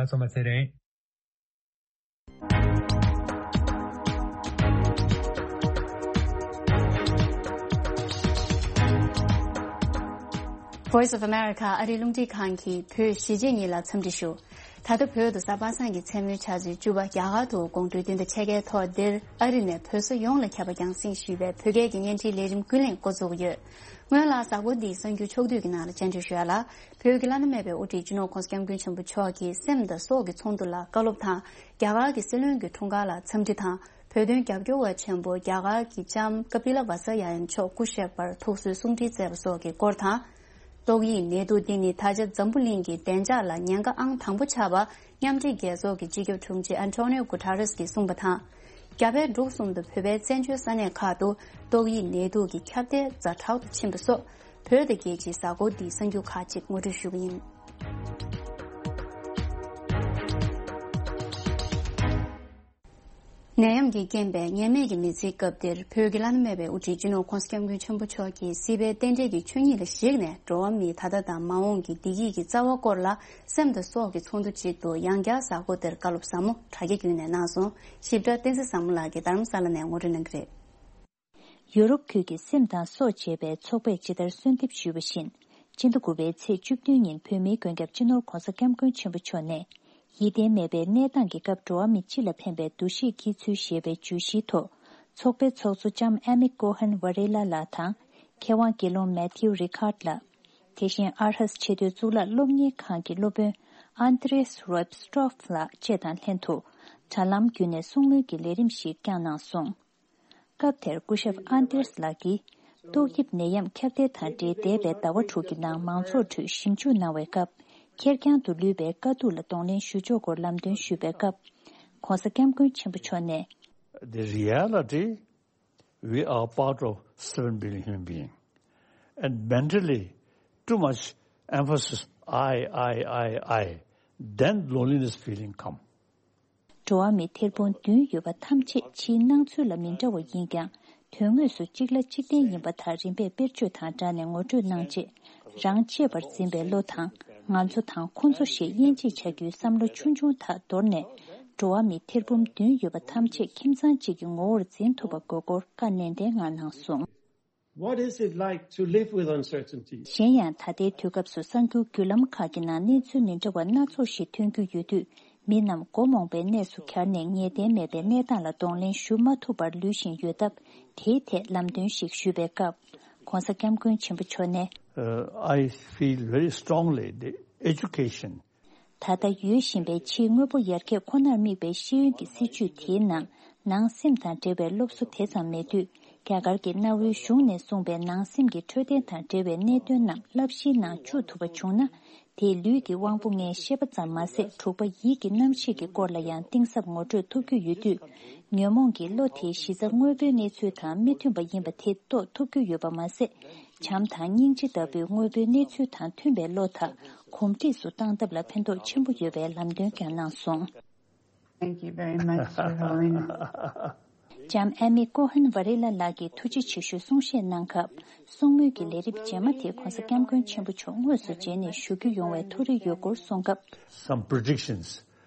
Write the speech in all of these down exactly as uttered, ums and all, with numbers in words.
ང་ཚོ་མ་ཚེ་རིང་། Voice of America ཨ་རིའི་རླུང་འཕྲིན་ཁང་གིས་བོད་གཞིས་བྱེས་གཉིས་ལ་འཚམས་འདྲི་ཞུ། ད་ལྟ་བོད་དུ་གཟའ་པ་སངས་ཀྱི་མཚན་མོའི་ཆུ་ཚོད་བཅུ་པ། རྒྱ་གར་དུ་དགོང་དྲོའི་བདུན་དང་ཕྱེད་ཀའི་ཐོག་འདིར་ཨ་རི་ནས་བོད་ས་ཡོངས་ལ་ཁྱབ་པ་རྒྱང་སྲིང་ཞུས་པའི་བོད་སྐད་ཀྱི་བརྙན་འཕྲིན་ལས་རིམ་ཀུན་གླེང་འགོ་འཛུགས་ཡོད། སྔོན་ལ་གཟའ་འཁོར་འདིའི་གསར་འགྱུར་ཕྱོགས་བསྡུས་ཀྱི་ནང་ལ་བཅར་འདྲི་ཞུ་ཡ་ལ། བོད་ཀྱི་བླ་ན་མེད་པའི་དབུ་ཁྲིད་སྤྱི་ནོར་༸གོང་ས་༸སྐྱབས་མགོན་ཆེན་པོ་མཆོག་གིས་སེམས་དང་སྲོག་གི་ཚོགས་འདུ་ལ་བཀའ་སློབ་དང་། རྒྱ་གར་གྱི་སྲིད་བློན་གྱི་འཁྲུངས་སྐར་ལ་འཚམས་འདྲི་དང་། བོད་དོན་རྒྱབ་སྐྱོར་བ་ཆེན་པོ་རྒྱ་གར་གྱི་ལྕམ་ཀ་པི་ལ་ཝ་ས་ཡ་ཡན་མཆོག་སྐུ་གཤེགས་པར་ཐུགས་གསོའི་གསུང་འཕྲིན་བསྩལ་བ་སོགས་ཀྱི་སྐོར་དང་། ཏོག་དབྱིབས་ནད་དུག་འདི་ནི་ད་ཆ་འཛམ་བུ་གླིང་གི་བདེ་འཇགས་ལ་ཉེན་ཁ་ཨང་དང་པོ་ཆགས་པ། མཉམ་འབྲེལ་རྒྱལ་ཚོགས་ཀྱི་སྤྱི་ཁྱབ་དྲུང་ཆེ་ཨན་ཊོ་ནིའོ་གུ་ཊ་རེས་ཀྱིས་གསུངས་པ་དང་། རྒྱ་བལ་འབྲུག་གསུམ་དུ་བོད་པའི་བཙན་བྱོལ་ས་གནས་ཁག་ཏུ་ཏོག་དབྱིབས་ནད་དུག་གི་ཁྱབ་གདལ་ཛ་དྲག་ཏུ་ཕྱིན་པ་སོགས། བོད་དང་རྒྱལ་སྤྱིའི་གཟའ་འཁོར་འདིའི་གསར་འགྱུར་ཁག་ཅིག་ངོ་སྤྲོད་ཞུ་གི་ཡིན། ནད་ཡམས་ཀྱི་རྐྱེན་པས་ངེས་མེད་ཀྱི་མི་ཚེའི་སྐབས་འདིར། བོད་ཀྱི་བླ་ན་མེད་པའི་དབུ་ཁྲིད་སྤྱི་ནོར་༸གོང་ས་༸སྐྱབས་མགོན་ཆེན་པོ་མཆོག་གིས་སྲིད་པའི་རྟེན་འབྲེལ་གྱི་ཆོས་ཉིད་ལ་གཞིགས་ནས། འགྲོ་བ་མིའི་ད་ལྟ་དང་མ་འོངས་ཀྱི་བདེ་སྐྱིད་ཀྱི་རྩ་བ་སྐོར་ལ། སེམས་དང་སྲོག་གི་ཚོགས་འདུ་ཅིག་ཏུ་ཡང་བསྐྱར་གཟའ་འཁོར་འདིར་བཀའ་སློབ་ཟབ་མོ་དྲ་རྒྱ་བརྒྱུད་ནས་གནང་སོང་། ཞིབ་ཕྲ་བསྟན་འཛིན་བཟང་མོ་ལགས་ཀྱིས་རྡ་རམ་ས་ལ་ནས་ངོ་སྤྲོད་གནང་གི་རེད། ཡུ་རོབ་ཁུལ་གྱི་སེམས་དང་སྲོག་ཅེས་པའི་ཚོགས་པས་ཇི་ལྟར་གསོལ་འདེབས་ཞུས་པ་བཞིན། སྤྱི་ཟླ་དགུ་པའི་ཚེས་བཅུ་བདུན་ཉིན་བོད་མིའི་མགོན་སྐྱབས་སྤྱི་ནོར་༸གོང་ས་༸སྐྱབས་མགོན་ཆེན་པོ་མཆོག་ནས། ཡིད་བརྟན་མེད་པའི་གནས་སྟངས་ཀྱི་སྐབས་འགྲོ་བ་མི་སྤྱི་ལ་ཕན་པའི་འདུ་ཤེས་སྐྱེ་ཚུལ་ཞེས་པའི་བརྗོད་གཞིའི་ཐོག། ཚོགས་པའི་ཚོགས་གཙོ་ལྕམ་ཨ་མི་ཀོ་ཧན་ཝ་རེ་ལ་ལགས་དང་། མཁས་དབང་དགེ་སློང་མེ་ཐིའུ་རི་ཁཱར་ལགས། དེ་བཞིན་ཨར་ཧས་ཆེས་མཐོའི་གཙུག་ལག་སློབ་གཉེར་ཁང་གི་སློབ་དཔོན་ཨན་ཏྲེས་རོབ་སྟྲོབ་ལགས་བཅས་དང་ལྷན་དུ། དྲ་ལམ་བརྒྱུད་ནས་གསུང་མོལ་གྱི་ལས་རིམ་ཞིག་བསྐྱངས་གནང་སོང་། སྐབས་དེར་སྐུ་ཞབས་ཨན་ཏེར་སི་ལགས་ཀྱིས། ཏོག་དབྱིབས་ནད་ཡམས་ཁྱབ་གདལ་དང་འབྲེལ་འདས་པའི་ཟླ་བ་དྲུག་གི་ནང་མང་ཚོགས་ཁྲོད་ཞིབ་འཇུག་གནང་བའི་སྐབས། ཁེར་རྐྱང་དུ་ལུས་པའི་དཀའ་སྡུག་ལ་གདོང་ལེན་ཞུ་ཕྱོགས་སྐོར་ལམ་སྟོན་ཞུས་པའི་སྐབས། ༸གོང་ས་༸སྐྱབས་མགོན་ཆེན་པོ་མཆོག་ནས། The reality, we are part of seven billion human being. And mentally, too much emphasis, I, I, I, I, then loneliness feeling come. འགྲོ་བ་མི་ཐེར་འབུམ་བདུན་ཡོད་པ་ཐམས་ཅད་ཕྱིའི་སྣང་ཚུལ་ལ་མི་འདྲ་བ་ཡིན་ཀྱང་། དོན་དངོས་སུ་གཅིག་ལ་གཅིག་བརྟེན་ཡིན་པ་དག་རིམ་པས་དཔེར་བརྗོད་དང་སྦྲགས་ནས་ངོ་སྤྲོད་གནང་རྗེས། རང་གཅེས་པར་འཛིན་པའི་བློ་དང་། ང་ཚོ་དང་ཁོ་ཚོ་ཞེས་དབྱེ་འབྱེད་བྱ་རྒྱུའི་བསམ་བློ་ཆུང་ཆུང་དག་དོར་ནས། འགྲོ་བ་མི་ཐེར་འབུམ་བདུན་ཡོད་པ་ཐམས་ཅད་ཁྱིམ་ཚང་གཅིག་གི་ངོ་བོར་འཛིན་ཐུབ་པ་དགོས་སྐོར་བཀའ་ནན་ཏན་ངང་གནང་སོང་། What is it like to live with uncertainty? གཞན་ཡང་ད་ལྟའི་དུས་སྐབས་སུ་གསར་འགྱུར་བརྒྱུད་ལམ་ཁག་གི་ནང་གནས་ཚུལ་མི་འདྲ་བ་སྣ་ཚོགས་ཤིག་ཐོན་རྒྱུ་ཡོད་དུས། མི་རྣམས་མགོ་རྨོངས་པའི་གནས་སུ་གྱར་ནས་ངེས་གཏན་མེད་པའི་གནས་སྟངས་ལ་གདོང་ལེན་ཞུ་མ་ཐུབ་པར་ལུས་བཞིན་ཡོད་སྟབས། དེའི་ཐད་ལམ་སྟོན་ཞིག་ཞུས་པའི་སྐབས། ༸གོང་ས་༸སྐྱབས་མགོན་ཆེན་པོ་མཆོག་ནས། Uh, I feel very strongly the education. ད་ལྟ་ཡོད་བཞིན་པའི་ཕྱིའི་དངོས་པོ་ཡར་རྒྱས་ཁོ་ནར་དམིགས་པའི་ཤེས་ཡོན་གྱི་སྲིད་བྱུས་དེའི་ནང་། ནང་སེམས་དང་འབྲེལ་བའི་སློབ་གསོ་དེ་ཙམ་མེད་དུས། རྒྱ་གར་གྱི་གནའ་བོའི་གཞུང་ནས་གསུངས་པའི་ནང་སེམས་ཀྱི་འཕྲོད་བསྟེན་དང་འབྲེལ་བའི་གནད་དོན་རྣམས་བསླབ་གཞིའི་ནང་བཅུག་ཐུབ་པ་བྱུང་ན། དེས་ལུས་ཀྱི་དབང་པོ་ལྔའི་ཤེས་པ་ཙམ་མ་ཟད། དྲུག་པ་ཡིད་ཀྱི་རྣམ་ཤེས་ཀྱི་སྐོར་ལ་ཡང་གཏིང་ཟབ་ངོ་སྤྲོད་ཐུབ་རྒྱུ་ཡོད་དུས། ཉོན་མོངས་ཀྱི་བློ་དེའི་གཞི་རྩ་དངོས་པོའི་གནས་ཚུལ་དང་མི་མཐུན་པ་ཡིན་པ་དེ་རྟོགས་ཐུབ་རྒྱུ་ཡོད་པ་མ་ཟད། བྱམས་དང་སྙིང་རྗེ་ལྟ་བུའི་དངོས་པོའི་གནས་ཚུལ་དང་མཐུན་པའི་བློ་དག་གོམས་འདྲིས་སུ་བཏང་ཐབས་ལ་ཕན་ཐོགས་ཆེན་པོ་ཡོད་པའི་ལམ་སྟོན་ཀྱང་གནང་སོང་། Thank you very much, Your Holiness. ལྕམ་ཨ་མི་ཀོ་ཧན་ཝ་རེ་ལ་ལགས་ཀྱིས་ཐུགས་རྗེ་ཆེ་ཞུའི་གསུང་བཤད་གནང་སྐབས། གསུང་མོལ་གྱི་ལས་རིམ་རྗེས་མ་དེ་༸གོང་ས་༸སྐྱབས་མགོན་ཆེན་པོ་མཆོག་དངོས་སུ་མཇལ་ནས་ཞུ་རྒྱུ་ཡོང་བའི་མཐོ་རིས་ཡོད་སྐོར་གསུངས་སྐབས། Some predictions,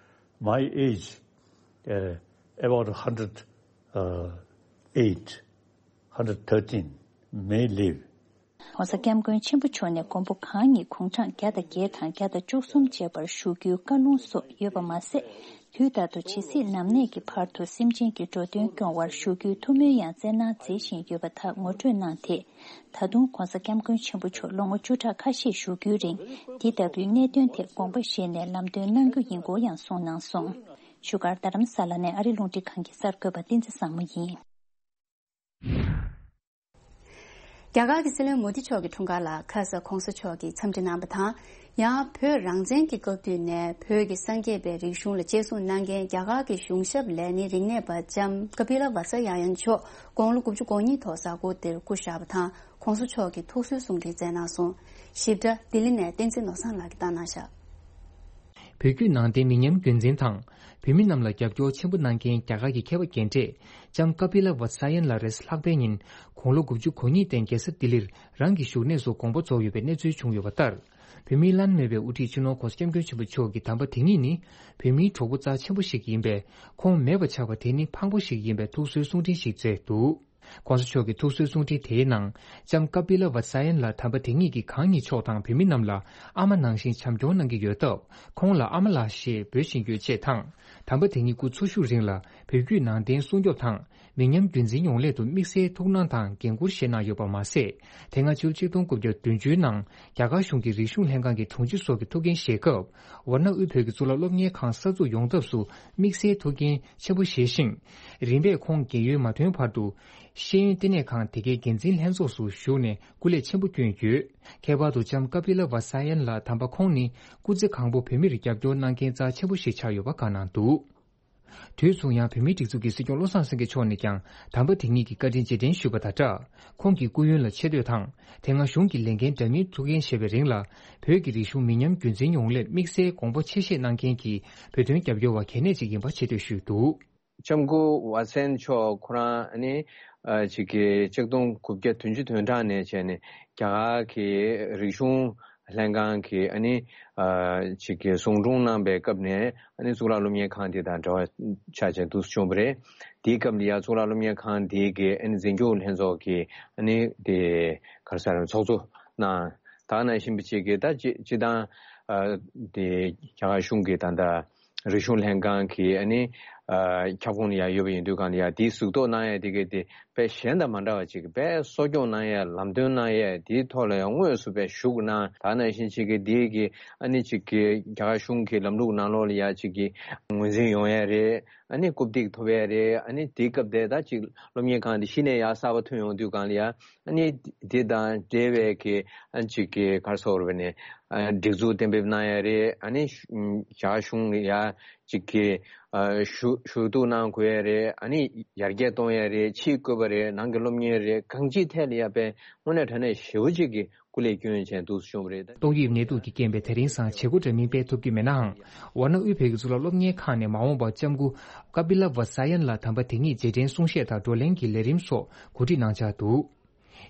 my age, uh, about a hundred, uh, eight, hundred thirteen may live. ༸གོང་ས་༸སྐྱབས་མགོན་ཆེན་པོ་མཆོག་ནས་མགོན་པོ་གང་ཉིད་དགུང་གྲངས་བརྒྱ་དང་བརྒྱད་དང་བརྒྱ་དང་བཅུ་གསུམ་བཅས་པར་བཞུགས་རྒྱུའི་བཀའ་ལུང་སོགས་ཡོད་པ་མ་ཟད། དུས་རྟག་ཏུ་ཇི་སྲིད་ནམ་གནས་ཀྱི་བར་དུ་སེམས་ཅན་གྱི་འགྲོ་དོན་སྐྱོང་བར་བཞུགས་རྒྱུའི་ཐུགས་སྨོན་ཡང་སྩལ་གནང་མཛད་བཞིན་ཡོད་པ་དག་ངོ་སྤྲོད་གནང་སྟེ། ད་དུང་༸གོང་ས་༸སྐྱབས་མགོན་ཆེན་པོ་མཆོག་ལོ་ངོ་བཅུ་ཕྲག་ཁ་ཤས་བཞུགས་རྒྱུའི་རིང་། འདི་ལྟ་བུའི་གནད་དོན་ཐད་དགོངས་པ་བཞེས་ནས་ལམ་སྟོན་གནང་རྒྱུ་ཡིན་སྐོར་ཡང་གསུངས་གནང་སོང་། བཞུགས་སྒར་རྡ་རམ་ས་ལ་ནས་ཨ་རི་རླུང་འཕྲིན་ཁང་གི་གསར་འགོད་པ་བསྟན་འཛིན་བཟང་མོ་ཡིན། རྒྱ་གར་གྱི་སྲིད་བློན་མོ་དི་མཆོག་གི་འཁྲུངས་སྐར་ལ་ཁ་ས་༸གོང་ས་མཆོག་གིས་འཚམས་འདྲི་གནང་བ་དང་། ཡང་བོད་རང་བཙན་གྱི་སྐབས་དུས་ནས་བོད་ཀྱི་སངས་རྒྱས་པའི་རིག་གཞུང་ལ་གཅེས་སྲུང་གནང་མཁན་རྒྱ་གར་གྱི་གཞུང་ཞབས་ལས་སྣེ་རིག་གནས་པ་ལྕམ་ཀ་པི་ལ་ཝ་ས་ཡ་ཡན་མཆོག་དགུང་ལོ་དགུ་བཅུ་གོ་གཉིས་ཐོག་གཟའ་འཁོར་འདིར་སྐུ་གཤེགས་པ་དང་། ༸གོང་ས་མཆོག་གིས་ཐུགས་གསོའི་གསུང་འཕྲིན་བསྩལ་གནང་སོང་། ཞིབ་ཕྲ་ལྡི་ལི་ནས་བསྟན་འཛིན་ནོར་བཟང་ལགས་ཀྱིས་བཏང་གནང་བཞག་བོད་བརྒྱུད་ནང་བསྟན་མི་ཉམས་རྒྱུན་འཛིན་དང་། བོད་མི་རྣམས་ལ་རྒྱབ་སྐྱོར་ཆེན་པོ་གནང་མཁན་རྒྱ་གར་གྱི་མཁས་པ་རྒན་གྲས་ལྕམ་ཀ་པི་ལ་ཝ་ས་ཡན་ལགས་རེས་ལྷག་པའི་ཉིན་དགུང་ལོ་དགུ་བཅུ་གོ་གཉིས་སྟེང་རྒྱལ་ས་ལྡི་ལིར་རང་གི་བཞུགས་གནས་སུ་དགོངས་པ་རྫོགས་ཡོད་པའི་གནས་ཚུལ་བྱུང་ཡོད་པ་ལྟར། བོད་མིའི་བླ་ན་མེད་པའི་དབུ་ཁྲིད་སྤྱི་ནོར་༸གོང་ས་༸སྐྱབས་མགོན་ཆེན་པོ་མཆོག་གི་དམ་པ་དེ་ཉིད་ནི་བོད་མིའི་གྲོགས་པོ་རྩ་ཆེན་པོ་ཞིག་ཡིན་པས། ཁོང་མེད་པ་ཆགས་པ་དེ་ནི་ཕངས་པོ་ཞིག་ཡིན་པའི་ཐུགས་གསོའི་གསུང་འཕྲིན་ཞིག་བསྩལ་འདུག ༸གོང་ས་མཆོག་གི་ཐུགས་གསོའི་གསུང་འཕྲིན་དེའི་ནང་། ལྕམ་ཀ་པི་ལ་ཝ་ས་ཡན་ལགས་དམ་པ་དེ་ཉིད་ཀྱིས་གང་ཉིད་མཆོག་དང་བོད་མི་རྣམས་ལ་ཨ་མ་ནང་བཞིན་བྱམས་སྐྱོང་གནང་གི་ཡོད་སྟབས། ཁོང་ལ་ཨ་མ་ལགས་ཞེས་འབོད་བཞིན་ཡོད་ཅེས་དང་། དམ་པ་དེ་ཉིད་སྐུ་འཚོ་བཞུགས་རིང་ལ་བོད་བརྒྱུད་ནང་བསྟན་སྲུང་སྐྱོབ་དང་། མི་ཉམས་རྒྱུན་འཛིན་ཡོང་སླད་དུ་དམིགས་བསལ་ཐུགས་སྣང་དང་འགན་འཁུར་བཞེས་གནང་ཡོད་པ་མ་ཟད། དེ་སྔ་ཕྱི་ལོ་ཆིག་སྟོང་དགུ་བརྒྱ་བདུན་ཅུ་ནང་རྒྱ་གར་གཞུང་གི་རིག་གཞུང་ལྷན་ཁང་གི་དྲུང་ཆེ་སོགས་ཀྱི་ཐུགས་འགན་བཞེས་སྐབས། ཝར་ཎ་དབུས་བོད་ཀྱི་གཙུག་ལག་སློབ་གཉེར་ཁང་གསར་འཛུགས་ཡོང་ཐབས་སུ་དམིགས་བསལ་ཐུགས་འགན་ཆེན་པོ་བཞེས་ཤིང་། རིམ་པས་ཁོང་རྒས་ཡོལ་མ་ཐོན་བར་དུ། ཤེས་ཡོན་ལྟེ་གནས་ཁང་དེ་གའི་འགན་འཛིན་ལྷན་ཚོགས་སུ་ཞུགས་ནས་སྐུ་ལས་ཆེན་པོ་བསྐྱོན་ཡོད། ཁྱད་པར་དུ་ལྕམ་ཀ་པི་ལ་ཝ་ས་ཡན་ལགས་དམ་པ་ཁོང་ནི་སྐུ་ཚེ་གང་པོ་བོད་མིར་རྒྱབ་སྐྱོར་གནང་མཁན་རྩ་ཆེན་པོ་ཞིག་ཆགས་ཡོད་པ་བཀའ་གནང་འདུག་དུས་མཚུངས་ཡང་བོད་མིའི་སྒྲིག་འཛུགས་ཀྱི་སྲིད་སྐྱོང་བློ་བཟང་སེང་གེ་མཆོག་ནས་ཀྱང་དམ་པ་དེ་ཉིད་ཀྱི་བཀའ་དྲིན་རྗེས་དྲན་ཞུས་པ་དང་སྦྲགས། ཁོང་གི་སྐུ་ཡོན་ལ་ཆེ་བསྟོད་དང་། དེ་སྔ་གཞུང་གི་ལས་འགན་འདྲ་མིན་ཐུགས་འགན་བཞེས་པའི་རིང་ལ། བོད་ཀྱི་རིག་གཞུང་མི་ཉམས་རྒྱུན་འཛིན་ཡོང་སླད་དམིགས་བསལ་དགོངས་པ་ཆེ་བཞེས་གནང་མཁན་གྱི་བོད་དོན་རྒྱབ་སྐྱོར་བ་གལ་གནད་ཅིག་ཡིན་པ་ཆེ་བསྟོད་ཞུས་འདུག་ལྕམ་སྐུ་ཝ་སན་མཆོག་ཁོ་རང་ཨ་ནི་ཨ་ཅིག་གི་ཆིག་སྟོང་དགུ་བརྒྱ་བདུན་ཅུ་དོན་གྲངས་ནས་བྱས་ནས་རྒྱ་གར་གྱི་རིག་གཞུང་ལྷན་ཁང་གི་ཨ་ནི་ཨ་ཅིག་གི་ཟུང་དྲུང་གནང་པའི་སྐབས་ནས་ཨ་ནི་གཙུག་ལག་སློབ་གཉེར་ཁང་དེ་དང་འབྲེལ་བ་ཆགས་བྱས་འདུག་སེ་བྱུང་བ་རེད། དེའི་སྐབས་ལ་ཡ་གཙུག་ལག་སློབ་གཉེར་ཁང་དེ་གི་ཨ་ནི་འཛིན་སྐྱོང་ལྷན་ཚོགས་ཀྱི་ཨ་ནི་དེ་ག་རེ་ཟེར་ཚོགས་གཙོ་གནང་། ད་ག་ནང་བཞིན་པ་ཅིག་གི་ད་སྤྱི་སྤྱི་བཏང་ཨ་དེ་རྒྱ་གར་གཞུང་གི་ད་ལྟ། རིག་གཞུང་ལྷན་ཁང་གི་ཨ་ནི་ཨ་ཁྱབ་ཁོངས་ལ་ཡང་ཡོད་པ་ཡིན་དུས་གང་ལ་ཡང་དེའི་གཟིགས་རྟོག་གནང་ཡ་དེ་གའི་དེ་དཔེ་གཞན་དང་མ་འདྲ་བ་ཅིག་དཔེ་གསོ་སྐྱོང་གནང་ཡ་ལམ་སྟོན་གནང་ཡ་དེའི་ཐོག་ལ་ཡང་དངོས་སུ་དཔེ་ཞུགས་གནང་། ད་ནང་བཞིན་ཅིག་གི་དེའི་གི་ཨ་ནི་ཅིག་གི་རྒྱ་གར་གཞུང་གི་ལམ་ལུགས་ནང་ལོགས་ལ་ཡ་ཅིག་གི་ངོས་འཛིན་ཡོང་ཡ་རེད། ཨ་ནི་རྐུབ་སྟེགས་ཐོབ་ཡ་རེད། ཨ་ནི་དེའི་སྐབས་དེ་ད་ཅིག་སློབ་གཉེར་ཁང་དེ་གཞི་ནས་ཡ་གསར་པ་ཐོན་ཡོང་དུས་གང་ལ་ཡ། ཨ་ནི་དེ་དང་འབྲེལ་བའི་གི་ཨ་ཅིག་གི་ག་རེ་ཟེར་བ་ནི་ཨ་སྒྲིག་འཛུགས་གཏན་འབེབས་གནང་ཡ་རེད། ཨ་ནི་རྒྱ་གཞུང་ཡ་ཅིག་གི་ཨ་ཞུ་ཞུ་གཏུག་གནང་དགོས་ཡ་རེད། ཨ་ནི་ཡར་རྒྱས་གཏོང་ཡ་རེད། ཕྱིའི་བཀོད་པ་རེད། ནང་གི་སློབ་གཉེར་རེད། གང་ཅིའི་ཐད་ལ་ཡ་དཔེ་དངོས་གནས་དྲང་གནས་ཞེ་པོ་ཅིག་གི་སྐུ་ལས་བསྐྱོན་བྱས་འདུག་སེ་བྱུང་བ་རེད། ཏོག་དབྱིབས་ནད་དུག་གི་རྐྱེན་པས་དེ་རིང་སང་བྱེད་སྒོ་འདྲ་མིན་སྤེལ་ཐུབ་ཀྱི་མེད་ནའང་། ཝཱ་ཎ་དབུས་བོད་ཀྱི་གཙུག་ལག་སློབ་གཉེར་ཁང་ནས་མ་འོངས་པར་ལྕམ་སྐུ་ཀ་པི་ལ་ཝ་ས་ཡན་ལགས་དམ་པ་དེ་ཉིད་རྗེས་དྲན་གསུང་བཤད་དང་བགྲོ་གླེང་གི་ལས་རིམ་སོགས་གོ་སྒྲིག་གནང་འཆར་འདུག་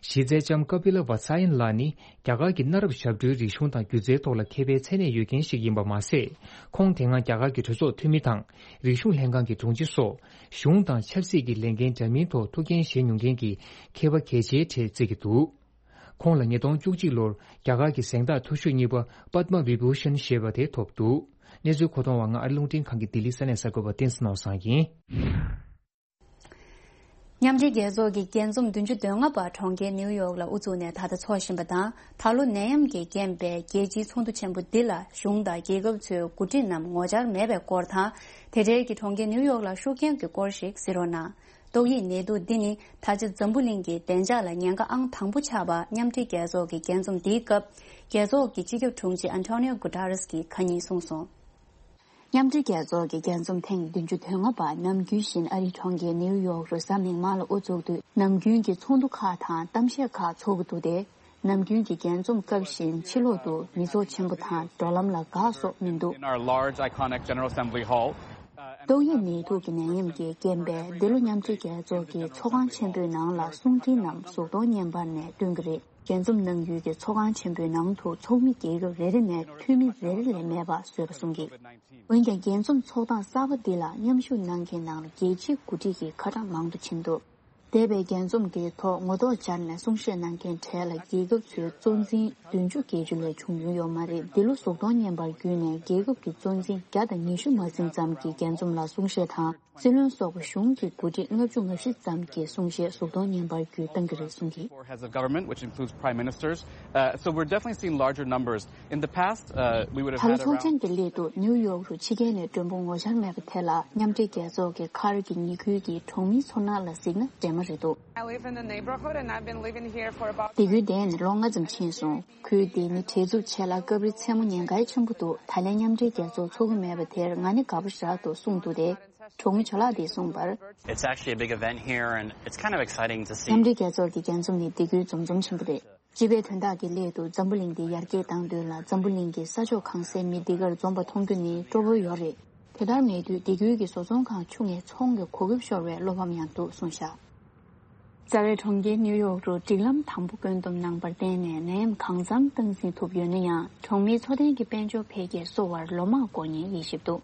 གཞི་རྩའི་ལྕམ་ཀ་པི་ལ་ཝ་ས་ཡན་ལགས་ནི་རྒྱ་གར་གྱི་གནའ་རབས་ཞབས་བྲོའི་རིག་གཞུང་དང་སྒྱུ་རྩལ་ཐོག་ལ་མཁས་པའི་མཚན་གནས་ཡོད་མཁན་ཞིག་ཡིན་པ་མ་ཟད། ཁོང་དེ་སྔ་རྒྱ་གར་གྱི་གྲོས་ཚོགས་འཐུས་མི་དང་རིག་གཞུང་ལྷན་ཁང་གི་དྲུང་ཆེ་སོགས་གཞུང་དང་ཆབ་སྲིད་ཀྱི་ལས་འགན་འདྲ་མིན་ཐོག་ཐུགས་འགན་བཞེས་མྱོང་མཁན་གྱི་མཁས་པ་གལ་ཆེའི་གྲས་བརྩི་གི་འདུག་ཁོང་ལ་ཉིས་སྟོང་བཅུ་གཅིག་ལོར་རྒྱ་གར་གྱི་གཟེངས་རྟགས་མཐོ་ཤོས་གཉིས་པ་པདྨ་བི་བྷུ་ཤན་ཞེས་པ་དེ་ཐོབ་འདུག་གནས་ཚུལ་མཁོ་གཏོང་བ་ང་ཨ་རི་རླུང་འཕྲིན་ཁང་གི་ལྡི་ལི་ས་གནས་གསར་འགོད་པ་བསྟན་འཛིན་ནོར་བཟང་ཡིན། མཉམ་འབྲེལ་རྒྱལ་ཚོགས་ཀྱི་རྒྱས་འཛོམས་བདུན་ཅུ་དོན་ལྔ་པ་གྲོང་ཁྱེར་ནིའུ་ཡོག་ལ་དབུ་བཙུགས་ནས་ད་ལྟ་འཚོགས་བཞིན་པ་དང་། ད་ལོ་ནད་ཡམས་ཀྱི་རྐྱེན་པས་རྒྱལ་སྤྱིའི་ཚོགས་འདུ་ཆེན་པོ་འདི་ལ་གཞུང་དང་རྒྱལ་ཁབ་ཚོའི་འགོ་ཁྲིད་རྣམས་ངོ་བཅར་མེད་པའི་སྐོར་དང་། དེ་འབྲེལ་གྱི་གྲོང་ཁྱེར་ནིའུ་ཡོག་ལ་ཤུགས་རྐྱེན་གྱི་སྐོར་ཞིག་གཟིགས་རོགས་གནང་། ཏོག་དབྱིབས་ནད་དུག་འདི་ནི་ད་ཆ་འཛམ་བུ་གླིང་གི་བདེ་འཇགས་ལ་ཉེན་ཁ་ཨང་དང་པོ་ཆགས་པ་མཉམ་འབྲེལ་རྒྱལ་ཚོགས་ཀྱི་རྒྱས་འཛོམས་འདིའི་སྐབས་རྒྱལ་ཚོགས་ཀྱི་སྤྱི་ཁྱབ་དྲུང་ཆེ་ཨན་ཐོ་ནིའོ་གུ་ཏ་རེས་ཀྱིས་ཁ་ཉིན་གསུངས་སོང་། མཉམ་འབྲེལ་རྒྱལ་ཚོགས་ཀྱི་རྒྱས་འཛོམས་ཐེངས་བདུན་ཅུ་དོན་ལྔ་པ་ནམ་རྒྱུན་བཞིན་ཨ་རིའི་གྲོང་ཁྱེར་ནིའུ་ཡོག་རུ་གཟའ་མིག་དམར་ལ་དབུ་འཛུགས་དུས། ནམ་རྒྱུན་གྱི་ཚོགས་འདུ་ཁག་དང་གཏམ་བཤད་ཁག་འཚོགས་ཀྱི་འདུག་སྟེ། ནམ་རྒྱུན་གྱི་རྒྱས་འཛོམས་སྐབས་བཞིན་ཕྱི་ལོག་ཏུ་མི་ཚོགས་ཆེན་པོ་དང་འགྲོ་ལམ་ལ་འགག་སོགས་མི་འདུག In our large, iconic General Assembly Hall. ཏོག་དབྱིབས་ནད་དུག་གི་ནད་ཡམས་ཀྱི་རྐྱེན་པས་འདི་ལོ་མཉམ་འབྲེལ་རྒྱལ་ཚོགས་ཀྱི་ཚོགས་ཁང་ཆེན་པོའི་ནང་ལ་གསུང་འཕྲིན་རྣམས་གཟུགས་མཐོང་བརྙན་པར་ནས་སྟོན་གྱི་རེད། རྒྱས་འཛོམས་གནང་ཡུལ་གྱི་ཚོགས་ཁང་ཆེན་པོའི་ནང་དུ་ཚོགས་མི་རྒྱལ་ཁབ་རེ་རེ་ནས་འཐུས་མི་རེ་རེ་ལས་མེད་པ་བཟོས་པ་གསུང་གི། འོན་ཀྱང་རྒྱས་འཛོམས་ཚོགས་སྟངས་གསར་པ་འདི་ལ་མཉམ་ཞུགས་གནང་མཁན་ནང་ལ་རྒྱལ་སྤྱིའི་འགོ་ཁྲིད་ཀྱི་ཁ་གྲངས་མང་དུ་ཕྱིན་འདུག་འདས་པའི་རྒྱས་འཛོམས་དེའི་ཐོག་ངོ་ཐོག་སྦྱར་ནས་གསུང་བཤད་གནང་མཁན་གྲས་ལ་རྒྱལ་ཁབ་ཚོའི་གཙོ་འཛིན་བདུན་ཅུ་བརྒལ་རྒྱུ་ལས་བྱུང་མྱོང་ཡོད་མ་རེད། འདི་ལོ་གཟུགས་མཐོང་བརྙན་པར་བརྒྱུད་ནས་རྒྱལ་ཁབ་ཀྱི་གཙོ་འཛིན་བརྒྱ་དང་ཉི་ཤུ་མ་ཟིན་ཙམ་གྱིས་རྒྱས་འཛོམས་ལ་གསུང་བཤད་དང་། སྲིད་བློན་སོགས་པ་གཞུང་གི་འགོ་ཁྲིད་ལྔ་བཅུ་ང་བཞི་ཙམ་གྱིས་གསུང་བཤད་གཟུགས་མཐོང་བརྙན་པར་བརྒྱུད་བཏང་གི་རེད་གསུངས་ཀྱིས། Four heads of government, which includes prime ministers. Uh, so we're definitely seeing larger numbers. In the past, uh, we would have ད་ལོ་had ཚོགས་around ཆེན་གྱི་སླད་དུ་ནིའུ་ཡོག་རུ་ཕྱི་རྒྱལ་ནས་མགྲོན་པོ་ངོ་བཅར་མེད་པ་དེ་ལ་མཉམ་འབྲེལ་རྒྱལ་ཚོགས་ཀྱི་མཁར་གྱི་ཉེ་ཁུལ་གྱི་གྲོང་མིའི་ཚོར་སྣང་ལ་གཟིགས་ན་འདྲེས་མ་རེད་འདུག I live in the neighborhood and I've been living here for about སྡེ་ཁུལ་འདིར་ནི་ལོ་ལྔ་ཙམ་ཕྱིན་སོང་། ཁུལ་འདི་ནི་བྲེལ་འཚུབ་ཆེ་ལ་སྐབས་རེ་མཚན་མོ་ཉེན་ཁ་ཆེན་པོ་འདུག་ད་ལན་མཉམ་འབྲེལ་རྒྱལ་ཚོགས་འཚོགས་ཀྱི་མེད་པ་དེར་ང་ནི་དགའ་པོ་ཞེ་དྲག་འདུག་གསུངས་འདུག་སྟེ། གྲོང་མི་ཇོ་ལགས་དེས་གསུངས་པར། It's actually a big event here and it's kind of exciting to see. མཉམ་འབྲེལ་རྒྱལ་ཚོགས་ཀྱི་རྒྱས་འཛོམས་ནི་སྡེ་ཁུལ་འཛོམས་འཛོམས་ཆེན་པོ་རེད། སྤྱི་པའི་དོན་དག་གི་སླད་དུ་འཛམ་བུ་གླིང་འདི་ཡར་རྒྱས་གཏང་དོན་ལ་འཛམ་བུ་གླིང་གི་ས་ཕྱོགས་གང་སའི་མི་འདི་གར་འཛོམས་པ་མཐོང་རྒྱུ་ནི་སྤྲོ་པོ་ཡོད་རེད། དེ་ལྟར་མེད་དུས་སྡེ་ཁུལ་གྱི་བཟོ་ཚོང་ཁང་ཆུང་ངེ་ཚོང་གི་གོ་སྐབས་ཤོར་བའི་བློ་ཕམ་ཡང་འདུག་གསུངས་བཞག་རྩ་བའི་གྲོང་ཁྱེར་ནིའུ་ཡོག་རུ་སྒྲིག་ལམ་དམ་པོ་བཀོད་འདོམས་གནང་པར་བརྟེན་ནས་ནད་ཡམས་གང་འཚམ་སྟངས་འཛིན་ཐུབ་ཡོད་ན་ཡང་། གྲོང་མིའི་འཚོ་རྟེན་གྱི་དཔལ་འབྱོར་འཕེལ་རྒྱས་གསོ་བར་ལོ་མང་འགོར་ཉེན་ཡོད་ཞིབ་འདུག་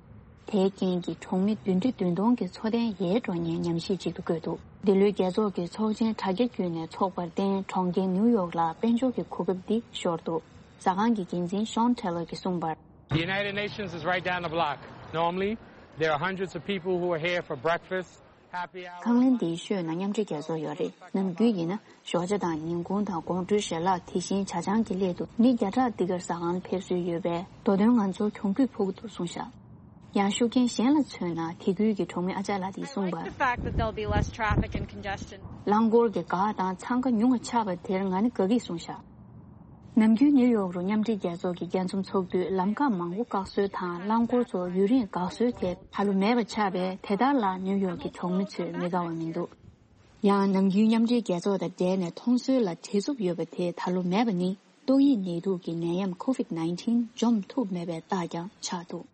དེའི་རྐྱེན་གྱིས་གྲོང་མི་བདུན་ཁྲི་བདུན་སྟོང་གི་འཚོ་རྟེན་ཡལ་འགྲོ་ཉེན་ཉམས་ཞིབ་ཅིག་ཏུ་བཀོད་འདུག་འདི་ལོའི་རྒྱལ་ཚོགས་ཀྱི་ཚོགས་ཆེན་དྲ་རྒྱ་བརྒྱུད་ནས་འཚོགས་པར་བརྟེན། གྲོང་ཁྱེར་ནིའུ་ཡོག་ལ་དཔལ་འབྱོར་གྱི་གོ་སྐབས་འདི་ཤོར་འདུག་ཟ་ཁང་གི་འགན་འཛིན་ཤོན་ཊེ་ལར་གྱིས་གསུངས་པར། The United Nations is right down the block. Normally, there are hundreds of people who are here for breakfast, happy hour. ཁང་གླིང་འདིའི་ཤོད་ན་མཉམ་འབྲེལ་རྒྱལ་ཚོགས་ཡོད་རེད། ནམ་རྒྱུན་ཡིན་ན་ཞོགས་ཇ་དང་ཉིན་གུང་དང་དགོང་དྲོའི་ཞལ་ལག་དེ་བཞིན་ཇ་ཆང་གི་སླད་དུ་མི་བརྒྱ་ཕྲག་འདི་གར་ཟ་ཁང་ཕེབས་སྲོལ་ཡོད་པས། མདོ་དོན་ང་ཚོར་གྱོང་གུད་ཕོག་གི་འདུག་གསུངས་བཞག་ཡང་ཤུགས་རྐྱེན་གཞན་ལ་མཚོན་ན། དེ་ཁུལ་གྱི་གྲོང་མི་ཨ་ཅག་ལགས་ཀྱིས་གསུངས་པར། The fact that there'll be less traffic and congestion. རླངས་འཁོར་གྱི་འགག་དང་འཚང་ཁ་ཉུང་བ་ཆགས་པ་དེར་ང་ནི་དགའ་གི་གསུངས་བཞག་ནམ་རྒྱུན་ནིའུ་ཡོག་རུ་མཉམ་འབྲེལ་རྒྱལ་ཚོགས་ཀྱི་རྒྱལ་འཛོམས་ཚོགས་དུས་ལམ་ཁ་མང་པོ་བཀག་སྲོལ་དང་། རླངས་འཁོར་ཚོ་ཡུན་རིང་འགག་སྲོལ་དེ་ད་ལོ་མེད་པ་ཆགས་པས། དེ་ལྟར་ལ་ནིའུ་ཡོག་གི་གྲོང་མི་ཚོས་མི་དགའ་བ་མི་འདུག་ཡང་ནམ་རྒྱུན་མཉམ་འབྲེལ་རྒྱལ་ཚོགས་དང་འབྲེལ་ནས་མཐོང་སྲོལ་ལ་བྲེལ་འཚུབ་ཡོད་པ་དེ་ད་ལོ་མེད་པ་ནི། ཏོག་དབྱིབས་ནད་དུག་གི་ནད་ཡམས་ཁོ་ཝིད་ནའིན་ཊིན་འཇོམས་ཐུབ་མེད་པའི་རྟགས་ཀྱང་ཆགས་འདུག་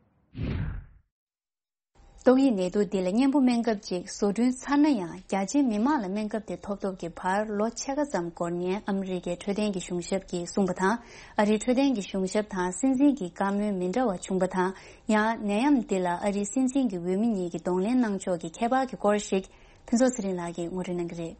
ཏོག་དབྱིབས་ནད་དུག་འདི་ལ་གཉེན་པོ་སྨན་ཁབ་ཅིག་བཟོ་སྐྲུན་ཚར་ན་ཡང་། རྒྱ་ཆེའི་མི་མང་ལ་སྨན་ཁབ་དེ་ཐོབ་ཐབས་ཀྱི་བར་ལོ་ཕྱེད་ཀ་ཙམ་འགོར་ཉེན་ཨ་མི་རི་ཀའི་འཕྲོད་བསྟེན་གྱི་གཞུང་ཞབས་ཀྱིས་གསུངས་པ་དང་། ཨ་རིའི་འཕྲོད་བསྟེན་གྱི་གཞུང་ཞབས་དང་སྲིད་འཛིན་གྱི་བཀའ་མོལ་མི་འདྲ་བ་བྱུང་པ་དང་། ཡང་ནད་ཡམས་འདི་ལ་ཨ་རིའི་སྲིད་འཛིན་གྱི་འོས་མི་གཉིས་ཀྱིས་གདོང་ལེན་གནང་ཕྱོགས་ཀྱི་ཁྱད་པར་གྱི་སྐོར་ཞིག་ཕུན་ཚོགས་ཚེ་རིང་ལགས་ཀྱིས་ངོ་སྤྲོད་གནང་གི་རེད།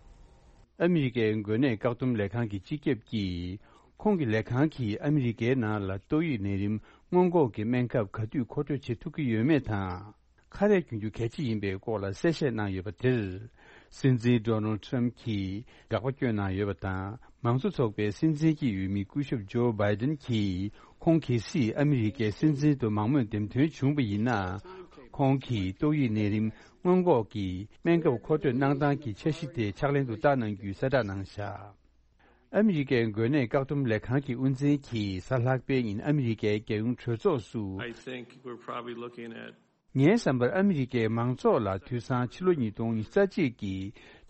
ཨ་མི་རི་ཀའི་འགོས་ནད་བཀག་སྡོམ་ལས་ཁང་གི་སྤྱི་ཁྱབ་ཀྱིས། ཁོང་གི་ལས་ཁང་གིས་ཨ་མི་རི་ཀའི་ནང་ལ་ཏོག་དབྱིབས་ནད་རིམས་སྔོན་འགོག་གི་སྨན་ཁབ་ག་དུས་མཁོ་སྤྲོད་བྱེད་ཐུབ་ཀྱི་ཡོད་མེད་དང་། ཁ་རས་གྱོན་རྒྱུ་གལ་ཆེ་ཡིན་པའི་སྐོར་ལ་གསལ་བཤད་གནང་ཡོད་པ་དེར། སྲིད་འཛིན་ཌོ་ནལ་ཌི་ཊརམ་ཕི་གྱིས་དགག་པ་བསྐྱོན་གནང་ཡོད་པ་དང་། མང་གཙོ་ཚོགས་པའི་སྲིད་འཛིན་གྱི་འོས་མི་སྐུ་ཞབས་ཇོ་བྷའི་ཌེན་གྱིས། ཁོང་གལ་སྲིད་ཨ་མི་རི་ཀའི་སྲིད་འཛིན་དུ་མང་མོས་འདེམས་ཐོན་བྱུང་བ་ཡིན་ན། ཁོང་གིས་ཏོག་དབྱིབས་ནད་རིམས་སྔོན་འགོག་གི་སྨན་ཁབ་མཁོ་སྤྲོད་གནང་སྟངས་ཀྱི་འཆར་གཞི་དེ་ཕྱག་ལེན་དུ་བསྟར་གནང་རྒྱུའི་གསལ་བསྒྲགས་གནང་བཞག་ཨ་མི་རི་ཀའི་འགོས་ནད་བཀག་སྡོམ་ལས་ཁང་གི་དབུ་འཛིན་གྱིས་གཟའ་ལྷག་པའི་ཉིན་ཨ་མི་རི་ཀའི་རྒྱལ་ཡོངས་གྲོས་ཚོགས་སུ། I think we're probably looking at ངའི་བསམ་པར་ཨ་མི་རི་ཀའི་མང་ཚོགས་ལ་དུས་སང་ཕྱི་ལོ་ཉིས་སྟོང་ཉི་ཤུ་རྩ་གཅིག་གི་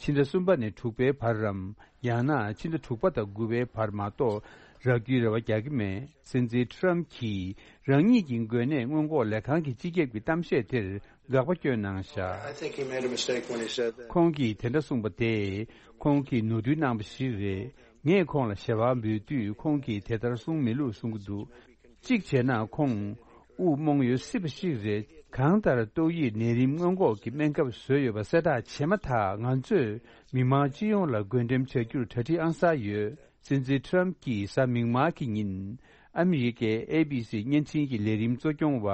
ཕྱི་ཟླ་གསུམ་པ་ནས་དྲུག་པའི་བར་རམ། ཡང་ན་ཕྱི་ཟླ་དྲུག་པ་དང་དགུ་པའི་བར་མ་གཏོགས་རག་རྒྱུའི་རེ་བ་རྒྱག་གི་མེད། སྲིད་འཛིན་ཊརམ་གྱིས་རང་ཉིད་ཀྱི་འགོས་ནད་སྔོན་འགོག་ལས་ཁང་གི་སྤྱི་ཁྱབ་ཀྱི་གཏམ་བཤད་དེར་དགག་པ་བསྐྱོན་གནང་བཞག I think he made a mistake when he said that. ཁོང་གིས་དེ་འདྲ་གསུངས་པ་དེས་ཁོང་གིས་ནོར་འཁྲུལ་གནང་པ་ཞིག་རེད། ངས་ཁོང་ལ་ཞེ་བ་འབུལ་དུས་ཁོང་གིས་དེ་ལྟར་གསུངས་མེད་ལུགས་གསུང་གི་འདུག་གཅིག་བྱས་ན་ཁོང་དབུགས་རྨོངས་ཡོད་སྲིད་པ་ཞིག་རེད། གང་ལྟར་ཏོག་དབྱིབས་ནད་རིམས་སྔོན་འགོག་གི་སྨན་ཁབ་བཟོས་ཡོད་པ་གསལ་བསྒྲགས་བྱས་མ་ཐག་ང་ཚོས་མི་མང་སྤྱི་ཡོངས་ལ་བགོ་འགྲེམས་བྱ་རྒྱུར་གྲ་སྒྲིག་ཨང་གསར་ཡོད། སྲིད་འཛིན་ཊརམ་གྱིས་གཟའ་མིག་དམར་གྱི་ཉིན་ཨ་མི་རི་ཀའི་ཨེ་བི་སི་བརྙན་འཕྲིན་གྱི་ལས་རིམ་གཙོ་སྐྱོང་བ་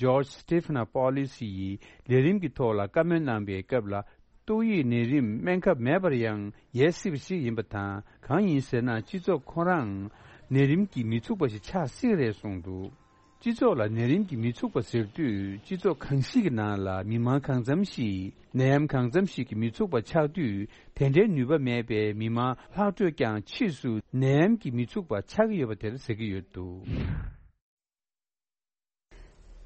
ཇོརྗ་སི་ཊི་ཕི་ན་པོ་ལི་སི་ཡིས་ལས་རིམ་གྱི་ཐོག་ལ་བཀའ་མོལ་གནང་པའི་སྐབས་ལ། ཏོག་དབྱིབས་ནད་རིམས་སྨན་ཁབ་མེད་པར་ཡང་ཡལ་སྲིད་པ་ཞིག་ཡིན་པ་དང་། གང་ཡིན་ཟེར་ན། སྤྱི་ཚོགས་ཁོ་རང་ནད་རིམས་ཀྱིས་མི་ཚུགས་པ་ཞིག་ཆགས་སྲིད་རེད་གསུངས་འདུག་སྤྱི་ཚོགས་ལ་ནད་རིམས་ཀྱིས་མི་ཚུགས་པ་ཟེར་དུས། སྤྱི་ཚོགས་གང་ཞིག་གི་ནང་ལ་མི་མང་གང་འཚམ་ཞིག་ནད་ཡམས་གང་འཚམ་ཞིག་གིས་མི་ཚུགས་པ་ཆགས་དུས། དེ་འདྲའི་ནུས་པ་མེད་པའི་མི་མང་ལྷག་འཕྲོས་ཀྱང་ཕྱིས་སུ་ནད་ཡམས་ཀྱིས་མི་ཚུགས་པ་ཆགས་ཀྱི་ཡོད་པ་དེར་ཟེར་གྱི་ཡོད་འདུག་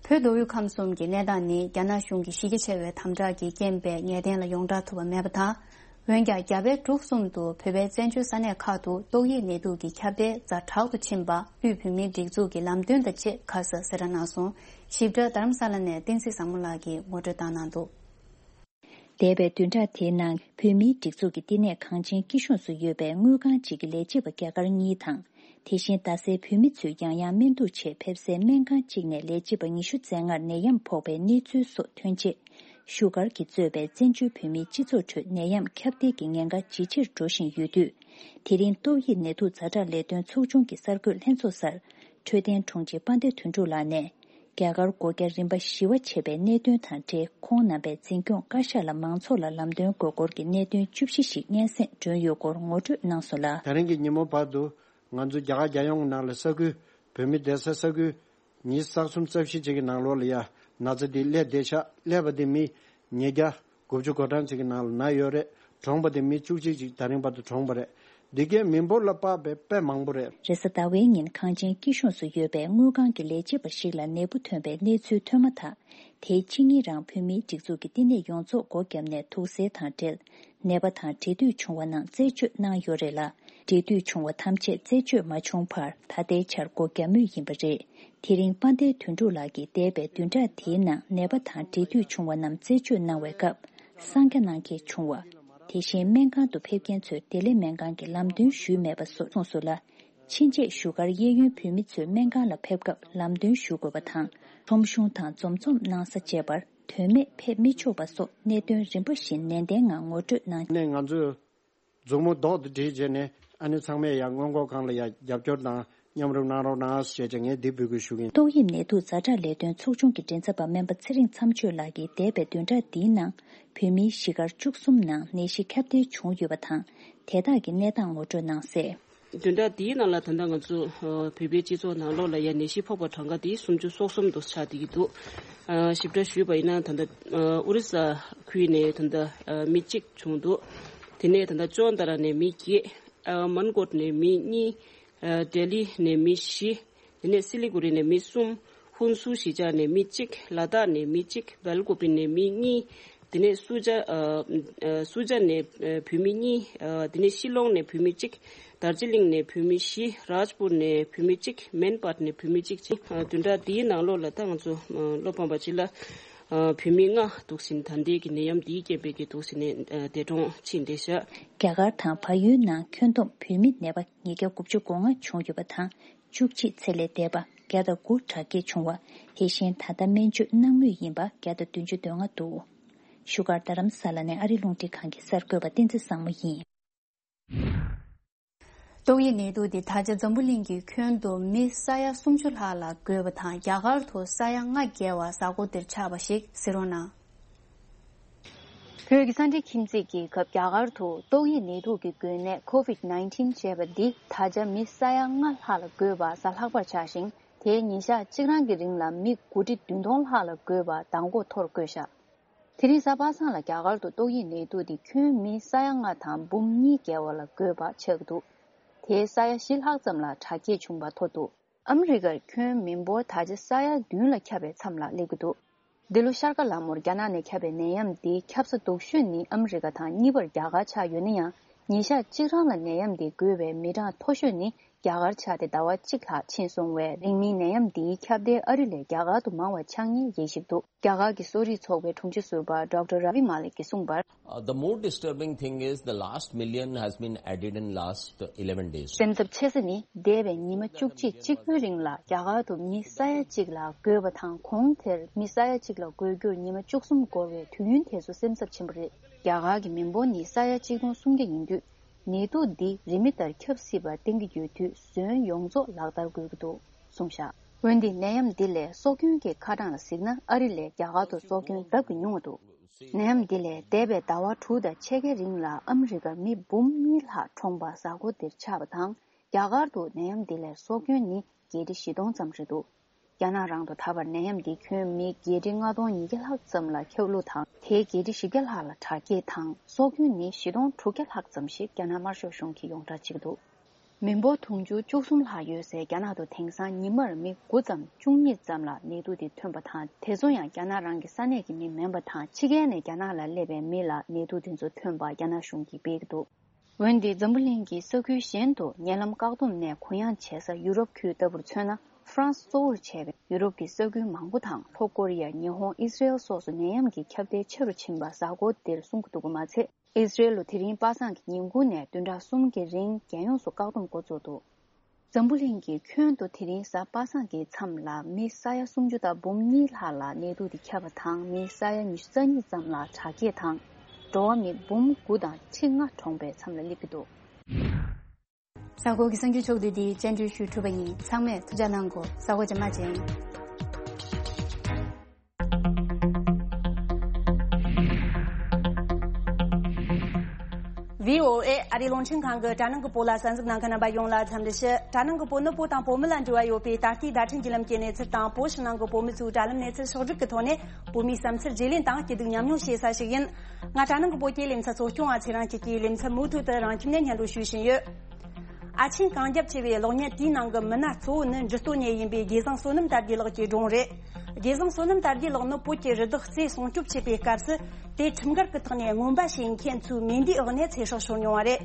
བོད་མདོ་དབུས་ཁམས་གསུམ་གྱི་གནས་སྟངས་ནི་རྒྱ་ནག་གཞུང་གི་གཞི་རྒྱ་ཆེ་བའི་དམ་དྲག་གི་རྐྱེན་པས་ངེས་གཏན་ལ་ཡོངས་བསྒྲགས་ཐུབ་པ་མེད་པ་དང་། འོན་ཀྱང་རྒྱ་བལ་འབྲུག་གསུམ་དུ་བོད་པའི་བཙན་བྱོལ་ས་གནས་ཁག་ཏུ་ཏོག་དབྱིབས་ནད་དུག་གི་ཁྱབ་གདལ་ཛ་དྲག་ཏུ་ཕྱིན་པ་དབུས་བོད་མིའི་སྒྲིག་འཛུགས་ཀྱི་ལམ་སྟོན་དང་བཅས་ཁ་གསལ་གསལ་བསྒྲགས་གནང་སོང་། ཞིབ་ཕྲ་རྡ་རམ་ས་ལ་ནས་བསྟན་འཛིན་བཟང་མོ་ལགས་ཀྱིས་ངོ་སྤྲོད་བཏང་གནང་འདུག་འདས་པའི་བདུན་ཕྲག་དེའི་ནང་བོད་མིའི་སྒྲིག་འཛུགས་ཀྱི་བསྟི་གནས་གངས་ཅན་སྐྱིད་གཤོངས་སུ་ཡོད་པའི་དངུལ་ཁང་གཅིག་གི་ལས་བྱེད་པ་རྒྱ་གར་གཉིས་དང་། དེ་བཞིན་རྡ་སའི་བོད་མི་ཚོས་ཡང་ཡང་སྨན་འདུག་ཆེད་ཕེབས་སའི་སྨན་ཁང་གཅིག་ནས་ལས་བྱེད་པ་ཉི་ཤུ་རྩ་ལྔར་ནད་ཡམས་ཕོག་པའི་གནས་ཚུལ་སོགས་ཐོན་རྗེས། བཞུགས་སྒར་གྱིས་གཙོས་པའི་བཙན་བྱོལ་བོད་མིའི་སྤྱི་ཚོགས་ཁྲོད་ནད་ཡམས་ཁྱབ་གདལ་གྱི་ཉེན་ཁ་ཇེ་ཆེར་འགྲོ་བཞིན་ཡོད་དུས། དེ་རིང་ཏོག་དབྱིབས་ནད་དུག་ཛ་དྲག་ལས་དོན་ཚོགས་ཆུང་གི་གསར་འགོད་ལྷན་ཚོགས་སར། འཕྲོད་བསྟེན་དྲུང་ཆེ་དཔལ་ལྡན་དོན་གྲུབ་ལགས་ནས། རྒྱ་གར་སྒོ་བརྒྱ་རིམ་པ་བཞི་བ་ཆད་པའི་གནད་དོན་དང་འབྲེལ། ཁོང་རྣམ་པས་འཛིན་སྐྱོང་བཀའ་ཤག་ལ་མང་ཚོགས་ལ་ལམ་སྟོན་དགོས་སྐོར་གྱི་གནད་དོན་བཅུ་བཞི་ཞིག་སྙན་སེང་བསྒྲོན་ཡོད་སྐོར་ངོ་སྤྲོད་གནང་སོང་ལ། ད་རིང་གི་ཉིན་མོ་བར་དུ་ང་ཚོ་རྒྱ་གར་རྒྱལ་ཡོངས་ནང་ལ་ས་ཁུལ་བོད་མི་བསྡད་ས་ས་ཁུལ་ཉི་ཤུ་རྩ་གསུམ་རྩ་བཞི་ཅིག་གི་ནང་ལོགས་ལ་ཡ་ན་ཚ་འདི་སླེབས་བསྡད་ཤག་སླེབས་པ་དེ་མི་ཉིས་བརྒྱ་དགུ་བཅུ་གོ་གྲངས་ཅིག་གི་ནང་ལ་ན་ཡོད་རེད། གྲོངས་པ་དེ་མི་བཅུ་གཅིག་ཅིག་ད་རིང་བར་དུ་གྲོངས་པ་རེད། འདི་གའི་མི་འབོར་ལ་དཔག་པའི་དཔེ་མང་པོ་རེད། རེས་གཟའ་ཟླ་བའི་ཉིན་གངས་ཅན་སྐྱིད་གཤོངས་སུ་ཡོད་པའི་དངུལ་ཁང་གི་ལས་བྱེད་པ་ཞིག་ལ་ནད་འབུ་ཐོན་པའི་གནས་ཚུལ་ཐོན་མ་ཐག་དེའི་ཕྱི་ཉིན་རང་བོད་མིའི་སྒྲིག་འཛུགས་ཀྱི་བསྟི་གནས་ཡོངས་རྫོགས་སྒོ་བརྒྱབ་ནས་དུག་སེལ་དང་འབྲེལ་ནད་པ་དང་འབྲེལ་མཐུད་བྱུང་བ་རྣམས་རྩད་གཅོད་གནང་ཡོད་རེད་ལ། འབྲེལ་མཐུད་བྱུང་བ་ཐམས་ཅད་རྩད་གཅོད་མ་བྱུང་བར་ད་ལྟའི་ཆར་སྒོ་བརྒྱབ་མུས་ཡིན་པ་རེད། དེ་རིང་དཔལ་ལྡན་དོན་གྲུབ་ལགས་ཀྱིས་འདས་པའི་བདུན་ཕྲག་དེའི་ནང་ནད་པ་དང་འབྲེལ་མཐུད་བྱུང་བ་རྣམས་རྩད་གཅོད་གནང་བའི་སྐབས་གསང་རྒྱ་གནང་གལ་བྱུང་བ། དེ་བཞིན་སྨན་ཁང་དུ་ཕེབས་མཁན་ཚོས་བདེ་ལེགས་སྨན་ཁང་གི་ལམ་སྟོན་ཞུས་མེད་པ་སོགས་གསུངས་སོང་ལ། ཕྱིན་ཆད་བཞུགས་སྒར་གཡས་གཡོན་བོད་མི་ཚོས་སྨན་ཁང་ལ་ཕེབས་སྐབས་ལམ་སྟོན་ཞུ་དགོས་པ་དང་། ཁྲོམ་གཞུང་དང་འཛོམས་འཛོམས་གནང་ས་བཅས་པར་དོན་མེད་ཕེབས་མི་ཆོག་པ་སོགས་གནད་དོན་རིམ་པ་བཞིན་ནན་ཏན་ངང་ངོ་སྤྲོད་གནང་། ནས་ང་ཚོས་མཛུབ་མོ་རྡོག་ཏུ་སྒྲིལ་བྱས་ནས་ཨ་ནི་ཚང་མས་ཡང་སྔོན་འགོག་ཁང་ལ་ཡང་རྒྱབ་སྐྱོར་དང་མཉམ་རུབ་གནང་རོགས་གནང་ཞེས་ཀྱང་ངས་འདི་འབོད་སྐུལ་ཞུ་གི་ཡིན། ཏོག་དབྱིབས་ནད་དུག་ཛ་དྲག་ལས་དོན་ཚོགས་ཆུང་གི་མགྲིན་ཚབ་པ་སྨན་པ་ཚེ་རིང་མཚམས་གཅོད་ལགས་ཀྱིས་འདས་པའི་བདུན་ཕྲག་འདིའི་ནང་བོད་མིའི་གཞིས་སྒར་བཅུ་གསུམ་ནང་ནད་གཞི་ཁྱབ་གདལ་བྱུང་ཡོད་པ་དང་། དེ་དག་གི་གནས་སྟངས་ངོ་སྤྲོད་གནང་གསལ། བདུན་ཕྲག་འདིའི་ནང་ལ་ད་ལྟ་ང་ཚོ་ཨ་བོད་པའི་སྤྱི་ཚོགས་ནང་ལོགས་ལ་ཡང་ནད་གཞི་ཕོག་པ་གྲངས་ཀ་དེ་སུམ་ཅུ་སོ་གསུམ་དུ་ཆགས་བསྡད་ཀྱི་འདུག་ཨ་ཞིབ་ཕྲ་ཞུས་པ་ཡིན་ན་ད་ལྟ་ཨ་ཨོ་རི་ས་ཁུལ་ནས་ད་ལྟ་ཨ་མི་གཅིག་བྱུང་འདུག་དེ་ནས་ད་ལྟ་ཅོན་ཏ་ར་ནས་མི་བརྒྱད། ཨ་མན་གོཊ་ནས་མི་གཉིས། ཨ་ལྡི་ལི་ནས་མི་བཞི། དེ་ནས་སི་ལི་གུ་རི་ནས་མི་གསུམ། ཧུན་སུར་གཞིས་ཆགས་ནས་མི་གཅིག་ལ་དྭགས་ནས་མི་གཅིག་བལ་ཀོ་པི་ནས་མི་གཉིས། དེ་ནས་སུ་ཇ་ཨ་ཨ་སུ་ཇ་ནས་ཨ་བོད་མི་གཉིས། ཨ་དེ་ནས་ཤི་ལོང་ནས་བོད་མི་གཅིག་དར་ཇི་ལིང་ནས་བོད་མི་བཞི། རཱཇ་པུར་ནས་བོད་མི་གཅིག་མན་པཱཊ་ནས་བོད་མི་གཅིག་བྱས། ཨ་བདུན་ཕྲག་འདིའི་ནང་ལོགས་ལ་ད་ང་ཚོ་ཨ་བློ་ཕམ་པ་ཅིག་ལ་ཨ་བོད་མི་ལྔ་འདུག་ཟིན། ད་ལྟའི་གི་ནད་ཡམས་འདིའི་རྐྱེན་པས་ཀྱི་འདུག་ཟིན་ནས་ཨ་འདས་གྲོངས་ཕྱིན་བསྡད་ཤག་རྒྱ་གར་དང་བལ་ཡུལ་ནང་ཁྱོན་བསྡོམས་བོད་མི་ནད་པ་ཉིས་བརྒྱ་དགུ་བཅུ་གོ་ལྔ་བྱུང་ཡོད་པ་དང་། བཅུ་གཅིག་ཚེ་ལས་འདས་པ་བརྒྱ་དང་དགུ་དྲག་སྐྱེད་བྱུང་བ། དེ་བཞིན་ད་ལྟ་སྨན་བཅོས་གནང་མུས་ཡིན་པ་བརྒྱ་དང་བདུན་ཅུ་དོན་ལྔ་འདུག་བཞུགས་སྒར་རྡ་རམ་ས་ལ་ནས་ཨ་རི་རླུང་འཕྲིན་ཁང་གི་གསར་འགོད་པ་བསྟན་འཛིན་བཟང་མོ་ཡིན། ཏོག་དབྱིབས་ནད་དུག་འདི་ད་ཆ་འཛམ་བུ་གླིང་གི་ཁྱོན་དུ་མི་ས་ཡ་སུམ་ཅུ་ལྷག་ལ་འགོས་པ་དང་། རྒྱ་གར་དུ་ས་ཡ་ལྔ་བརྒལ་བ་གཟའ་འཁོར་འདིར་ཆགས་པ་ཞིག་གཟིགས་རོགས་གནང་། བོད་ཀྱི་གསར་འགྲེལ་ཁྱིམ་མཚེས་ཀྱི་སྐབས་རྒྱ་གར་དུ་ཏོག་དབྱིབས་ནད་དུག་གི་འགོས་ནད་ཀོ་ཝིད་ནའིན་ཊིན་ཅེས་པ་འདི་ད་ཆ་མི་ས་ཡ་ལྔ་ལྷག་ལ་འགོས་པ་གཟའ་ལྷག་པར་ཆགས་ཤིང་། དེའི་ཉིན་ཞག་གཅིག་རང་གི་རིང་ལ་མི་དགུ་ཁྲི་བདུན་སྟོང་ལྷག་ལ་འགོས་པ་མདང་དགོང་ཐོར་བཀོད་བཞག་དེ་རིང་གཟའ་པ་སངས་ལ་རྒྱ་གར་དུ་ཏོག་དབྱིབས་ནད་དུག་འདི་ཁྱོན་མི་ས་ཡ་ལྔ་དང་འབུམ་གཉིས་བརྒལ་བ་ལ་འགོས་པ་ཆགས་ཀྱི་འདུག་དེའི་ས་ཡ་བཞི་ལྷག་ཙམ་ལ་དྲག་སྐྱེད་བྱུང་བ་ཐོ་འདུག་ཨ་མི་རི་ཀར་ཁྱོན་མི་འབོར་ད་ཆ་ས་ཡ་བདུན་ལ་ཁྱབ་པའི་མཚམས་ལ་སླེབས་ཀྱི་འདུག་འདི་ལོ་ཤར་ཀ་ལ་མོར་རྒྱ་ནག་ནས་ཁྱབ་པའི་ནད་ཡམས་འདི་ཁྱབ་ས་སྡུག་ཤོས་ནི་ཨ་མི་རི་ཀ་དང་གཉིས་པར་རྒྱ་གར་ཆགས་ཡོད་ན་ཡང་། ཉིན་ཞག་གཅིག་རང་ལ་ནད་ཡམས་འདི་འགོས་པའི་མི་གྲངས་མཐོ་ཤོས་ནི་རྒྱ་གར་ཆགས་ཏེ་ཟླ་བ་གཅིག་ལྷག་ཕྱིན་སོང་བས། རིང་མིན་ནད་ཡམས་འདིའི་ཁྱབ་གདལ་ཨ་རི་ལས་རྒྱ་གར་དུ་མང་བ་ཆགས་ཉེན་ཡེ་ཞིབ་འདུག་རྒྱ་གར་གྱི་གསོ་རིག་ཚོགས་པའི་དྲུང་ཆེ་ཟུར་པ་ཌོག་ཊར་ར་བི་མ་ལིག་གིས་གསུངས་པར། Uh, the more disturbing thing is the last million has been added in last eleven days. སེམས་འཚབ་ཆེ་ས་ནི་འདས་པའི་ཉི་མ་བཅུ་གཅིག་གཅིག་པུའི་རིང་ལ་རྒྱ་གར་དུ་མི་ས་ཡ་གཅིག་ལ་འགོས་པ་དང་། གོང་དེར་མི་ས་ཡ་གཅིག་ལ་འགོས་རྒྱུར་ཉི་མ་བཅུ་གསུམ་འགོར་བའི་དུས་ཡུན་དེ་ཚོ་སེམས་འཚབ་ཆེན་པོ་རེད། རྒྱ་གར་གྱི་མི་འབོར་ནི་ས་ཡ་གཅིག་སྟོང་སུམ་བརྒྱ་ཡིན་དུས། ནད་དུག་འདི་རིན་མེད་ལྟར་ཁྱབ་སྲིད་པ་བསྟན་གྱི་ཡོད་དུས། ཟོན་ཡོངས་རྫོགས་ལག་བསྟར་དགོས་ཀྱི་འདུག་གསུངས་བཞག་འོན་ཏེ་ནད་ཡམས་འདི་ལས་སྲོག་སྐྱོན་གྱི་ཁ་གྲངས་ལ་གཟིགས་ན། ཨ་རི་ལས་རྒྱ་གར་དུ་སྲོག་སྐྱོན་ལྡབ་ཀྱིས་ཉུང་བ་འདུག་ནད་ཡམས་འདི་ལས་འདས་པའི་ཟླ་བ་དྲུག་དང་ཕྱེད་ཀའི་རིང་ལ་ཨ་མི་རི་ཀར་མི་འབུམ་གཉིས་ལྷག་གྲོངས་པ་གཟའ་འཁོར་འདིར་ཆགས་པ་དང་། རྒྱ་གར་དུ་ནད་ཡམས་འདི་ལས་སྲོག་སྐྱོན་ནི་བརྒྱད་ཁྲི་བཞི་སྟོང་ཙམ་རེད་འདུག་རྒྱ་ནག་རང་དུ་ད་བར་ནད་ཡམས་འདིས་ཁྱོན་མི་བརྒྱད་ཁྲི་ལྔ་སྟོང་ཉིས་བརྒྱ་ལྷག་ཙམ་ལ་ཁྱབ་ལུགས་དང་། དེའི་བརྒྱད་ཁྲི་བཞི་བརྒྱ་ལྷག་ལ་དྲག་སྐྱེད་དང་། སྲོག་སྐྱོན་ནི་བཞི་སྟོང་དྲུག་བརྒྱ་ལྷག་ཙམ་ཞིག་རྒྱ་ནག་དམར་ཤོག་གཞུང་གིས་ཡོངས་བསྒྲགས་བྱེད་ཀྱི་འདུག་མི་འབོར་དུང་ཕྱུར་བཅུ་གསུམ་ལྷག་ཡོད་སའི་རྒྱ་ནག་ཏུ་དེང་སང་ཉི་མར་མི་དགུ་ཙམ་བཅུ་གཉིས་ཙམ་ལ་ནད་དུག་དེ་ཐོན་པ་དང་། དེ་ཚོ་ཡང་རྒྱ་ནག་རང་གི་ས་གནས་ཀྱི་མི་མིན་པ་དང་། ཕྱི་རྒྱལ་ནས་རྒྱ་ནག་ལ་སླེབས་པའི་མི་ལ་ནད་དུག་དེ་ཚོ་ཐོན་པ་རྒྱ་ནག་གཞུང་གིས་སྤེལ་གྱི་འདུག་འོན་ཏེ་འཛམ་བུ་གླིང་གི་ས་ཁུལ་གཞན་དུ་ཉེ་ལམ་བཀག་སྡོམ་ནས་གུ་ཡངས་བྱེད་ས་ཡུ་རོབ་ཁུལ་ལྟ་བུར་མཚོན་ན། ཧྥ་རན་སི་གཙོ་བོར་བྱས་པའི་ཡུ་རོབ་ཀྱི་ས་ཁུལ་མང་པོ་དང་། ལྷོ་ཀོ་རི་ཡ། ཉི་ཧོང་། ཨི་སི་རེལ་སོགས་སུ་ནད་ཡམས་ཀྱི་ཁྱབ་གདལ་ཆེ་རུ་ཕྱིན་པ་གཟའ་འཁོར་འདིར་གསུང་གི་འདུག་པ་མ་ཚད། ཨི་སི་རེལ་ལུ་དེ་རིང་པ་སངས་ཀྱི་ཉིན་གུང་ནས་བདུན་ཕྲག་གསུམ་གྱི་རིང་རྒྱལ་ཡོངས་སུ་བཀག་སྡོམ་འགོ་བཙུགས་འདུག་འཛམ་བུ་གླིང་གི་ཁྱོན་དུ་དེ་རིང་གཟའ་པ་སངས་ཀྱི་མཚམས་ལ་མི་ས་ཡ་སུམ་ཅུ་དང་འབུམ་གཉིས་ལྷག་ལ་ནད་དུག་དེ་ཁྱབ་པ་དང་། མི་ས་ཡ་ཉི་ཤུ་རྩ་གཉིས་ཙམ་ལ་དྲག་སྐྱེད་དང་། འགྲོ་བ་མི་འབུམ་དགུ་དང་ཁྲི་ལྔ་གྲོངས་པའི་མཚམས་ལ་སླེབས་ཀྱི་འདུག་གཟའ་འཁོར་གྱི་གསར་འགྱུར་ཕྱོགས་བསྡུས་འདི་བཅར་འདྲི་ཞུས་གྲུབ་པ་ཡིན། ཚང་མས་ཐུགས་ཅག་གནང་གོ། གཟའ་འཁོར་རྗེས་མ་མཇལ། བྷི་ཨོ་ཨེ་ཨ་རིའི་རླུང་འཕྲིན་ཁང་གི་དྲ་ནང་གི་བོད་ལ་གསན་གཟིགས་གནང་མཁན་རྣམ་པ་ཡོངས་ལ་འཚམས་འདྲི་ཞུ། དྲ་ནང་གི་བོད་ནི་བོད་དང་བོད་མི་ལ་འབྲེལ་བ་ཡོད་པའི་ད་ལྟའི་བརྡ་འཕྲིན་བརྒྱུད་ལམ་གྱི་གནས་ཚུལ་དང་། བོད་ཕྱི་ནང་གི་བོད་མི་ཚོའི་དྲ་ལམ་གནས་ཚུལ་ཕྱོགས་བསྒྲིགས་ཀྱི་ཐོག་ནས་བོད་མིའི་བསམ་ཚུལ་བརྗེ་ལེན་དང་སྐྱིད་སྡུག་མཉམ་མྱོང་བྱེད་ས་ཞིག་ཡིན། ང་དྲ་ནང་གི་བོད་སྐད་ལེ་ཚན་གཙོ་སྐྱོང་བ་ཚེ་རིང་སྐྱིད་ཀྱིས་ལེ་ཚན་མུ་མཐུད་དུ་རང་ཁྱིམ་ནས་སྙན་སྒྲོན་ཞུ་བཞིན་ཡོད། ཨ་ཆེན་གངས་རྒྱབ་ཆེ་བའི་གློག་བརྙན་དེའི་ནང་གི་མི་སྣ་གཙོ་བོ་ནི་འབྲི་སྟོད་ནས་ཡིན་པའི་དགེ་བཟང་བསོད་ནམས་དར་རྒྱས་ལགས་ཀྱི་སྒྲུང་རེད། དགེ་བཟང་བསོད་ནམས་དར་རྒྱས་ལགས་ནི་བོད་ཀྱི་རི་དྭགས་རྩེ་སྲུང་སྐྱོབ་བྱེད་པའི་སྐབས་སུ་དེ་ཁྲིམས་འགལ་གྱི་ཐོག་ནས་རྔོན་པ་བྱེད་མཁན་ཚོའི་མེ་མདའི་འོག་ནས་ཚེ་སྲོག་ཤོར་མྱོང་བ་རེད།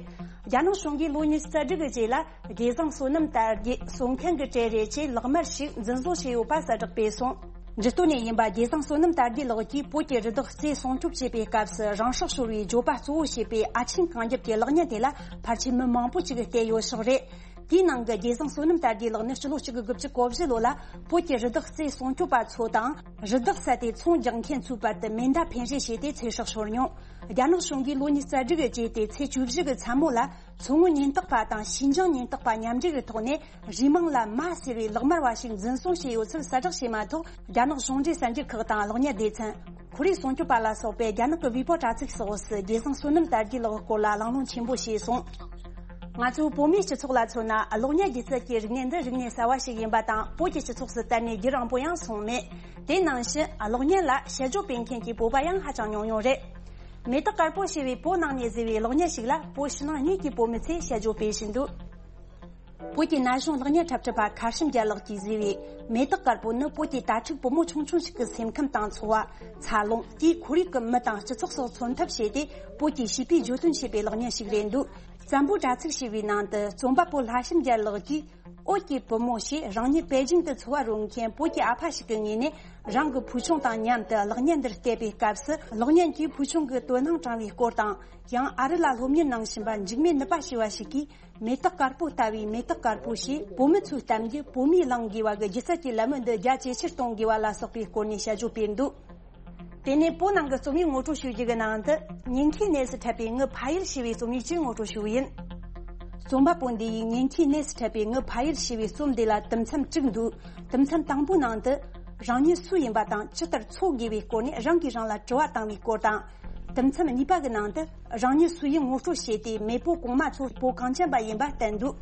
རྒྱ་ནག་གཞུང་གིས་ལོ་ཉི་ཤུ་རྩ་དྲུག་གི་རྗེས་ལ་དགེ་བཟང་བསོད་ནམས་དར་རྒྱས་གསོད་མཁན་གྱི་གྲས་རེད་ཅེས་ལག་དམར་ཞིག་འཛིན་བཟུང་བྱས་ཡོད་པ་གསལ་བསྒྲགས་སྤེལ་སོང་། འབྲི་སྟོད་ནས་ཡིན་པ་རྒྱལ་བཟང་བསོད་ནམས་དར་རྒྱས་ལགས་ཀྱིས་བོད་ཀྱི་རི་དྭགས་རྩེ་སྲུང་སྐྱོབ་བྱེད་པའི་སྐབས་སུ་རང་སྲོག་ཤོར་བའི་བརྗོད་པ་གཙོ་བོ་བྱས་པའི་ཨ་ཆེན་གངས་རྒྱབ་ཀྱི་གློག་བརྙན་དེ་ལ་ཕལ་ཆེར་མི་མང་པོ་ཅིག་བལྟས་ཡོད་ཤག་རེད། དེའི་ནང་གི་རྒྱལ་བཟང་བསོད་ནམས་དར་རྒྱས་ལགས་ནི་སྤྱི་ལོ་གཅིག་དགུ་དགུ་བཅུ་གོ་བཞི་ལོ་ལ་བོད་ཀྱི་རི་དྭགས་རྩེ་སྲུང་སྐྱོབ་པ་ཚོ་དང་། རི་དྭགས་བསད་དེ་ཚོང་རྒྱག་མཁན་ཚོའི་བར་དུ་མེ་མདའ་འཕེན་རེས་བྱས་ཏེ་ཚེ་སྲོག་ཤོར་མྱོང་། རྒྱ་ནག་གཞུང་གིས་ལོ་ཉི་ཤུ་རྩ་དྲུག་གི་རྗེས་ཏེ་ཚེས་བཅུ་བཞི་གི་མཚན་མོ་ལ། མཚོ་སྔོན་ཉེན་རྟོག་པ་དང་ཞིན་ཅང་ཉེན་རྟོག་པ་མཉམ་འབྲེལ་གྱི་ཐོག་ནས་རུས་མིང་ལ་མ་ཟེར་བའི་ལག་དམར་བ་ཞིག་འཛིན་བཟུང་བྱས་ཡོད་ཚུལ་གསལ་བསྒྲགས་བྱས་མ་ཐག་རྒྱ་ནག་གཞུང་འབྲེལ་གསར་འགྱུར་ཁག་དང་གློག་བརྙན་སྡེ་ཚན། ཁོར་ཡུག་སྲུང་སྐྱོབ་པ་ལ་སོགས་པས་རྒྱ་ནག་གི་བྷི་པོ་དྲ་ཚིགས་སོགས་སུ་རྒྱལ་བཟང་བསོད་ནམས་དར་རྒྱས་ལགས་སྐོར་ལ་གླེང་སློང་ཆེན་པོ་བྱས་སོང་། ང་ཚོའི་བོད་མིའི་སྤྱི་ཚོགས་ལ་མཚོན་ན་གློག་བརྙན་སྒྱུ་རྩལ་གྱི་རིག་གནས་འདི་རིག་གནས་གསར་བ་ཞིག་ཡིན་པ་དང་བོད་ཀྱི་སྤྱི་ཚོགས་སུ་དར་ནས་རྒྱུན་རིང་པོ་ཡང་སོང་མེད། དེ་ནང་བཞིན་གློག་བརྙན་ལ་དཔྱད་བརྗོད་སྤེལ་མཁན་གྱི་བོད་པ་ཡང་ཧ་ཅང་ཉུང་ཉུང་རེད། མེ་ཏོག་དཀར་པོ་ཞེས་པའི་བོད་ནང་ནས་བཟོས་པའི་གློག་བརྙན་ཞིག་ལ་བོད་ཕྱི་ནང་གཉིས་ཀྱི་བོད་མི་ཚོས་དཔྱད་བརྗོད་སྤེལ་བཞིན་འདུག་བོད་ཀྱི་ན་གཞོན་གློག་བརྙན་འཁྲབ་ཁྲིད་པ་མཁར་བྱམས་རྒྱལ་ལགས་ཀྱིས་བཟོས་པའི་མེ་ཏོག་དཀར་པོ་ནི་བོད་ཀྱི་དྭ་ཕྲུག་བུ་མོ་ཆུང་ཆུང་ཞིག་གི་སེམས་ཁམས་དང་འཚོ་བ། འཚར་ལོངས། དེའི་ཁོར་ཡུག་གི་མི་དང་སྤྱི་ཚོགས་སོགས་མཚོན་ཐབས་བྱས་ཏེ་བོད་ཀྱི་བྱིས་པའི་བརྗོད་དོན་བྱས་པའི་གློག་བརྙན་ཞིག་རེད་འདུག་བཙན་པོའི་དྲ་ཚིགས་ཞེས་པའི་ནང་དུ་རྩོམ་པ་པོ་ལྷ་བྱམས་རྒྱལ་ལགས་ཀྱིས། བོད་ཀྱི་བུ་མོ་ཞེས་རང་ཉིད་པེ་ཅིང་དུ་འཚོ་བ་རོལ་མཁན་བོད་ཀྱི་ཨ་ཕ་ཞིག་གི་ངོས་ནས་རང་གི་བུ་ཆུང་དང་མཉམ་དུ་གློག་བརྙན་འདིར་བལྟས་པའི་སྐབས་སུ་གློག་བརྙན་གྱིས་བུ་ཆུང་གི་དོ་སྣང་དྲངས་པའི་སྐོར་དང་ཡང་ཨ་རི་ལ་སློབ་གཉེར་གནང་བཞིན་པ་འཇིགས་མེད་ནུས་པ་ཞེས་པ་ཞིག་གིས་མེ་ཏོག་དཀར་པོ་ལྟ་བུའི་མེ་ཏོག་དཀར་པོ་ཞེས་བོད་མི་ཚོའི་གཏམ་རྒྱུད་བོད་མིས་གླེང་དགོས་པ་གི་སྒྱུ་རྩལ་གྱི་ལད་མོ་འདི་རྒྱ་ཇེ་ཆེར་གཏོང་དགོས་པ་ལ་སོགས་པའི་སྐོར་ནས་དཔྱད་བརྗོད་སྤེལ་འདུག་དེ་ནས་བོད་ནང་གི་རྩོམ་ཡིག་ངོ་སྤྲོད་ཞུ་རྒྱུ་གི་ནང་དུ་ཉེན་ཁའི་གནས་སུ་འཁྲབ་པའི་ངའི་ཕ་ཡུལ་ཞེས་པའི་རྩོམ་ཡིག་ཅིག་ངོ་སྤྲོད་ཞུ་གི་ཡིན། རྩོམ་པ་པོ་འདི་ཡིས་ཉེན་ཁའི་གནས་སུ་འཁྲབ་པའི་ངའི་ཕ་ཡུལ་ཞེས་པའི་རྩོམ་འདི་ལ་དུམ་མཚམས་དྲུག་འདུག་དུམ་མཚམས་དང་པོའི་ནང་དུ། རང་ཉིད་སུ་ཡིན་པ་དང་ཇི་ལྟར་འཚོ་དགོས་པའི་སྐོར་ནས་རང་གིས་རང་ལ་དྲི་བ་བཏང་བའི་སྐོར་དང་། དུམ་མཚམས་གཉིས་པ་གི་ནང་དུ། རང་ཉིད་སུ་ཡིན་ངོ་སྤྲོད་བྱས་ཏེ་མེས་པོ་གོང་མ་ཚོ་བོད་གངས་ཅན་པ་ཡིན་པ་བསྟན་འདུག་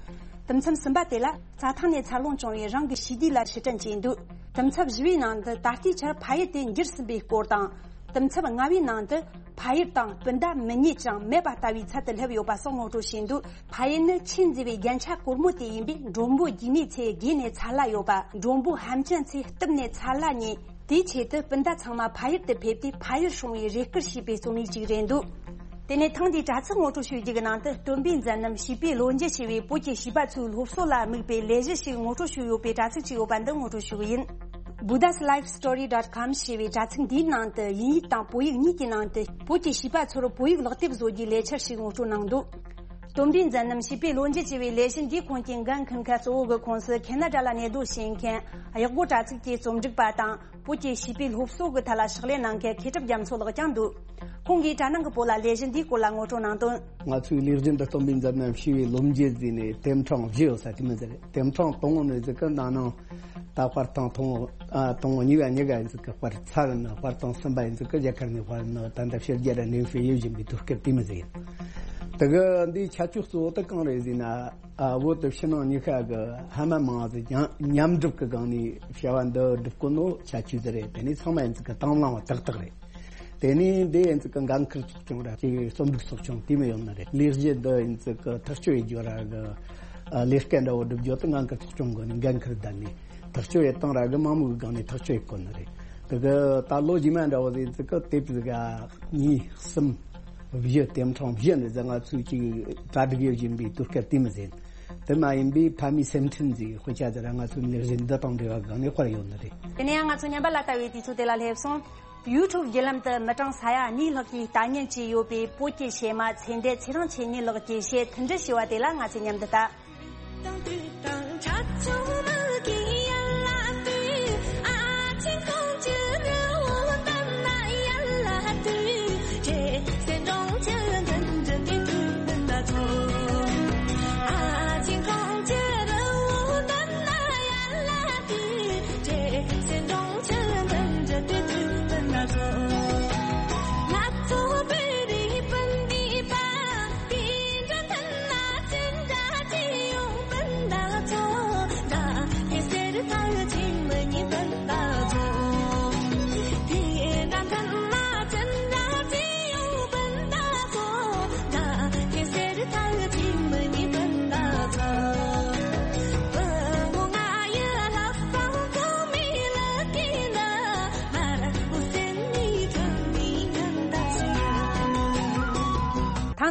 དུམ་མཚམས་གསུམ་པ་དེ་ལ་རྩྭ་ཐང་ནས་འཚར་ལོངས་བྱུང་བའི་རང་གི་ཞི་བདེ་ལ་ཕྱིར་དྲན་བྱས་འདུག་དུམ་མཚམས་བཞི་པའི་ནང་དུ་ད་ལྟའི་ཆར་ཕ་ཡུལ་དེ་འགྱུར་ཟིན་པའི་སྐོར་དང་། དུམ་མཚམས་ལྔ་པའི་ནང་དུ་ཕ་ཡུལ་དང་སྤུན་ཟླ་མི་རྙེད་ཅིང་མེད་པ་ལྟ་བུའི་ཚད་དུ་སླེབས་ཡོད་པ་སོགས་ངོ་སྤྲོད་བྱས་འདུག་ཕ་ཡུལ་ནི་ཆེས་མཛེས་པའི་རྒྱན་ཆ་གོར་མོ་དེ་ཡིན་པས་མགྲོན་པོ་རྒྱུས་མེད་ཚོས་དགྱེས་ནས་ཚ་ལྷ་ཡོད་པ། མགྲོན་པོ་ཧམ་ཅན་ཚོས་གཏུབ་ནས་ཚ་ལྷ་ཉོས། དེའི་ཆེད་དུ་སྤུན་ཟླ་ཚང་མ་ཕ་ཡུལ་དུ་ཕེབས་ཏེ་ཕ་ཡུལ་སྲུང་བའི་རེ་སྐུལ་ཞེས་པའི་རྩོམ་ཡིག་ཅིག་རེད་འདུག་དེ་ནས་ཐེངས་འདིའི་དྲ་ཚིགས་ངོ་སྤྲོད་ཞུ་རྒྱུ་གི་ནང་དུ་སྟོན་པའི་མཛད་རྣམ་བྱིས་པའི་ལོ་རྒྱུས་ཞེས་པའི་བོད་ཀྱི་བྱིས་པ་ཚོའི་སློབ་གསོ་ལ་དམིགས་པའི་ལས་གཞི་ཞིག་ངོ་སྤྲོད་ཞུས་ཡོད་པའི་དྲ་ཚིགས་ཅིག་ཡོད་པ་འདི་ངོ་སྤྲོད་ཞུ་གི་ཡིན། Buddha's Life Story dot com ཞེས་པའི་དྲ་ཚིགས་འདིའི་ནང་དུ་དབྱིན་ཡིག་དང་བོད་ཡིག་གཉིས་ཀྱི་ནང་དུ་བོད་ཀྱི་བྱིས་པ་ཚོར་བོད་ཡིག་ལག་དེབ་བཟོ་རྒྱུའི་ལས་འཆར་ཞིག་ངོ་སྤྲོད་གནང་འདུག་སྟོན་པའི་མཛད་རྣམ་བྱིས་པའི་ལོ་རྒྱུས་ཅེས་པའི་ལས་གཞི་འདིའི་ཁོངས་ཀྱི་འགན་འཁུར་མཁན་གཙོ་བོ་གི་ཁོངས་སུ་ཁེ་ན་ཌ་ལ་གནས་སྡོད་བྱེད་མཁན་གཡག་སྒོ་དྲ་ཚིགས་ཀྱི་རྩོམ་སྒྲིག་པ་དང་བོད་ཀྱི་བྱིས་པའི་སློབ་གསོ་གི་ཐད་ལ་ཕྱག་ལས་གནང་མཁན་མཁས་གྲུབ་རྒྱ་མཚོ་ལགས་ཀྱང་འདུག་ཁོང་གིས་དྲ་ནང་གི་བོད་ལ་ལས་གཞི་འདིའི་སྐོར་ལ་ངོ་སྤྲོད་གནང་དོན། ང་ཚོའི་ལས་གཞི་འདི་སྟོན་པའི་མཛད་རྣམ་བྱིས་པའི་ལོ་རྒྱུས་ཟེར་ནས་དེབ་ཕྲེང་བཞི་ཡོད་ས་དེ་མོ་ཟེར། དེབ་ཕྲེང་དང་པོ་ནས་ཟེར་གི་ན་ནིང་ད་དཔར་ཐེངས་དང་པོ་ཨ་དང་པོ་གཉིས་པ་གཉིས་ཀ་ཡིན་ཟེར་གི་དཔར་ཚར་ན་དཔར་ཐེངས་གསུམ་པ་ཡིན་ཟེར་གི་རྒྱ་གར་ནས་དཔར་ན་ད་ལྟ་ཕྱི་རྒྱལ་ར་གནས་སྤོས་ཡོད་བཞིན་པའི་དུས་སྐབས་དེ་མོ་ཟེར། དེ་གི་འདིའི་ཁྱད་ཆོས་གཙོ་བོ་དེ་གང་རེད་ཟེར་ན། ཨ་བོད་དང་ཕྱི་ནང་གཉིས་ཀ་གི་ཧ་མ་མང་ཟིག་ཀྱང་མཉམ་སྒྲུབ་ཀྱི་སྒང་ནས་བྱ་བ་འདི་སྒྲུབ་དགོས་ནོ་ཁྱད་ཆོས་ཟིག་རེད། དེ་ནས་ཚང་མ་ཡིན་ཚིག་གི་དང་བླངས་པ་ཏག་ཏག་རེད། དེ་ནས་འདི་ཡིན་ཚིག་གི་འགན་འཁུར་ཚོགས་ཆུང་ར་ཅིག་རྩོམ་སྒྲིག་ཚོགས་ཆུང་དེ་མོ་ཡོད་ནི་རེད། ལས་གཞི་འདི་ཡིན་ཚིག་གི་ཐག་གཅོད་ཡེད་རྒྱུ་ར་གི་ཨ་ལས་ཀ་འདྲ་བོ་སྒྲུབ་རྒྱུ་དེ་འགན་འཁུར་ཚོགས་ཆུང་གི་ནས་འགན་འཁུར་བསྡད་ནས་ཐག་གཅོད་ཡེད་སྟངས་ར་གི་མང་མོས་གི་སྒང་ནས་ཐག་གཅོད་ཡེད་དགོས་ནི་རེད། དེ་གི་ད་ལོ་རྗེས་མ་འདྲ་བོ་ཟིག་ཡིན་ཚིག་གི་དེབ་ཟིག་ག་གཉིས་གསུམ། བཞི། དེབ་ཕྲེང་བཞི་འདི་ཟེར་ང་ཚོས་ཅིག་གྲ་སྒྲིག་ཡོད་བཞིན་པའི་དུས་སྐབས་དེ་མི་ཟིན། དེ་མ་ཡིན་པའི་མཐའ་མའི་སེམས་ཁྲལ་འཛིན་དཔེ་ཆ་དེ་ར་ང་ཚོའི་ལས་གཞི་འདི་དང་འབྲེལ་བ་གང་ནས་དཔར་ཡོད་ནི་རེད། དེ་ནས་ཡང་ང་ཚོ་ཉམས་པ་ལ་ལྟ་བའི་དུས་ཚོད་དེ་ལ་སླེབས་སོང་། YouTube་བརྒྱུད་ལམ་དུ་མི་གྲངས་ས་ཡ་གཉིས་ལྷག་གིས་ལྟ་ཉན་བྱས་ཡོད་པའི་བོད་ཀྱི་གཞས་མ་ཚེ་འདས་ཚེ་རིང་མཆེད་གཉེར་ལགས་ཀྱིས་གཞས་མཐུན་སྒྲིལ་ཞུ་བ་དེ་ལ་ང་ཚོས་མཉམ་དུ་ལྟ།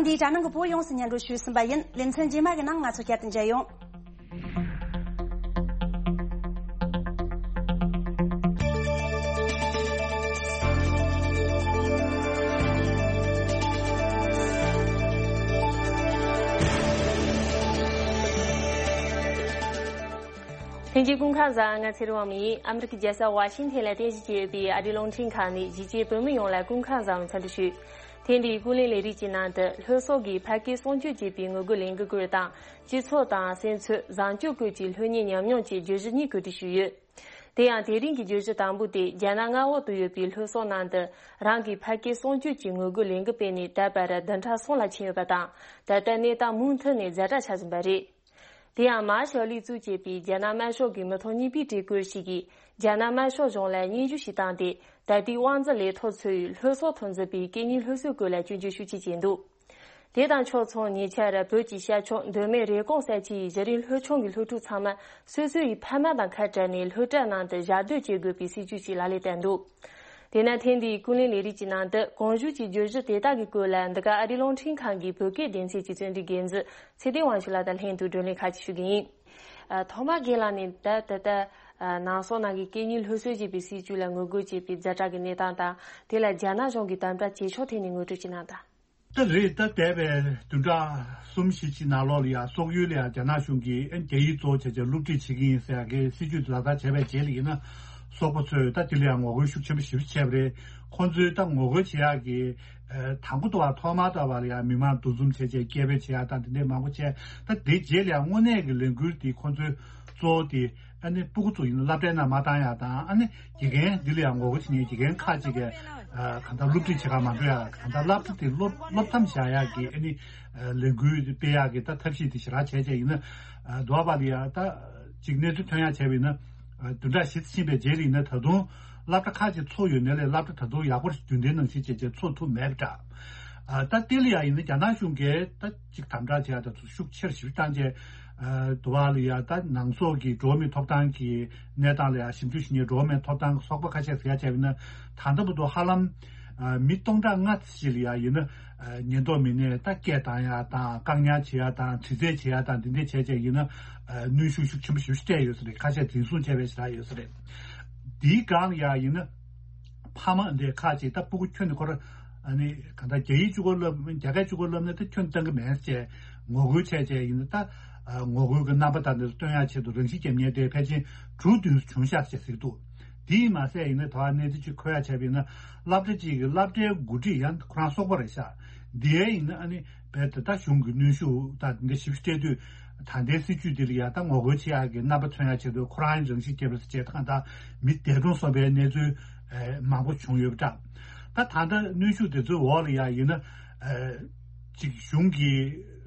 ཐེངས་འདིའི་དྲ་ནང་གི་བོད་ཡོངས་སུ་སྙན་སྒྲོན་ཞུས་ཟིན་པ་ཡིན། ལེ་ཚན་རྗེས་མ་གི་ནང་ང་ཚོ་བསྐྱར་དུ་མཇལ་ཡོང་། ལྷན་རྒྱས་སྐུ་ཁམས་བཟང་། ང་ཚེ་རིང་དབང་མོ་ཡིན། ཨ་མི་རི་ཀའི་རྒྱལ་ས་ཝ་ཤིང་ཐན་ལ་རྟེན་གཞི་བྱས་ཡོད་པའི་ཨ་རིའི་རླུང་འཕྲིན་ཁང་ནས་གཞིས་བྱེས་བོད་མི་ཡོངས་ལ་སྐུ་ཁམས་བཟང་བའི་འཚམས་འདྲི་ཞུ། ཐེངས་འདིའི་ཀུན་གླེང་ལས་རིམ་གྱི་ནང་དུ་ལྷོ་སོག་གི་ཕ་སྐད་སྲུང་སྐྱོབ་བྱེད་པའི་ངོ་རྒོལ་ལས་འགུལ་སྐོར་དང་། སྤྱི་ཚོགས་དང་སེམས་ཚོར་བཟང་སྤྱོད་སྐོར་གྱི་ལྷོད་གཉེར་ཉམས་མྱོང་བཅས་བརྗོད་གཞི་གཉིས་གོ་སྒྲིག་ཞུས་ཡོད། དེ་ཡང་དེ་རིང་གི་བརྗོད་གཞི་དང་པོ་དེ་རྒྱ་ནག་མངའ་འོག་ཏུ་ཡོད་པའི་ལྷོ་སོག་ནང་དུ་རང་གི་ཕ་སྐད་སྲུང་སྐྱོབ་ཀྱི་ངོ་རྒོལ་ལས་འགུལ་སྤེལ་ནས་ད་བར་བདུན་ཕྲག་གསུམ་ལ་ཕྱིན་ཡོད་པ་དང་། ད་ལྟ་གནས་སྟངས་མུ་མཐུད་ནས་ཛ་དྲག་ཆགས་བཞིན་པ་རེད། དེ་ཡང་མཱ་ཞའོ་ལི་གཙོས་བྱས་པའི་རྒྱ་ནག་དམར་ཤོག་གི་མི་ཐོག་གཉིས་པའི་བཀྲིས་སྐོར་ཞིག་གིས་རྒྱ་ནག་དམར་ཤོག་གཞུང་ལ་སྙན་ཞུ་ཞིག་བཏང་སྟེ། ད་ལྟའི་དབང་འཛིན་ལས་ཐོག་ཚུད་ཡོད་ལྷོ་སོག་ཐོན་འཛིན་པའི་སྐད་གཉིས་སློབ་གསོའི་སྐོར་ལ་སྐྱོན་བརྗོད་ཤུགས་ཆེ་བྱས་འདུག་དེ་དང་ཕྱོགས་མཚུངས། ཉེ་ཆར་བོད་ཀྱི་ཤར་ཕྱོགས་མདོ་སྨད་རེབ་གོང་ས་ཆའི་གཞི་རིམ་སློབ་ཆུང་གི་སློབ་ཕྲུག་ཚང་མ་སོ་སོའི་ཕ་མ་དང་ཁ་བྲལ་ནས་སློབ་གྲྭ་ནང་དུ་ཞག་སྡོད་བྱེད་དགོས་པའི་སྲིད་ཇུས་ཤིག་ལག་ལེན་བསྟར་འདུག་དེས་ན་ཐེངས་འདིའི་ཀུན་གླེང་ལས་རིམ་གྱི་ནང་དུ་གོང་ཞུས་ཀྱི་བརྗོད་གཞི་དེ་དག་གི་སྐོར་ལ་འདི་ག་ཨ་རིའི་རླུང་འཕྲིན་ཁང་གི་བོད་སྐད་སྡེ་ཚན་གྱི་རྩོམ་སྒྲིག་འགན་འཛིན་ཚེ་བརྟན་དབང་ཕྱུག་ལགས་དང་ལྷན་དུ་བགྲོ་གླེང་ཁ་ཤས་ཞུ་གི་ཡིན། ཨ། ཐོག་མར་རྒན་ལགས་ནས་ད་ད་ལྟ་ཨ་ནང་སོག་ནང་གི་སྐད་གཉིས་སློབ་གསོ་ཅེས་པའི་སྲིད་ཇུས་ལ་ངོ་རྒོལ་བྱེད་པའི་ཛ་དྲག་གི་གནས་སྟངས་དང་། དེ་ལ་རྒྱ་ནག་གཞུང་གི་དམ་དྲག་བྱེད་ཕྱོགས་ཐད་ནས་ངོ་སྤྲོད་ཅིག་གནང་དང་། ད་རེས་ད་འདས་པའི་བདུན་ཕྲག་གསུམ་བཞི་ཅིག་ནང་ལོགས་ལ་ཡང་སོག་ཡུལ་ལ་ཡང་རྒྱ་ནག་གཞུང་གིས་ཨ་རྒྱ་ཡིག་གཙོ་བོ་བྱས་བྱས་སློབ་ཁྲིད་བྱེད་ཀྱི་ཡིན་ཟེར་ཡག་གི་སྲིད་ཇུས་དེ་ལག་བསྟར་བྱས་པའི་རྗེས་ལ་ཡིན་ན། སོག་པོ་ཚོས་ད་དེ་ལ་ཡང་ངོ་རྒོལ་ཤུགས་ཆེན་པོ་ཞེ་པོ་བྱས་པ་རེད། ཁོང་ཚོས་ད་ངོ་རྒོལ་བྱེད་ཡག་གི་ཨ་དང་པོ་དང་ཐོག་མར་ད་བར་ལ་ཡང་མི་མང་འདུ་འཛོམས་བྱས་བྱས་སྐད་འབོད་བྱེད་ཡག་དང་དེ་འདྲའི་མང་པོ་བྱས། ད་དེ་རྗེས་ལ་ཡང་དངོས་གནས་ཀྱི་ལས་འགུལ་དེ་ཁོང་ཚོའི་གཙོ་བོ་དེ་ཨ་ནི་སྤུ་གུ་ཚོ་ཡིན་ན་སློབ་གྲྭའི་ནང་མ་བཏང་ཡག་དང་། ཨ་ནི་དགེ་རྒན་འདི་ལ་ཡང་ངོ་རྒོལ་བྱེད་མཁན་དགེ་རྒན་ཁག་ཅིག་གིས་ཨ་གང་ལྟར་སློབ་ཁྲིད་བྱེད་གར་མ་འགྲོ་ཡག་གང་ལྟར་སློབ་གྲྭ་དེ་སློབ་སློབ་མཚམས་བཞག་ཡག་གི་ཨ་ནི་ཨ་ལས་འགུལ་སྤེལ་ཡག་གི་ད་ཐབས་ཤེས་དེ་ཞེ་དྲག་བྱས་བྱས་ཡིན་ན། ཨ་འདུག་བ་ལ་ཡང་ད་ཅིག་གནས་ཚུལ་ཐོན་ཡག་བྱས་པ་ཡིན་ན། ཨ་བདུན་ཕྲག་བཞི་ཙམ་ཕྱིན་པའི་རྗེས་ལ་ཡིན་ན་ད་དུང་སློབ་གྲྭ་ཁག་ཅིག་ཚུགས་ཡོད་ནའི་ལས་སློབ་གྲྭ་ད་དུང་ཡག་པོ་རྒྱུན་ལྡན་ནང་བཞིན་བྱས་བྱས་ཚུགས་ཐུབ་མེད་པ་འདྲ། ཨ་ད་དེ་ལ་ཡང་ཡིན་ན་རྒྱ་ནག་གཞུང་གིས་ད་ཅིག་དམ་དྲག་བྱས་ཡག་ད་ཤུགས་ཆེར་ཞིབ་བཏང་བྱས། ཨ་འདུག་བ་ལ་ཡང་ད་ནང་སོག་གི་འགྲོ་བ་མིའི་ཐོབ་ཐང་གི་གནས་སྟངས་ལ་ཡང་ཞིབ་འཇུག་ཞུ་མཁན་འགྲོ་བ་མིའི་ཐོབ་ཐང་གི་ཚོགས་པ་ཁ་ཤས་ཟེར་ཡག་བྱས་པ་ཡིན་ན། ད་ལྟ་བར་དུ་ཧ་ལམ་ཨ་མི་སྟོང་ཕྲག་ལྔ་ཙམ་ཞིག་ལ་ཡང་ཡིན་ན་ཨ་ཉེན་རྟོག་མི་སྣས་ད་སྐད་བཏང་ཡག་དང་བཀག་ཉར་བྱེད་ཡག་དང་དྲི་རྩད་བྱེད་ཡག་དང་འདི་འདྲ་བྱས་བྱས་ཡིན་ན་ཨ་གནོན་ཤུགས་ཤུགས་ཆེན་པོ་ཞེ་པོ་ཞིག་སྤྲད་ཡོད་ས་རེད། ཁ་ཤས་འཛིན་བཟུང་བྱས་པའི་ཞེ་དྲག་ཡོད་ས་རེད། འདིའི་སྒང་ལ་ཡང་ཡིན་ན་ཕ་མ་འདི་ཁག་ཅིག་ད་སྤུ་གུ་ཁྱོན་ནས་ཁོ་ར་ཨ་ནི་གང་ལྟར་རྒྱ་ཡིག་གཅིག་པོ་བསླབ་རྒྱ་སྐད་གཅིག་པོ་བསླབ་ན་ད་ཁྱོན་བཏང་གི་མེད་ཅེས་ངོ་རྒོལ་བྱས་བྱས་ཡིན་ན། ད་ཨ་ངོ་རྒོལ་གྱི་རྣམ་པ་དང་འདི་ཚོ་སྟོན་ཡག་ཆེད་དུ་རང་ཤི་རྒྱག་མཁན་དེ་ཕལ་ཆེར་དྲུག་བདུན་བྱུང་ཤག་ཅེས་ཟེར་གྱི་འདུག་དེས་མ་ཟད་ཡིན་ན་ད་གནས་ཚུལ་ཅིག་འཁོད་ཡག་བྱས་པ་ཡིན་ན། སློབ་གྲྭ་གཅིག་གི་སློབ་གྲྭའི་འགོ་ཁྲིད་ཡང་ཁོ་རང་སོག་པོ་རེད་ཤག་འདིའི་ཡིན་ན་ཨ་ནི་རྦད་དེ་ད་གཞུང་གི་གནོན་ཤུགས་དང་འདི་ཞིབ་སྤྲད་དུས། ད་ལྟའི་སྲིད་ཇུས་འདི་ལ་ཡང་ད་ངོ་རྒོལ་བྱེད་ཡག་གི་རྣམ་པ་མཚོན་ཡག་ཆེད་དུ་ཁོ་རང་རང་ཤི་བརྒྱབ་པ་ཟེར་བྱས་ད་གང་ལྟར་མི་འདས་གྲོངས་སོང་བའི་གནས་ཚུལ་ཨེ་མང་པོ་བྱུང་ཡོད་པ་འདྲ། ད་ད་ལྟ་གནོན་ཤུགས་དེ་ཚོའི་འོག་ལ་ཡང་ཡིན་ན་ཨེ་ཅིག་གཞུང་གི་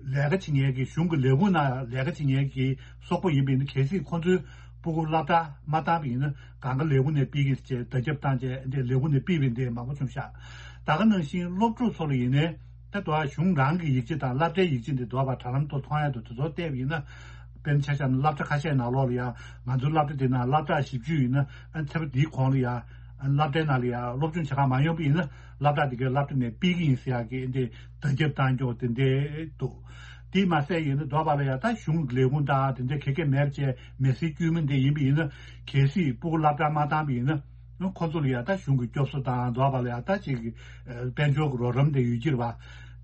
ལས་ཀ་བྱེད་མཁན་གྱི་གཞུང་གི་ལས་ཁུངས་ནང་ལས་ཀ་བྱེད་མཁན་གྱི་སོག་པོ་ཡིན་པ་ཡིན་ན་གལ་སྲིད་ཁོང་ཚོའི་སྤུ་གུ་སློབ་གྲྭ་མ་བཏང་བ་ཡིན་ན་གང་ག་ལས་ཁུངས་ནས་ཕུད་ཀྱི་ཡིན་ཟེར་བྱས་བརྡ་ཁྱབ་བཏང་བྱས་འདི་ལས་ཁུངས་ནས་ཕུད་པ་འདི་མང་པོ་བྱུང་ཤག་ད་ག་ནང་བཞིན་སློབ་ཕྲུག་ཚོ་ལ་ཡིན་ནའི། ད་དུང་གཞུང་རང་གི་ཡིག་ཆ་དང་སློབ་གྲྭའི་ཡིག་ཆ་འདི་འདུག་པ་དྲ་ལམ་ཐོག་མཐོང་ཡག་འདུག་དེ་ཚོ་བལྟས་པ་ཡིན་ན། དཔེར་ན་ཆ་བཞག་ན་སློབ་གྲྭ་ཁ་ཤས་ནང་ལོགས་ལ་ཡང་ང་ཚོའི་སློབ་གྲྭ་འདི་ནང་སློབ་གྲྭ་བཞི་བཅུ་ཡིན་ན་ཨ་ཚེ་པ་འདིའི་གོང་ལ་ཡང་སློབ་གྲྭའི་ནང་ལ་ཡང་སློབ་སྦྱོང་བྱེད་གར་མ་ཡོང་པ་ཡིན་ན་སློབ་གྲྭ་འདི་གའི་སློབ་གྲྭ་ནས་ཕུད་ཀྱི་ཡིན་ཟེར་ཡག་གི་འདི་བརྡ་ཁྱབ་བཏང་ཀྱོག་དེ་འདྲས་འདུག་དེས་མ་ཟད་ཡིན་ན་འདུག་པ་ལ་ཡང་ད་གཞུང་གི་ལས་ཁུངས་དང་དེ་འདྲས་ག་གེ་མེད་པ་བྱས་མི་སེར་དཀྱུས་མ་འདི་ཡིན་པ་ཡིན་ན་གལ་སྲིད་སྤུ་གུ་སློབ་གྲྭ་མ་བཏང་པ་ཡིན་ན། ཁོ་ཚོ་ལ་ཡང་ད་གཞུང་གི་སྐྱོབ་གསོ་དང་འདུག་པ་ལ་ཡང་ད་ཅིག་དཔལ་འབྱོར་གྱི་རོགས་རམ་དེ་ཡོད་ཀྱི་རེད་པ།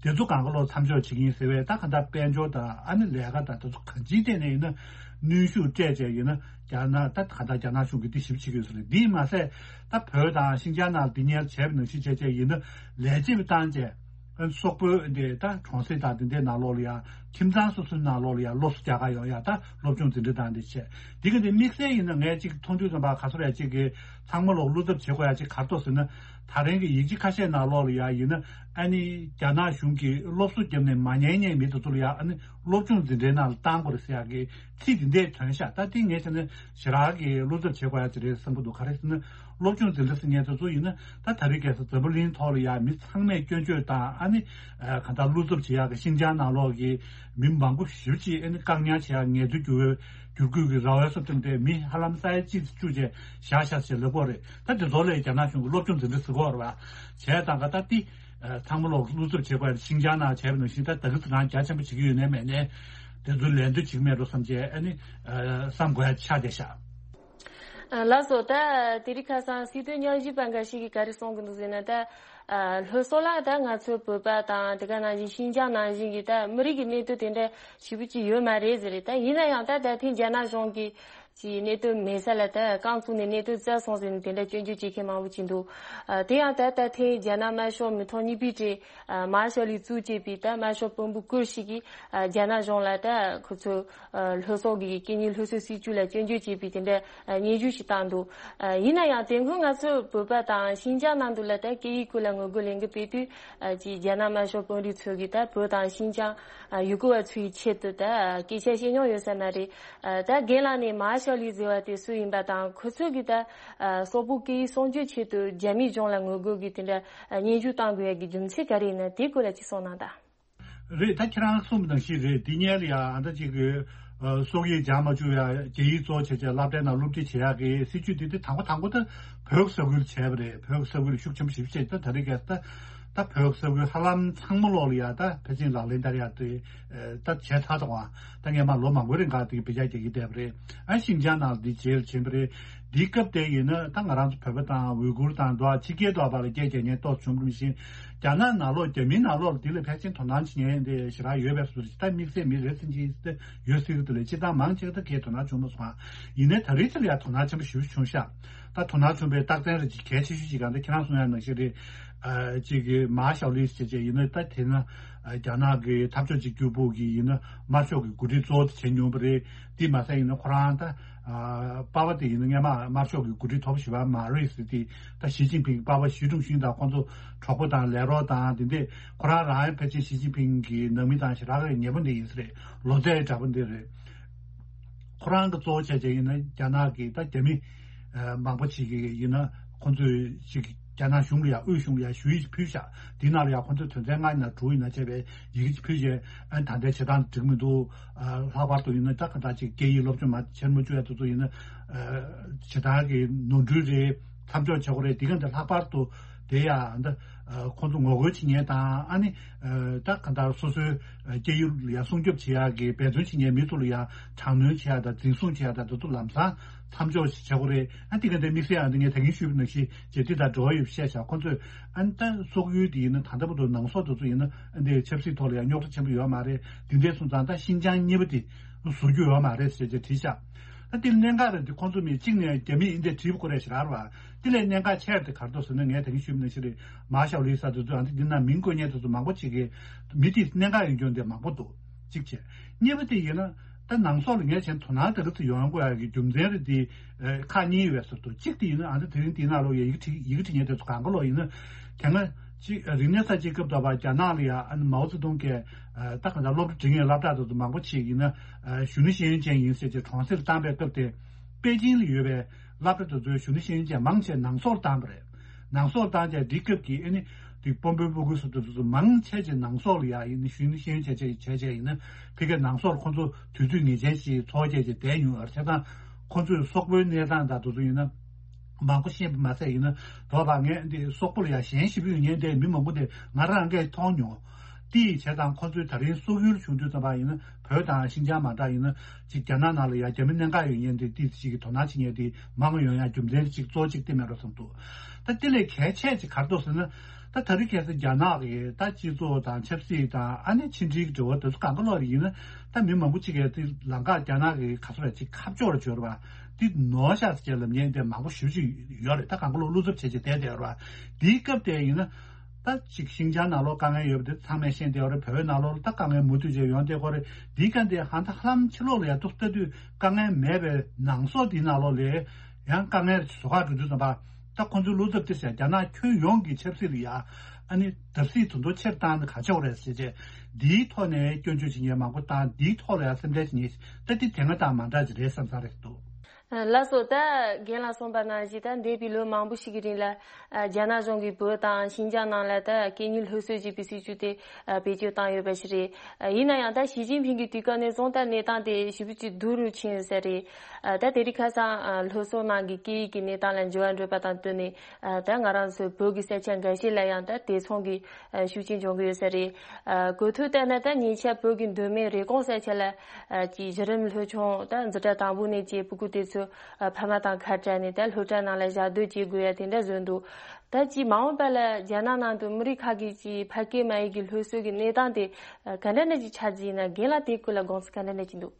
དེ་ཚོ་གང་ག་ལོག་མཚམས་འཇོག་བྱེད་ཀྱི་ཡིན་ཟེར་བས། ད་གང་ལྟར་དཔལ་འབྱོར་དང་ཨ་ནི་ལས་ཀ་དང་དེ་ཚོ་གང་ཅིའི་ཐད་ནས་ཡིན་ན་གནོན་ཤུགས་སྤྲད་བྱས་ཡིན་ན་རྒྱ་ནག་ད་གང་ལྟར་རྒྱ་ནག་གཞུང་གིས་འདི་ཞིབ་བྱེད་ཀྱི་ཡོད་ས་རེད། འདིས་མ་ཟད་ད་བོད་དང་ཤིན་ཅང་ནང་འདི་ཉར་བྱས་པ་ནང་བཞིན་བྱས་བྱས་ཡིན་ན་ལས་བྱེད་པ་བཏང་བྱས། སོག་པོའི་འདི་ད་གྲོང་གསེབ་དང་འདི་འདྲའི་ནང་ལོགས་ལ་ཡང་ཁྱིམ་ཚང་སོ་སོའི་ནང་ལོགས་ལ་ཡང་སློབ་གསོ་རྒྱག་གར་ཡོང་ཡ་ད་སློབ་སྦྱོང་འཛིན་གྲྭ་དང་འདི་བྱས། འདི་ག་འདི་དམིགས་བསལ་ཡིན་ན་ངས་ཅིག་མཐོང་དུས་ཙམ་པ་ག་ཚོད་རེད་ཅིག་གི་ཚང་མ་ལོག་བློ་འཚབ་བྱེད་དགོས་ཡ་ཅིག་ག་རེ་འདུག་ཟེར་ན། ད་རིང་གི་ཡིག་ཆ་ཁ་ཤས་ནང་ལོགས་ལ་ཡང་ཡིན་ན་ཨ་ནི་རྒྱ་ནག་གཞུང་གིས་སློབ་གསོ་བརྒྱབ་ནས་མ་ཉན་མཁན་མི་དེ་ཚོ་ལ་ཡང་ཨ་ནི་སློབ་སྦྱོང་འཛིན་གྲྭའི་ནང་ལ་བཏང་དགོས་རེད་ཟེར་ཡ་གི་ཚིག་འདི་འདྲས་ཐོན་ཤག་ད་འདི་ངས་བྱས་ན་ཞེ་དྲག་གི་བློ་འཚབ་བྱེད་དགོས་ཡ་ཅིག་རེད་བསམ་གྱི་འདུག་ག་རེ་ཟེར་ན་སློབ་སྦྱོང་འཛིན་གྲྭ་ཟེར་མཁན་དེ་ཚོ་ཡིན་ན་ད་ད་རེས་གལ་སྲིད་འཛམ་བུ་གླིང་ཐོག་ལ་ཡང་མི་ཚང་མས་སྐྱོན་བརྗོད་དང་ཨ་ནི་གང་ལྟར་བློ་འཚབ་བྱེད་ཡག་གི་ཤིན་ཅང་ནང་ལོགས་ཀྱི་མི་མང་པོ་ཞེ་པོ་ཅིག་ཨ་ནི་བཀག་ཉར་བྱེད་ཡག་ངལ་རྩོལ་བསྒྱུར་བའི་བསྒྱུར་བཀོད་ཀྱི་ར་བའི་སོ་ཐེམ་དེ་མི་ཧ་ལམ་ས་ཡ་གཅིག་ཙམ་བཅུག་བྱས་བཞག་བཞག་ཅེས་ལབ་ཀྱི་ཡོད་རེད། ད་དེ་ཚོ་ལ་རྒྱ་ནག་གཞུང་གིས་སློབ་སྦྱོང་འཛིན་གྲྭ་ཟེར་གྱི་ཡོད་རེད་པ། བྱས་ཙང་ག་ད་ཏི་ཚང་མ་ལོག་བློ་འཚབ་བྱེད་དགོས་ཡ་ཤིན་ཅང་ནང་བྱས་པ་ནང་བཞིན་ད་ད་གི་ཚོ་རང་རྒྱ་ཆེན་པོ་བྱེད་ཀྱི་ཡོད་ནའི་མེད་ནའི་དེ་ཚོ་ལད་ཟློས་བྱེད་ཀྱི་མེད་འགྲོ་བསམ་བྱས་ཨ་ནི་བསམ་དགོས་ཡ་ཆགས་བསྡད་ཤག་ལགས་སོ། ད་དེ་རིང་ཁ་སང་སྲིད་དོན་ཉམས་ཞིབ་པ་འགའ་ཞིག་གིས་ག་རེ་གསུང་གི་འདུག་ཟེར་ན། ད་ལྷོ་སོག་ལ་ད་ང་ཚོའི་བོད་པ་དང་དེ་ག་ནང་བཞིན་ཤིན་ཅང་ནང་བཞིན་གྱི་ད་མི་རིགས་ཀྱི་གནས་སྟངས་དེ་འདྲ་ཞེ་པོ་ཅིག་ཡོད་མ་རེད་ཟེར་རེད། ད་ཡིན་ན་ཡང་ད་ད་ཐེངས་རྒྱ་ནག་གཞུང་གིས་ ཀྱི་གནད་དོན་མེད་ས་ལ་ད་རྐང་བཙུགས་ནས་གནད་དོན་བཙལ་སོང་ཟེར་ནས་དེ་འདྲ་སྐྱོན་བརྗོད་བྱེད་མཁན་མང་པོ་ཅིག་འདུག་ཨ། དེ་ཡང་ད་ལྟ་ཐེངས་རྒྱ་ནག་དམར་ཤོག་མི་ཐོག་གཉིས་པའི་གྲས་ཨ། མར་ཤལ་ལི་གཙོས་བྱས་པའི་ད་དམར་ཤོག་དཔོན་པོ་སྐོར་ཞིག་གིས་ཨ། རྒྱ་ནག་གཞུང་ལ་ད་ཁོ་ཚོ་ཨ། ལྷོ་སོག་གི་སྐད་གཉིས་སློབ་གསོའི་སྲིད་བྱུས་ལ་སྐྱོན་བརྗོད་བྱས་པའི་དེ་འདྲ་ཨ། སྙན་ཞུ་ཞིག་བཏང་འདུག་ཨ། ཡིན་ན་ཡང་དེ་སྔོན་ང་ཚོ་བོད་པ་དང་ཤིན་ཅང་ནང་དུ་ལ་ད་སྐད་ཡིག་སྐོར་ལ་ངོ་རྒོལ་ལས་འགུལ་སྤེལ་དུས་ཨ། ཅིག་རྒྱ་ནག་དམར་ཤོག་དཔོན་རིགས་ཚོ་གིས་ད་བོད་དང་ཤིན་ཅང་ཨ། ཡུ་གུར་བ་ཚོའི་ཆེད་དུ་ད་སྐད་ཆ་བཤད་མྱོང་ཡོད་ས་མ་རེད། ཨ། ད་རྒན་ལགས་ནས་མར་ཤལ་ལི་ཟེར་བ་དེ་སུ་ཡིན་པ་དང་ཁོ་ཚོ་གིས་ད་ཨ། སོག་པོའི་སྐད་ཡིག་སྲུང་སྐྱོབ་ཆེད་དུ་རྒྱ་མིའི་གཞུང་ལ་ངོ་རྒོལ་གྱི་དེ་འདྲ་ཨ། སྙན་ཞུ་བཏང་དགོས་ཡ་གི་རྒྱུ་མཚན་ག་རེ་ཡིན་ན་དེའི་སྐོར་ལ་ཅིག་གསུངས་གནང་དང་། རེད། ད་ཁྱེད་རང་གསུངས་པ་ནང་བཞིན་རེད། འདི་སྔོན་ལ་ཡ་ཨ། ད་ཅིག་གི་ཨ། སོག་ཡིག་སྦྱང་མ་བཅུག་ཡ་རྒྱ་ཡིག་གཙོ་བྱས་བྱས་སློབ་གྲྭའི་ནང་སློབ་ཁྲིད་བྱེད་ཡ་གི་སྲིད་བྱུས་དེ་དེ་དང་པོ་དང་པོ་ད་བོད་ས་ཁུལ་བྱས་པ་རེད། བོད་ས་ཁུལ་ཤུགས་ཆེན་པོ་ཞིག་བྱས། ད་ད་རེས་ཀྱི་ད་ད་བོད་ས་ཁུལ་ཧ་ལམ་ཚང་མ་ལོག་ལ་ཡ་ད་ཕལ་ཆེར་ལག་ལེན་བསྟར་ཡ་དེ་ད་བྱས་ཚར་འདུག་ཨ། ད་སྔོན་མ་ལོ་མང་པོའི་རིང་ག་དེ་བེད་སྤྱོད་རྒྱག་གི་བསྡད་པ་རེད། ཨ། ཤིན་ཅང་ནང་འདི་རྗེས་ལ་ཕྱིན་པ་རེད། འདིའི་སྐབས་དེ་ཡིན་ན་ད་ང་རང་ཚོ་བོད་པ་དང་ཝུའི་གུར་དང་འགྲོ་བ་ཕྱི་རྒྱལ་འགྲོ་བ་ལ་སྐད་རྒྱག་མཁན་ཏོག་ཙམ་བྱུང་བ་རེད། མི་ཤེས། རྒྱ་ནག་ནང་ལོགས་རྒྱ་མིའི་ནང་ལོགས་འདི་ལ་ཕལ་ཆེར་དོ་སྣང་བྱེད་མཁན་དེ་ཞེ་དྲག་ཡོད་པའི་བཟོ་འདྲ་ཞིག་ད་དམིགས་བསལ་མི་རེ་ཟུང་ཅིག་ད་ཡོད་སྲིད་ཀྱི་འདུག་ལས་སྤྱིར་བཏང་མང་ཆེ་བ་ད་གའི་དོ་སྣང་བྱུང་མ་སོང་ཨ། ཡིན་ནའི་ད་རེས་ཚེ་ལ་ཡང་དོ་སྣང་ཆེན་པོ་ཞེ་པོ་བྱུང་ཤག་ད་དོ་སྣང་བྱུང་བའི་རྟགས་མཚན་རེ་ཅིག་གལ་ཆེ་ཤོས་ཅིག་གང་ལྟར་ཁྱེད་རང་གསུང་ཡ་ནང་བཞིན་རེད། ཨ། ཅིག་གི་མར་ཤལ་ལི་ཟེར་བྱས་ཡིན་ན་ད་དེ་ན་ཨ། རྒྱ་ནག་གི་འཐབ་ཕྱོགས་གཅིག་གྱུར་པུའུ་གི་ཡིན་ན་དམར་ཤོག་གི་འགོ་ཁྲིད་གཙོ་བོ་དེ་བྱས་མྱོང་བ་རེད། དེ་མ་ཟད་ཡིན་ན་ཁོ་རང་ད་ཨ། པ་ཕ་དེ་ཡིན་ན་སྔོན་མ་དམར་ཤོག་གི་འགོ་ཁྲིད་དོག་པོ་ཞེ་པོ་མ་རེད་ཟེར། དེ་ད་ཞི་ཅིན་ཕིང་པ་ཕ་ཞི་ཀྲུང་ཞུན་དང་ཁོང་ཚོ་གྲོགས་པོ་དང་ལས་རོགས་དང་དེ་འདྲས། ཁོ་རང་རང་ཡང་ཕལ་ཆེར་ཞི་ཅིན་ཕིང་གི་ནང་མི་དང་ཞེ་དྲག་གི་ཉེ་པོ་འདི་ཡིན་ས་རེད། ལོ་ཙཱའི་འདྲ་པོ་འདི་རེད། ཁོ་རང་གི་གཙོ་བོ་བྱས་བྱས་ཡིན་ན་རྒྱ་ནག་གི་ད་རྒྱ་མི་ཨ། མང་པོ་ཅིག་གིས་ཡིན་ན་ཁོང་ཚོས་ཅིག་རྒྱ་ནག་གཞུང་ལ་ཡང་དབུས་གཞུང་ལ་ཡང་ཞུ་ཡིག་ཅིག་ཕུལ་ཤག་དེའི་ནང་ལ་ཡང་ཁོང་ཚོས་དོན་ཚན་ལྔ་ཡིན་ན་དྲུག་ཡིན་ན་བྱས་པའི་ཡི་གེ་ཅིག་ཕུལ་བྱས། ཨ། ད་ལྟའི་བྱེད་སྟངས་འགྲིག་མི་འདུག་ཨ། ལྷག་པར་དུ་ཡིན་ན་ད་ག་ད་ཅིག་སྐད་ཡིག་སློབ་སྦྱོང་མ་ཆེར་མ་བཅུག་ཡ་དེ་ཚོ་ཡིན་ན་ཨ། བྱེད་སྟངས་ཀྱི་ནོར་འཁྲུལ་རེད། མཚམས་འཇོག་བྱེད་དགོས་རེད། དེ་ག་འདི་ལྷག་པར་དུ་དེ་ཡང་ད་ཨ། ཁོང་ཚོ་ངོ་རྒོལ་བྱེད་མཁན་དང་ཨ་ནི་ཨ། ད་ག་ད་སོ་སོའི་སྐད་ཡིག་ལ་ཡང་སྲུང་སྐྱོབ་བྱེད་ཡག་གི་འབད་བརྩོན་བྱེད་མཁན་མི་ཚོ་ལ་ཡང་དྲག་གནོན་བྱེད་ཡག་དང་འཛིན་བཟུང་བྱེད་ཡག་དང་དེ་ཚོ་ལམ་སང་མཚམས་འཇོག་ཞིག་བྱེད་དགོས་རེད། ཨ། དེ་ག་འདི་དམིགས་བསལ་ཨ། འདི་ངས་ད་གིན་ཞུས་པ་ནང་བཞིན་རྗེ་བདུད་དང་འགྲོ་བ་ཡོད་བཤད་བཞག་ཁོང་ཚོས་ཨ་ནི་ད་སོག་ཡུལ་དེ་ཡིན་ན་ད་ལྟ་བར་དུ་ནང་སོག་དེ་ཚོ་ཡིན་ན་ཨ་ནི་ཆབ་སྲིད་ཐོག་ལ་ཡང་རྙོག་དྲ་ཆེན་པོ་ཡོད་མ་རེད། དེ་འདྲས་སོང་ཙང་ད་ཤིན་ཅང་གཉིས་པ་དེ་བཟོ་རྒྱུ་ཡོད་མ་རེད་ཟེར་བྱས་བྲིས་བཞག་ད་དེ་གནད་འགག་རེད། དེ་ཁོང་ཚོ་མི་གཅིག་ནས་རྒྱ་མིས་ཨིན་དེ་བྲིས་དགོས་རེད་ཞེ་དྲག་རེད་བ། དེ་ལས་གནད་འགག་ཆེ་ར་དེ་ག་རེ་འདུག་ཟེར་ན་ངས་ད་གིན་ཞུས་པ་ནང་བཞིན་རེད། མར་ཤལ་ལི་ས་དེ་ཚོ་ཨ་ནི་འདི་ན་མིང་བཀོད་མཁན་དེ་ཚོ་མང་པོ་ཅིག་གིས་མི་དེ་གནད་འགག་ཡོང་རྒྱུ་འདི་མང་པོ་འདུག་གཅིག་བྱས། གཉིས་པ་དེ་ཡིན་ན་ད་ནང་སོག་ལ་ངས་བྱས་དོ་སྣང་དེ་རིགས་ཚོ་ཡོང་དགོས་ཡ་གི་རྒྱུ་མཚན་རེད་དེ། ཨ། ཁག་གཉིས་ཡོད་པའི་ཟུར་དུ་གཅིག་དེ་ཡིན་ན་ཨ་ནི་དེ་རིང་དེའི་ནང་ལོགས་ཡ་ཡི་གེ་བྲིས་ཡི་གེ་བྲིས་མཁན་དེ་ཚོ་གང་ག་ལོག་ཡིན་ན་དེ་སྔ་ཅིག་རིག་གནས་གསར་བརྗེའི་སྐབས་དུ་བ་རྒྱ་ནག་ལ་ཡ་ཨ་ནི་མའོ་ཙེ་ཏུང་གིས་ཨ། ད་གང་ལྟར་སློབ་གྲྭ་འབྲི་མཁན་སློབ་གྲྭ་དེ་ཚོ་མང་པོ་ཅིག་ཡིན་ན་ཨ། གཞོན་ནུ་ཤེས་ཡོན་ཅན་ཡིན་ཟེར་བྱས་གྲོང་གསེབ་བཏང་པའི་སྐབས་དེ་པེ་ཅིང་ལ་ཡོད་པའི་སློབ་གྲྭ་དེ་ཚོའི་གཞོན་ནུ་ཤེས་ཡོན་ཅན་མང་ཆེ་ནང་སོག་ལ་བཏང་པ་རེད། ནང་སོག་ལ་བཏང་བྱས་འདིའི་སྐབས་ཀྱི་ཨ་ནི་དེ་དཔོན་པོའི་སྤུ་གུ་སོ་སོ་སོ་སོ་མང་ཆེ་ཆེ་ནང་སོག་ལ་ཡ་ཡིན་ན་གཞོན་ནུ་ཤེས་ཡོན་ཅན་ཆེ་ཆེ་བྱས་བྱས་ཡིན་ན་ཕ་གིའི་ནང་སོག་ལ་ཁོང་ཚོ་དུས་ཚོད་ངེས་ཅན་ཞིག་འཚོ་བྱས་བྱས་བསྡད་མྱོང་ཡོད་རེད། བྱས་ཙང་ཁོང་ཚོས་སོག་པོའི་གནས་སྟངས་དང་དེ་ཚོ་ཡིན་ན་མང་པོ་ཤེས་པ་མ་ཟད་ཡིན་ན་དོ་བ་ངས་འདི་སོག་པོ་ལ་ཡ་ཞེན་ཞེ་པོ་ཡོད་མཁན་དེ་མི་མང་པོ་དེ་ང་རང་གིས་མཐོང་མྱོང་། དེ་ཡི་བྱས་ཙང་ཁོང་ཚོའི་ད་རིང་སོག་ཡུལ་བྱུང་དུས་ཙམ་པ་ཡིན་ན་བོད་དང་ཤིན་ཅང་མ་འདྲ་ཡིན་ན་ཅིག་རྒྱ་ནག་ནང་ལ་ཡ་རྒྱ་མི་གནད་འགག་ཡོད་མཁན་དེ་དེ་ཅིག་གི་དོ་སྣང་བྱེད་མཁན་དེ་མང་ཡོང་ཡ་རྒྱུ་མཚན་ཅིག་གཙོ་བོ་གཅིག་དེ་མེད་འགྲོ་བསམ་འདུག་ད་དེ་ལས་གལ་ཆེ་ཅིག་ག་རེ་འདུག་ཟེར་ན། ད་ད་རེས་ཁ་སང་རྒྱ་ནག་གི་ད་སྤྱི་ཚོགས་དང་ཆབ་སྲིད་དང་ཨ་ནི་ཕྱི་འབྲེལ་གྱི་འབྲེལ་བ་དེ་ཚོ་གང་ག་ལོག་རེ་ཡིན་ན་ད་མི་མང་པོ་ཅིག་གིས་དེ་ལམ་ཁ་རྒྱ་ནག་གི་ག་ཚོད་རེ་ཅིག་ཁ་ཕྱོགས་རེ་བྱོས་རེད་བ། དེ་ནོར་ཤག་ཟེར་ལབ་མཁན་དེ་མང་པོ་ཞེ་པོ་ཅིག་ཡོད་རེད། ད་གང་ག་ལོག་བློ་འཚབ་བྱས་བྱས་བསྡད་བསྡད་ཡོད་རེད་བ། དེའི་སྐབས་དེ་ཡིན་ན། ད་ཅིག་ཤིང་ཅང་ནང་ལོགས་དཀའ་ངལ་ཡོད་པ་དེ་ཚང་མས་ཤེས་བསྡད་ཡོད་རེད། བོད་ནང་ལོགས་ལ་ད་དཀའ་ངལ་མུ་མཐུད་བྱས་ཡོང་བསྡད་ཀྱི་ཡོད་རེད། འདིའི་སྐབས་དེ་ཧ་ད་ཧ་ལམ་ཕྱི་ལོགས་ལ་ཡ་ཏོག་ལྟ་དུས་དཀའ་ངལ་མེད་པའི་ནང་སོག་དེའི་ནང་ལོགས་ལ་ཡང་དཀའ་ངལ་བཟོ་ཁ་འགྲོ་དུས་ཙམ་པ། ད་ཁོང་ཚོའི་བློ་འཚབ་དེ་ཟེར་རྒྱ་ནག་ཁྱོན་ཡོངས་ཀྱི་ཆབ་སྲིད་ལ་ཡ་ཨ་ནི་བརྡབ་གསིག་དུ་འདོ་ཆེར་བཏང་ནས་ག་ཆོག་རེད་ཟེར་བྱས་འདིའི་ཐོག་ནས་སྐྱོན་བརྗོད་བྱེད་མཁན་མང་པོ་དང་འདིའི་ཐོག་ལ་ཡ་སེམས་ཁྲལ་བྱེད་མཁན་ད་དེ་དེ་སྔ་དང་མ་འདྲ་ཅིག་རེད་བསམ་ས་རེད་འདུག་ལགས་སོ། ད་རྒན་ལགས་གསུངས་པ་ནང་བཞིན་ད་འདས་པའི་ལོ་མང་པོ་ཞིག་གི་རིང་ལ་ཨ། རྒྱ་ནག་གཞུང་གིས་བོད་དང་ཤིན་ཅང་ནང་ལ་ད་སྐད་གཉིས་སློབ་གསོ་བྱེད་པའི་སྲིད་བྱུས་དེ་ཨ། བེད་སྤྱོད་བཏང་ཡོད་པ་ཞིག་རེད། ཨ། ཡིན་ན་ཡང་ད་ཞི་ཅིན་ཕིང་གི་དུས་སྐབས་ནས་བཟུང་ད་གནས་སྟངས་དེ་ཞེ་པོ་ཅིག་སྡུག་རུ་ཕྱིན་ཡོད་ས་རེད། ཨ། ད་དེ་རིང་ཁ་སང་ཨ། སློབ་གསོ་ནང་གི་སྐད་ཡིག་གི་གནས་སྟངས་ལ་འགྱུར་བ་འགྲོ་བ་དང་བསྟུན་ནས་ཨ། ད་ང་རང་ཚོའི་བོད་ཀྱི་ས་ཆ་འགའ་ཤས་ལ་ཡང་ད་དེ་མཚུངས་ཀྱི་ཨ། ཤུགས་རྐྱེན་འབྱུང་གི་ཡོད་ས་རེད། ཨ། གོ་ཐོས་ལྟར་ན་ད་ཉེ་ཆར་བོད་ཀྱི་མདོ་སྨད་རེབ་གོང་ས་ཆ་ལ་ཨ། ཀྱི་གཞི་རིམ་སློབ་ཆུང་ད་འཛིན་གྲྭ་དང་པོ་ནས་ཀྱི་སྤུ་གུ་དེ་ཚོ་ཨ། ཕ་མ་དང་ཁ་བྲལ་ནས་ད་སློབ་གྲྭ་ནང་ལ་ཞག་སྡོད་བྱེད་དགོས་ཡ་དེ་འདྲ་བཟོས་འདུག་ད་ཅིག་མ་འོངས་པ་ལ་རྒྱ་ནག་ནང་དུ་མི་རིགས་ཁག་གི་ཅིག་ཕ་སྐད་མ་ཡིག་གི་སློབ་གསོ་གི་གནས་སྟངས་དེ་ཨ། ག་འདྲ་ནས་ཅིག་ཆགས་ཀྱི་ཡིན་ན། རྒན་ལགས་དེའི་སྐོར་ལ་དགོངས་ཚུལ་ག་འདྲ་ནས་ཅིག་འདུག་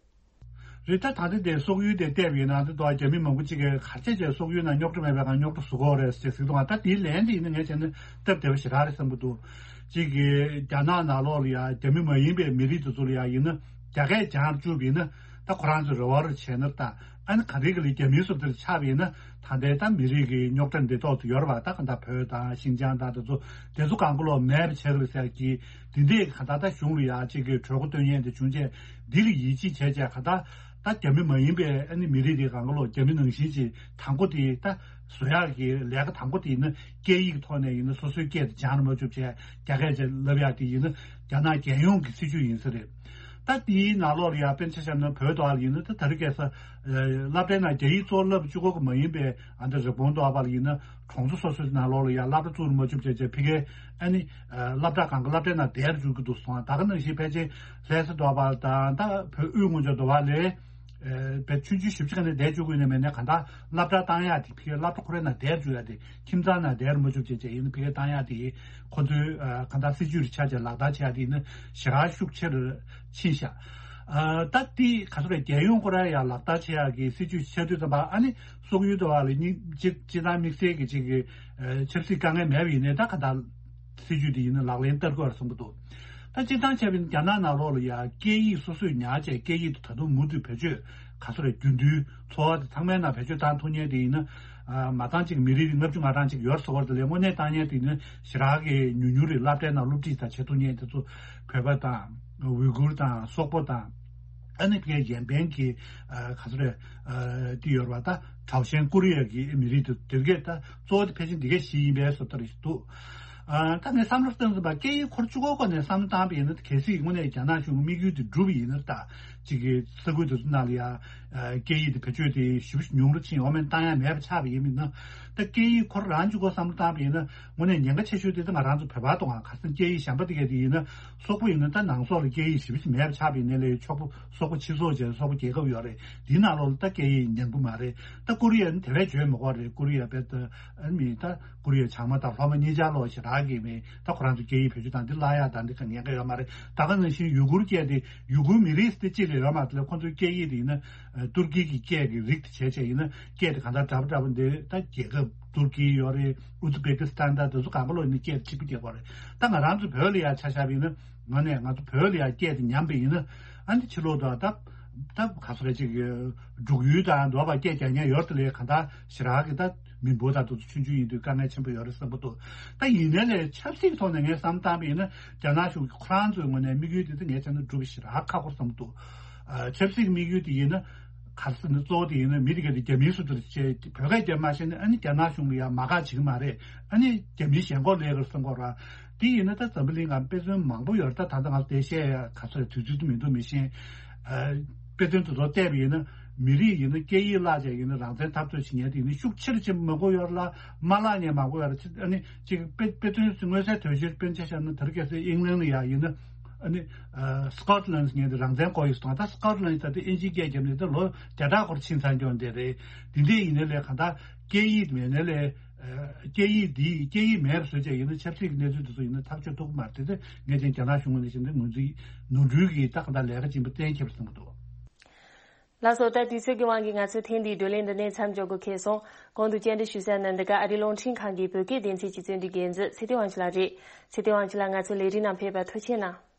རེད། ད་ད་ལྟ་དེ་སོག་ཡུལ་དེ་བལྟས་པ་ཡིན་ན་འདི་དོ་རྒྱ་མི་མང་པོ་ཅིག་གིས་ག་རེ་བྱས་བྱས་སོག་ཡུལ་ནང་རྙོག་དྲ་མེད་པའི་སྒང་རྙོག་དྲ་བཟོ་གི་ཡོད་རེད་ཅེས་ཟེར་གི་འདུག་ད་དེའི་ལན་དེ་ཡིན་ན་ངས་བྱས་ན་སྟབས་བདེ་བ་ཞེ་དྲག་རེད་བསམ་གི་འདུག་ཅིག་གིས་རྒྱ་ནག་ནང་ལོགས་ལ་ཡ་རྒྱ་མི་མ་ཡིན་པའི་མི་རིགས་དེ་ཚོ་ལ་ཡ་ཡིན་ན་རྒྱ་སྐད་སྦྱང་བཅུག་པ་ཡིན་ན་ད་ཁོ་རང་ཚོས་རེ་བ་རེ་བྱས་ན། ད་ཨ་ནི་ག་རེ་གི་ལ་རྒྱ་མིའི་བཟོ་འདྲ་ཆགས་པ་ཡིན་ན་ད་ལྟའི་ད་མི་རིགས་ཀྱི་རྙོག་དྲ་འདི་ཐོག་ཏུ་ཡོད་རེད་པ། ད་ག་ད་བོད་དང་ཤིན་ཅང་དང་དེ་ཚོ་དེ་ཚོ་གང་ག་ལོག་མེད་པ་བྱེད་གི་རེད་ཟེར་གི། འདི་འདྲས་ག་ད་ད་གཞུང་ལ་ཡ་ཅིག་གི་གྲོས་འགོ་བཏོན་མཁན་དེ་བྱུང་རྗེས་འདི་ལ་ཡིད་ཆེས་བྱས་རྗེས་ག་ད་ད་རྒྱ་མི་མ་ཡིན་པའི་ཨ་ནི་མི་རིགས་དེ་གང་ག་ལོག་རྒྱ་མི་ནང་བཞིན་ཅིག་དང་པོ་དེ་ད་བཟོ་ཡག་གི་ལས་ཀ་དང་པོ་དེ་ཡིན་ན་སྐད་ཡིག་ཐོག་ནས་ཡིན་ན་སོ་སོའི་སྐད་དེ་སྦྱང་རུ་མ་བཅུག་བྱས་རྒྱ་སྐད་ཅིག་ལབ་ཡག་དེ་ཡིན་ན་རྒྱ་ནག་རྒྱལ་ཡོངས་ཀྱི་སྲིད་ཇུས་ཡིན་ས་རེད། ད་དེའི་ནང་ལོགས་ལ་ཡ་དཔེར་ན་ཆ་བཞག་ན་བོད་དོ་ལ་ཡིན་ན་ད་ད་རེས་ཁ་སང་སློབ་གྲྭའི་ནང་རྒྱ་ཡིག་གཙོ་བོ་བསླབ་བཅུག་གི་མ་ཡིན་པའི་ཨ་ནི་རི་བོང་དོ་བ་ལ་ཡིན་ན་གྲོང་ཚོ་སོ་སོའི་ནང་ལོགས་ལ་ཡ་སློབ་གྲྭ་བཙུགས་མ་བཅུག་བྱས་བྱས་ཕ་གིའི་ཨ་ནི་སློབ་གྲྭ་གང་ག་སློབ་གྲྭའི་ནང་བསྡད་བཅུག་གི་འདུག་སོང་། ད་ག་ནང་བཞིན་ཕལ་ཆེར་ལྷ་ས་དོ་བ་དང་ད་བོད་དབུས་ངོས་ཕྱོགས་དོ་བ་ལས། བས་ཆུང་ཆུང་ཞིབ་ཅིག་ག་ནས་བསྡད་བཅུག་དགོས་ནས་མེད་ནས་ག་ད་སློབ་གྲྭ་བཏང་ཡག་དེ་ཕ་གིའི་སློབ་གྲྭ་ཁོ་རའི་ནང་བསྡད་བཅུག་ཡག་དེ་ཁྱིམ་ཚང་ནང་བསྡད་མ་བཅུག་བྱས་བྱས་ཡིན་ན་ཕ་གིའི་བཏང་ཡག་དེ་ཁོ་ཚོའི་ག་ད་སྲིད་ཇུས་རེ་ཆགས་བྱས་ལག་བསྟར་བྱེད་ཡག་དེ་ཡིན་ན་ཞེ་དྲག་ཤུགས་ཆེ་རུ་ཕྱིན་ཤག་ད་དེ་ག་ཚོད་རེད། རྒྱལ་ཡོངས་ཁོ་ར་ཡ་ལག་བསྟར་བྱེད་ཡག་གི་སྲིད་ཇུས་ཆགས་དུས་ཙམ་པ་ཨ་ནི་སོག་ཡུལ་དུ་བ་ལ་སྙིང་རྗེ་སྤྱི་བཏང་དམིགས་བསལ་གྱི་ཅིག་གི་ཆབ་སྲིད་དཀའ་ངལ་མེད་པ་ཡིན་ནའི་ད་ག་ད་སྲིད་ཇུས་དེ་ཡིན་ན་ལག་ལེན་བསྟར་དགོས་བསམ་གྱི་འདུག་ད་སྤྱིར་བཏང་བྱས་པ་ཡིན་ན་རྒྱ་ནག་ནང་ལོགས་ལ་ཡ་སྐད་ཡིག་སོ་སོས་ཉར་བྱས་སྐད་ཡིག་དེ་ད་དུང་མུ་མཐུད་བེད་སྤྱོད་ག་ཚོད་རེད་རྒྱུན་མཐུད་འཚོ་བ་དེ་ཚང་མའི་ནང་བེད་སྤྱོད་བཏང་ཐུབ་མཁན་དེ་ཡིན་ན་མ་བཏང་ཅིག་མི་རིགས་ལྔ་བཅུ་ང་གྲངས་ཅིག་ཡོད་ཟེར་བ་དེ་ལས་དངོས་གནས་བཏང་མཁན་དེ་ཡིན་ན་ཞེ་དྲག་གི་ཉུང་ཉུང་རེད། སློབ་གྲྭའི་ནང་སློབ་ཁྲིད་དང་བྱེད་ཐུབ་མཁན་དེ་ཚོ་བོད་པ་དང་ཝི་གུར་དང་སོག་པོ་དང་ཨ་ནི་ཕ་གིའི་གཞན་ཕན་གྱི་ག་ཚོད་རེད་དེ་ཡོད་རེད་པ། ད་ཁྲའོ་ཞན་ཀོ་རི་ཡ་གི་མི་རིགས་དེ་དེ་གས་ད་གཙོ་བོ་དེ་ཕལ་ཆེར་འདི་གས་ཞིག་ཡིན་པའི་བཟོ་ལྟ་རེ་ཞིག་འདུག་ཨ། ད་ངས་བསམ་བློ་བཏང་ཟིན་པ་སྐད་ཡིག་འཁོར་བཅུ་གོ་སྐོར་ནས་བསམ་བློ་བཏང་པ་ཡིན་ན་གལ་སྲིད་དངོས་གནས་རྒྱ་ནག་གཞུང་གི་དམིགས་ཡུལ་དེ་འགྲུབ་པ་ཡིན་ན། ད་ཅིག་གི་ས་ཁུལ་དེ་ཚོ་ནང་ལ་ཡ་སྐད་ཡིག་དེ་བེད་སྤྱོད་དེ་ཞེ་པོ་ཉུང་རུ་ཕྱིན་འོ་མེད་བཏང་ཡ་མེད་པ་ཆགས་པ་ཡིན་མིན་ན། ད་སྐད་ཡིག་འཁོར་རང་བཅུ་གོ་བསམ་བློ་བཏང་པ་ཡིན་ན་དངོས་གནས་ཉེན་ཁ་ཆེ་ཤོས་དེ་ད་ང་རང་ཚོ་བོད་པ་དང་ང་ཁ་སང་སྐད་ཡིག་གཞན་པ་དེ་གས་དེ་ཡིན་ན་སོག་པོ་ཡིན་ན་ད་ནང་སོག་ལ་སྐད་ཡིག་ཞེ་པོ་ཅིག་མེད་པ་ཆགས་པ་ཡིན་ནའི་ལས་སོག་པོ་སོག་པོ་སྤྱི་ཚོགས་བྱས་སོག་པོ་རྒྱལ་ཁབ་ཡོད་རེད། དེའི་ནང་ལོགས་ལ་ད་སྐད་ཡིག་ཉན་གི་མ་རེད། ད་ཀོ་རི་ཡ་ནི་དེ་བས་བརྗོད་མི་དགོས་རེད། ཀོ་རི་ཡ་བས་ད་ཨ་མི་ད་ཀོ་རི་ཡ་བྱང་མ་དང་ལྷོ་མ་གཉིས་ཆར་ལོག་ཞེ་དྲག་གི་མི་ད་ཁོ་རང་ཚོ་སྐད་ཡིག་བེད་སྤྱོད་བཏང་འདི་བརླག་ཡག་དང་འདི་ག་ཉེན་ཁ་ཡོད་མ་རེད། ད་ག་ནང་བཞིན་ཡུ་གུར་སྐད་དེ་ཡུ་གུར་མི་རིགས་དེ་གཅིག་ལས་ཡོད་མ་རེད། ཁོ་ཚོའི་སྐད་ཡིག་དེ་ཡིན་ན་ཨ་ཏུར་ཀི་གི་སྐད་ཀྱི་རིགས་དེ་བྱས་བྱས་ཡིན་ན་སྐད་དེ་གང་ལྟར་འདྲ་པོ་འདྲ་པོ་འདི་ད་རྒྱལ་ཁབ་ཏུར་ཀི་ཡོད་རེད། ཨུ་ཛི་བེ་ཀི་སི་ཐན་ད་དེ་ཚོ་གང་ག་ལོག་ཡིན་ན་སྐད་དེ་གཅིག་པ་རྒྱག་དགོས་རེད། ད་ང་རང་ཚོ་བོད་ལ་ཡ་ཆ་བཞག་པ་ཡིན་ན་ང་ནས་ང་ཚོ་བོད་ལ་ཡ་སྐད་དེ་ཉམས་པ་ཡིན་ན་ཨ་ནི་ཕྱི་ལོགས་དུ་ད་ད་ག་ཚོད་རེད་ཅིག་འབྲུག་ཡུལ་དང་འདོད་པ་སྐད་རྒྱག་མཁན་ཡོད་དེ་ལས་གང་ལྟར་ཞེ་དྲག་གི་ད་མི་འབོར་དང་དེ་ཚོ་ཆུང་ཆུང་ཡིན་དུས་དཀའ་ངལ་ཆེན་པོ་ཡོད་རེད་བསམ་གྱི་འདུག་ད་ཡིན་ནའི་ལས་ཆབ་སྲིད་ཐོག་ནས་ངས་བསམ་བཏང་པ་ཡིན་ན་རྒྱ་ནག་གཞུང་གི་ཁོ་རང་ཚོའི་ངོས་ནས་དམིགས་ཡུལ་དེ་ད་ངས་བྱས་ན་འགྲུབ་པ་ཞེ་དྲག་ཁག་པོ་བསམ་གྱི་འདུག་ཨ། ཆབ་སྲིད་ཀྱི་དམིགས་ཡུལ་དེ་ཡིན་ན་ག་རེ་ཟེར་ན་གཙོ་བོ་དེ་ཡིན་ན་མི་དེ་ག་དེ་རྒྱ་མིའི་བཟོ་འདྲ་བྱས་བོད་སྐད་རྒྱབ་མ་ཤེས་ན་ཨ་ནི་རྒྱ་ནག་གཞུང་ལ་ཡང་མ་དགའ་བྱེད་ཀྱི་མ་རེད། ཨ་ནི་རྒྱ་མིའི་ཞེན་ཁོག་སླེབས་ཀྱི་རེད་བསམ་གྱི་རེད། དེ་ཡིན་ན་ད་འཛམ་བུ་གླིང་སྒང་དཔེ་མཚོན་མང་པོ་ཡོད་རེད། ད་ད་ལྟ་ང་ཚོ་དེ་བཤད་ཡ་ག་ཚོད་དུས་ཚོད་དུ་མི་འདུག་མི་ཤེས། ཨ། དཔེ་མཚོན་དེ་ཚོ་བལྟས་པ་ཡིན་ན་མི་རིགས་ཡིན་ན་སྐད་ཡིག་བརླག་བྱས་ཡིན་ན་རང་བཙན་འཐབ་རྩོད་བྱེད་མཁན་དེ་ཡིན་ན་ཤུགས་ཆེ་རུ་ཕྱིན་མ་དགོས་ཡོད་རེད་ལ་མ་བརླག་མཁན་མང་པོ་ཡོད་རེད། ཨ་ནི་ཅིག་དཔེ་དཔེ་མཚོན་མངོན་གསལ་དོད་ཤོས་དཔེར་ན་ཆ་བཞག་ན་ད་རེས་ཁ་སང་ཨིང་ལན་ལ་ཡ་ཡིན་ན། ཨ་ནི། ཨ། སི་ཀོཊ་ལན་ངས་འདི་རང་བཙན་སྐོར་ཡིག་སོང་ད་སི་ཀོཊ་ལན་ད་ལྟ་ཨིན་ཇིའི་སྐད་རྒྱབ་ནས་ད་ལོ་བརྒྱ་ཕྲག་སྐོར་ཕྱིན་ཚར་འགྱོ་འདི་རེད། འདི་འདྲས་ཡིན་ནའི་ལས་གང་ལྟར་སྐད་ཡིག་མེད་ནའི་ལས། ཨ། སྐད་ཡིག་འདི་སྐད་ཡིག་མེད་པ་བཟོས་བྱས་ཡིན་ན་ཆབ་སྲིད་ཀྱི་གནས་ཚུལ་དེ་ཚོ་ཡིན་ན་ཐག་གཅོད་ཐུབ་ཀྱི་མ་རེད། དེ་ཚོ་ངས་ཀྱང་རྒྱ་ནག་གཞུང་ངོས་ནས་བྱས་ན་ངོས་འཛིན་ནོར་འཁྲུལ་གྱི་ད་གང་ལྟར་ལས་ཀ་ཡིན་པ་གཏན་འཁེལ་བ་བཟོ་གི་འདུག་ལགས་སོ། ད་དུས་ཚོད་ཀྱི་དབང་གིས་ང་ཚོའི་ཐེངས་འདིའི་བགྲོ་གླེང་འདི་ནས་མཚམས་འཇོག་དགོས་ཁེལ་སོང་། གོང་དུ་བཅར་འདྲི་ཞུ་ས་ནི་འདི་ག་ཨ་རིའི་རླུང་འཕྲིན་ཁང་གི་བོད་སྐད་སྡེ་ཚན་གྱི་རྩོམ་སྒྲིག་འགན་འཛིན་ཚེ་བརྟན་དབང་ཕྱུག་ལགས་རེད། ཚེ་བརྟན་དབང་ཕྱུག་ལགས་ང་ཚོའི་ལས་རིམ་ནང་ཕེབས་པར་ཐུགས་རྗེ་གནང་།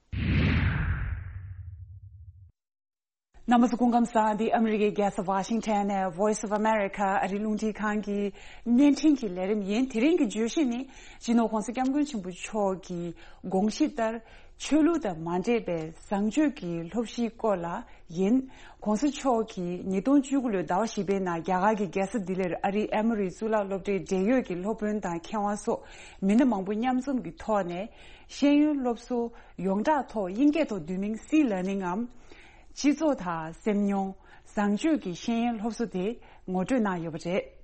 རྣམ་པ་ཚོ་སྐུ་ཁམས་བཟང་། འདི་ཨ་མི་རི་ཀའི་རྒྱལ་ས་ཝ་ཤིང་ཊོན་ནས་Voice of America ཨ་རིའི་རླུང་འཕྲིན་ཁང་གི་བརྙན་འཕྲིན་གྱི་ལས་རིམ་ཡིན། དེ་རིང་གི་བརྗོད་གཞི་ནི་སྤྱི་ནོར་༧གོང་ས་༧སྐྱབས་མགོན་ཆེན་པོ་མཆོག་གི་དགོངས་གཞི་ལྟར། ཆོས་ལུགས་དང་མ་འདྲེས་པའི་བཟང་སྤྱོད་ཀྱི་སློབ་གཞིའི་སྐོར་ལ་ཡིན། ༸གོང་ས་མཆོག་གིས་ཉིས་སྟོང་བཅུ་དགུ་ལོའི་ཟླ་བ་བཞི་པའི་ནང་རྒྱ་གར་གྱི་རྒྱལ་ས་ལྡི་ལིར་ཨ་རིའི་ཨེ་མོ་རི་གཙུག་ལག་སློབ་གྲྭའི་འབྲེལ་ཡོད་ཀྱི་སློབ་དཔོན་དང་མཁས་དབང་སོགས་མི་སྣ་མང་པོ་མཉམ་འཛོམས་ཀྱི་ཐོག་ནས་ཤེས་ཡོན་སློབ་གསོ་ཡོངས་གྲགས་ཐོག་དབྱིན་སྐད་ཐོག་Do you mean sea learning ངམ། སྤྱི་ཚོགས་དང་སེམས་མྱོང་བཟང་སྤྱོད་ཀྱི་ཤེས་ཡོན་སློབ་གསོ་དེ་ངོ་སྤྲོད་གནང་ཡོད་པ་རེད།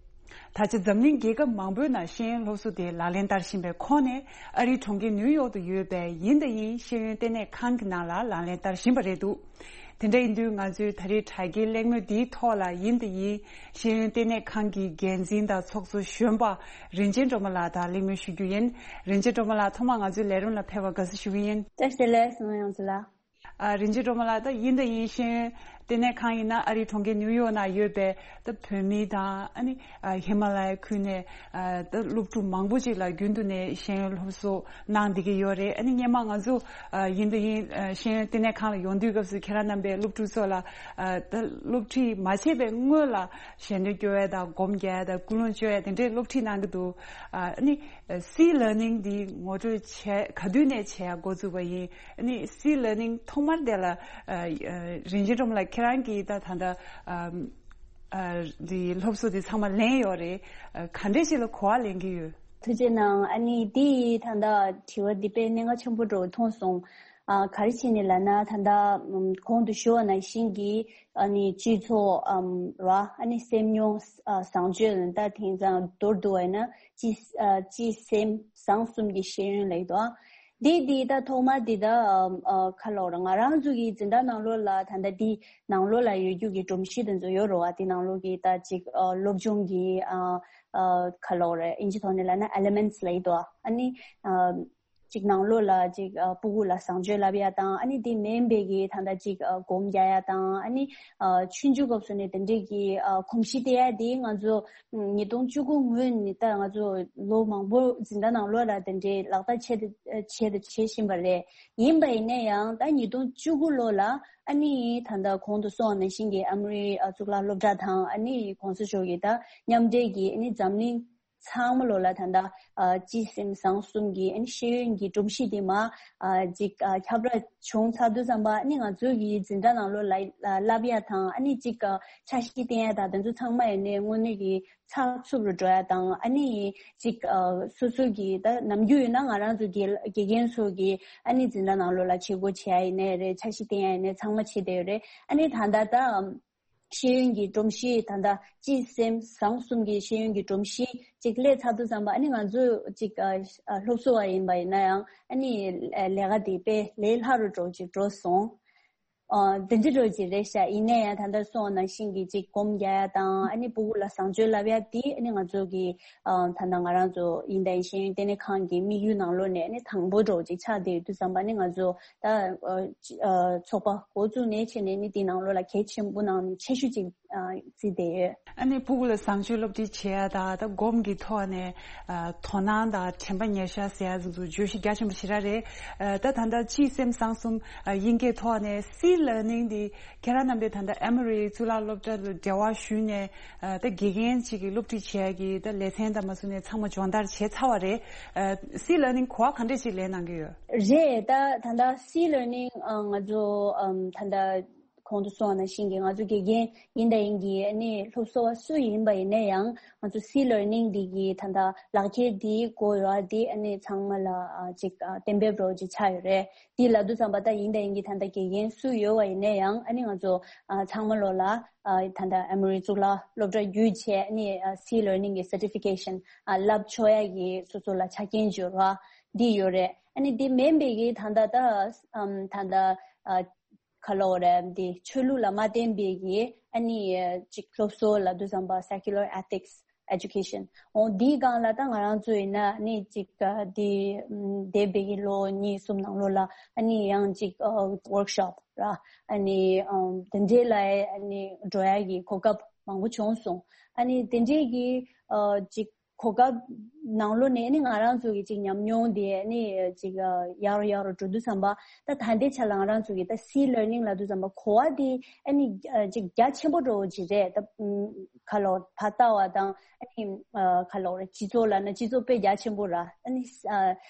ད་ཆ་འཛམ་གླིང་རྒྱལ་ཁབ་མང་པོའི་ནང་ཤེས་ཡོན་སློབ་གསོ་དེ་ལག་ལེན་བསྟར་བཞིན་པའི་ཁོངས་ནས་ཨ་རིའི་གྲོང་ཁྱེར་ནིའུ་ཡོག་ཏུ་ཡོད་པའི་ཡིན་དང་ཡིན་ཤེས་ཡོན་ལྟེ་གནས་ཁང་གི་ནང་ལ་ལག་ལེན་བསྟར་བཞིན་པ་རེད་འདུག་དེ་འདྲ་ཡིན་དུས་ང་ཚོའི་ད་རེས་དྲ་རྒྱའི་གླེང་མོལ་འདིའི་ཐོག་ལ་ཡིན་དང་ཡིན་ཤེས་ཡོན་ལྟེ་གནས་ཁང་གི་འགན་འཛིན་དང་ཚོགས་གཙོ་གཞོན་པ་རིན་ཆེན་སྒྲོལ་མ་ལགས་དང་གླེང་མོལ་ཞུ་རྒྱུ་ཡིན། རིན་ཆེན་སྒྲོལ་མ་ལགས་ཐོག་མར་ང་ཚོའི་ལས་རིམ་ལ་ཕེབས་པར་དགའ་བསུ་ཞུ་གི་ཡིན། བཀྲ་ཤིས་བདེ་ལེགས་གསུང་ཡོངས་ཚོ་ལ། ཨ། རིན་ཆེན་སྒྲོལ་མ་ལགས། ད་ཡིན་དང་ཡིན་ཤེས་ཡོན་ ལྟེ་གནས་ཁང་ཡིན་ན་ཨ་རིའི་གྲོང་ཁྱེར་ནིའུ་ཡོག་ནང་ཡོད་པའི་ད་བོད་མི་དང་ཨ་ནི་ཨ་ཧི་མ་ལ་ཡའི་ཁུལ་ནས་ཨ་ད་སློབ་ཕྲུག་མང་པོ་ཅིག་ལ་རྒྱུན་དུ་ནས་ཤེས་ཡོན་སློབ་གསོ་གནང་བསྡད་ཀྱི་ཡོད་རེད། ཨ་ནི་སྔོན་མ་ང་ཚོ་ཨ་ཡིན་དང་ཡིན་ཨ་ཤེས་ཡོན་ལྟེ་གནས་ཁང་ལ་ཡོང་དུས་སྐབས་སུ་ཁྱེད་རང་རྣམ་པས་སློབ་ཕྲུག་ཚོ་ལ་ཨ་ད་སློབ་ཁྲིད་མ་བྱས་པའི་སྔོན་ལ་ཞལ་འདོན་སྐྱོར་ཡ་དང་སྒོམ་རྒྱག་ཡ་དང་ཀུན་སློང་བཅོས་ཡ་དེ་འདྲའི་སློབ་ཁྲིད་གནང་གི་འདུག་ཨ་ནི་སི་ལར་ནིང་འདི་ངོ་སྤྲོད་བྱས་ག་དུས་ནས་བྱས་ཡ་འགོ་བཙུགས་པ་ཡིན། ཨ་ནི་སི་ལར་ནིང་ཐོག་མར་དེ་ལ་ཨ་ཨ་རིན་ཆེན་སྒྲོལ་མ་ལགས་ཁྱེད་རང་གིས་ད་ད་ལྟ་ཨ་ཨ་འདི་སློབ་གསོ་འདི་ཚང་མ་ལེན་ཡོད་རེད། ཨ་ག་འདྲས་ཞིག་ལ་གོ་བ་ལེན་གྱི་ཡོད། ཐུགས་རྗེ་གནང་། ཨ་ནི་འདི་ད་ལྟ་དྲི་བ་འདི་དཔེ་གནད་འགག་ཆེན་པོ་འདྲ་བོ་མཐོང་སོང་། ཨ་ག་རེ་བྱས་ནས་ལབ་ན་ད་ལྟ་ཨམ་གོང་དུ་ཞུ་བ་ནང་བཞིན་གྱི་ཨ་ནི་སྤྱི་ཚོགས་ཨམ་ར་ཨ་ནི་སེམས་མྱོང་ཨ་བཟང་སྤྱོད་ལ་ད་དེང་སང་མདོར་བསྡུ་བ་ཡིན་ན་སྤྱི་ཨ་སྤྱི་སེམས་བཟང་གསུམ་གྱི་ཤེས་ཡོན་ལབ་ཀྱི་འདུག་ཨ། འདི་འདི་ད་ཐོག་མ་འདི་ད་ཨམ་ཨ་ག་ལབ་དགོས་རེད། ང་རང་ཚོ་གི་འཛིན་གྲྭ་ནང་ལོགས་ལ་ད་ལྟ་འདི་ནང་ལོགས་ལ་ཡོད་རྒྱུ་གི་སྒྲོམ་གཞི་དེ་ཚོ་ཡོད་རེད་བ། འདི་ནང་ལོགས་ཀྱི་ད་ཅིག་ཨ་སློབ་སྦྱོང་གི་ཨ་ཨ་ག་ལབ་དགོས་རེད། ཨིན་ཇི་ཐོག་ནས་ལབ་ན་ཨེ་ལི་མེན་ཊི་ལབ་ཀྱི་འདུག་ཨ། ཨ་ནི་ཨ་ཅིག་ནང་ལོགས་ལ་ཅིག་ཨ་སྤུ་གུ་ལ་བཟང་སྤྱོད་བསླབ་ཡ་དང་། ཨ་ནི་དེ་མིན་པའི་གི་ད་ལྟ་ཅིག་ཨ་སྒོམ་རྒྱག་ཡ་དང་། ཨ་ནི་ཨ་ཆུང་ཆུང་སྐབས་སུ་ནས་དེ་འདྲས་ཀྱི་ཨ་གོམས་གཤིས་དེ་ཡ་དེ་ང་ཚོ་ཉིས་སྟོང་བཅུ་དགུ་སྔོན་ནས་ད་ང་ཚོ་ལོ་མང་པོ་འཛིན་གྲྭ་ནང་ལོགས་ལ་དེ་འདྲས་ལག་བསྟར་བྱས་ཏེ་བྱས་ཏེ་བྱེད་བཞིན་པ་རེད། ཡིན་པ་ཡིན་ན་ཡང་ད་ཉིས་སྟོང་བཅུ་དགུ་ལོ་ལ་ཨ་ནི་ད་ལྟ་གོང་དུ་སོང་བ་ནང་བཞིན་གྱི་ཨ་མི་རི་ཨ་གཙུག་ལག་སློབ་གྲྭ་དང་ཨ་ནི་གོང་ས་མཆོག་གི་ད་མཉམ་འབྲེལ་གྱི་ཨ་ནི་འཛམ་གླིང་ཚང་མ་ལོ་ལ་ད་ལྟ་ཨ་སྤྱི་སེམས་བཟང་གསུམ་གྱི་ཨ་ནི་ཤེས་ཡོན་གྱི་སྒྲོམ་གཞི་དེ་མ་ཨ་ཅིག་ཨ་ཁྱབ་བསྒྲགས་བྱུང་ཚར་དུས་ཙམ་པ་ཨ་ནི་ང་ཚོའི་གི་འཛིན་གྲྭ་ནང་ལོ་ལ་ཨ་བསླབ་ཡ་དང་ཨ་ནི་ཅིག་ཨ་འཆར་གཞི་བཏིང་ཡ་དང་དེ་ཚོ་ཚང་མ་ཡིན་ནའི་དངོས་གནས་ཀྱི་ཚགས་ཚུད་རུ་འགྲོ་ཡ་དང་། ཨ་ནི་ཅིག་ཨ་སོ་སོ་གི་ད་ནམ་རྒྱུན་ཡིན་ན་ང་རང་ཚོ་དགེ་དགེ་རྒན་ཚོ་གི་ཨ་ནི་འཛིན་གྲྭ་ནང་ལོ་ལ་བྱེད་སྒོ་བྱེད་ཡ་ཡིན་ནའི་རེད། འཆར་གཞི་བཏིང་ཡ་ཡིན་ནའི་ཚང་མ་བྱེད་བསྡད་ཡོད་རེད། ཨ་ནི་ད་ལྟ་ད་ཤེས་ཡོན་གྱི་སྒྲོམ་གཞི་ད་ལྟ་སྤྱི་སེམས་བཟང་གསུམ་གྱི་ཤེས་ཡོན་གྱི་སྒྲོམ་གཞི་ཅིག་སླེབས་ཚར་དུས་ཙམ་པ་ཨ་ནི་ང་ཚོ་ཅིག་ཨ་ཨ་སློབ་གསོ་བ་ཡིན་པ་ཡིན་ན་ཡང་ཨ་ནི་ལས་ཀ་དེ་དཔེ་ལས་སླ་རུ་འགྲོ་ཅིག་འགྲོ་སོང་། ཨ་དེ་འདྲ་འགྲོ་ཅིག་རེད་ཤག་ཡིན་ན་ཡང་ད་ལྟ་སོང་ནང་བཞིན་གྱི་ཅིག་སྒོམ་རྒྱག་ཡ་དང་ཨ་ནི་སྤུ་གུ་ལ་བཟང་སྤྱོད་བསླབ་ཡ་དེ་ཨ་ནི་ང་ཚོ་གི་ཨ་ད་ལྟ་ང་རང་ཚོ་ཡིན་ད་ཡིན་ཤེས་ཡོན་ལྟེ་གནས་ཁང་གི་དམིགས་ཡུལ་ནང་ལོགས་ནས་ཨ་ནི་དང་པོ་འགྲོ་ཅིག་ཆགས་བསྡད་ཡོད་དུས་ཙམ་པ་ཨ་ནི་ང་ཚོ་ད་ཨ་ཨ་ཚོགས་པ་འགོ་བཙུགས་ནས་བྱས་ནས་ཨ་ནི་དེ་ནང་ལོགས་ལ་གལ་ཆེན་པོ་ནང་ནས་ཆེ་ཤོས་ཅིག་ཨ་བརྩིས་བསྡད་ཡོད། ཨ་ནི་སྤུ་གུ་ལ་བཟང་སྤྱོད་སློབ་ཁྲིད་བྱེད་ཡ་དང་ད་སྒོམ་གྱི་ཐོག་ནས་ཨ་དོ་སྣང་དང་དྲན་པ་ཉེར་བཞག་ཟེར་ཡ་ཚོ་བརྗོད་གཞི་རྒྱ་ཆེན་པོ་ཞེ་དྲག་རེད། ཨ་ད་ད་ལྟ་སྤྱི་སེམས་བཟང་གསུམ་ཨ་དབྱིན་སྐད་ཐོག་ནས་སི་ལར་ནིང་འདི་ཁྱེད་རང་རྣམ་པས་ད་ལྟ་ཨེ་མོ་རི་གཙུག་ལག་སློབ་གྲྭ་དང་འབྲེལ་བ་ཞུས་ནས་ཨ་ད་དགེ་རྒན་ཅིག་གི་སློབ་ཁྲིད་བྱེད་ཡ་གི་ད་ལེ་ཚན་དང་མ་སུ་ནས་ཚང་མ་སྦྱོང་བརྡར་བྱས་ཚར་བ་རེད། ཨ་སི་ལར་ནིང་གོ་བ་ག་འདྲས་ཅིག་ལེན་གནང་གི་ཡོད། རེད། ད་ད་ལྟ་སི་ལར་ནིང་ཨ་ང་ཚོ་ཨམ་ད་ལྟ་གོང་དུ་སོང་བ་ནང་བཞིན་གྱི་ང་ཚོ་དགེ་རྒན་ཡིན་དང་ཡིན་གྱི་ཨ་ནི་སློབ་གསོ་བ་སུ་ཡིན་པ་ཡིན་ན་ཡང་ང་ཚོ་སི་ལར་ནིང་འདི་གི་ད་ལྟ་ལག་འཁྱེར་འདི་དགོས་ཡོད་འདི་ཨ་ནི་ཚང་མ་ལ་ཨ་ཅིག་ཨ་གཏན་འབེབས་རོགས་ཅིག་ཆགས་ཡོད་རེད། འདི་ལབ་དུས་ཙམ་པ་ད་ཡིན་དང་ཡིན་གྱི་ད་ལྟ་དགེ་རྒན་སུ་ཡོད་པ་ཡིན་ན་ཡང་ཨ་ནི་ང་ཚོ་ཨ་ཚང་མ་ལོ་ལ་ཨ་ད་ལྟ་ཨེ་མོ་རི་གཙུག་ལག་སློབ་གྲྭ་བརྒྱུད་བྱས་ཨ་ནི་ཨ་སི་ལར་ནིང་གི་སར་ཊི་ཕི་ཀེ་ཤན་ཨ་ལབ་ཆོག་ཡ་གི་སོ་སོ་ལ་ཆ་རྐྱེན་འབྱོར་བ་འདི་ཡོད་རེད། ཨ་ནི་འདི་མིན་པའི་གི་ད་ལྟ་ད་ཨམ་ད་ལྟ་ཨ་ག་ལབ་དགོས་རེད། འདི་ཆོས་ལུགས་ལ་མ་བརྟེན་པའི་གི་ཨ་ནི་ཅིག་སློབ་གསོ་ལབ་དུས་ཙམ་པ་secular ethics education འོ་འདིའི་སྒང་ལ་ད་ང་རང་ཚོ་ཡིན་ན་ཨ་ནི་ཅིག་འདི་འདས་པའི་གི་ལོ་གཉིས་གསུམ་ནང་ལོགས་ལ་ཨ་ནི་ཡང་ཅིག་ཝོརྐ་ཤོབ་ར་ཨ་ནི་དེ་འདྲའི་ལ་ཨ་ནི་འགྲོ་ཡ་གི་གོ་སྐབས་མང་པོ་བྱུང་སོང་། ཨ་ནི་དེ་འདྲའི་གི་ཅིག་གོ་སྐབས་ནང་ལོགས་ནས་ནི་ང་རང་ཚོ་གི་ཅིག་ཉམས་མྱོང་དེ་ནི་ཅིག་ཡག་རུ་ཡག་རུ་འགྲོ་དུས་ཙམ་པ་ད་ད་ལྟའི་ཆ་ལ་ང་རང་ཚོ་གི་ད་སི་ལར་ནིང་ལབ་དུས་ཙམ་པ་གོ་བ་དེ་ཨ་ནི་ཅིག་རྒྱ་ཆེན་པོ་འགྲོ་བ་ཅིག་རེད། ད་ཁ་ལོ་ཕ་ལྟ་བ་དང་ཨ་ནི་ཁ་ལོ་རེད་སྤྱི་ཚོགས་ལ་ན་སྤྱི་ཚོགས་དཔེ་རྒྱ་ཆེན་པོ་ར་ཨ་ནི་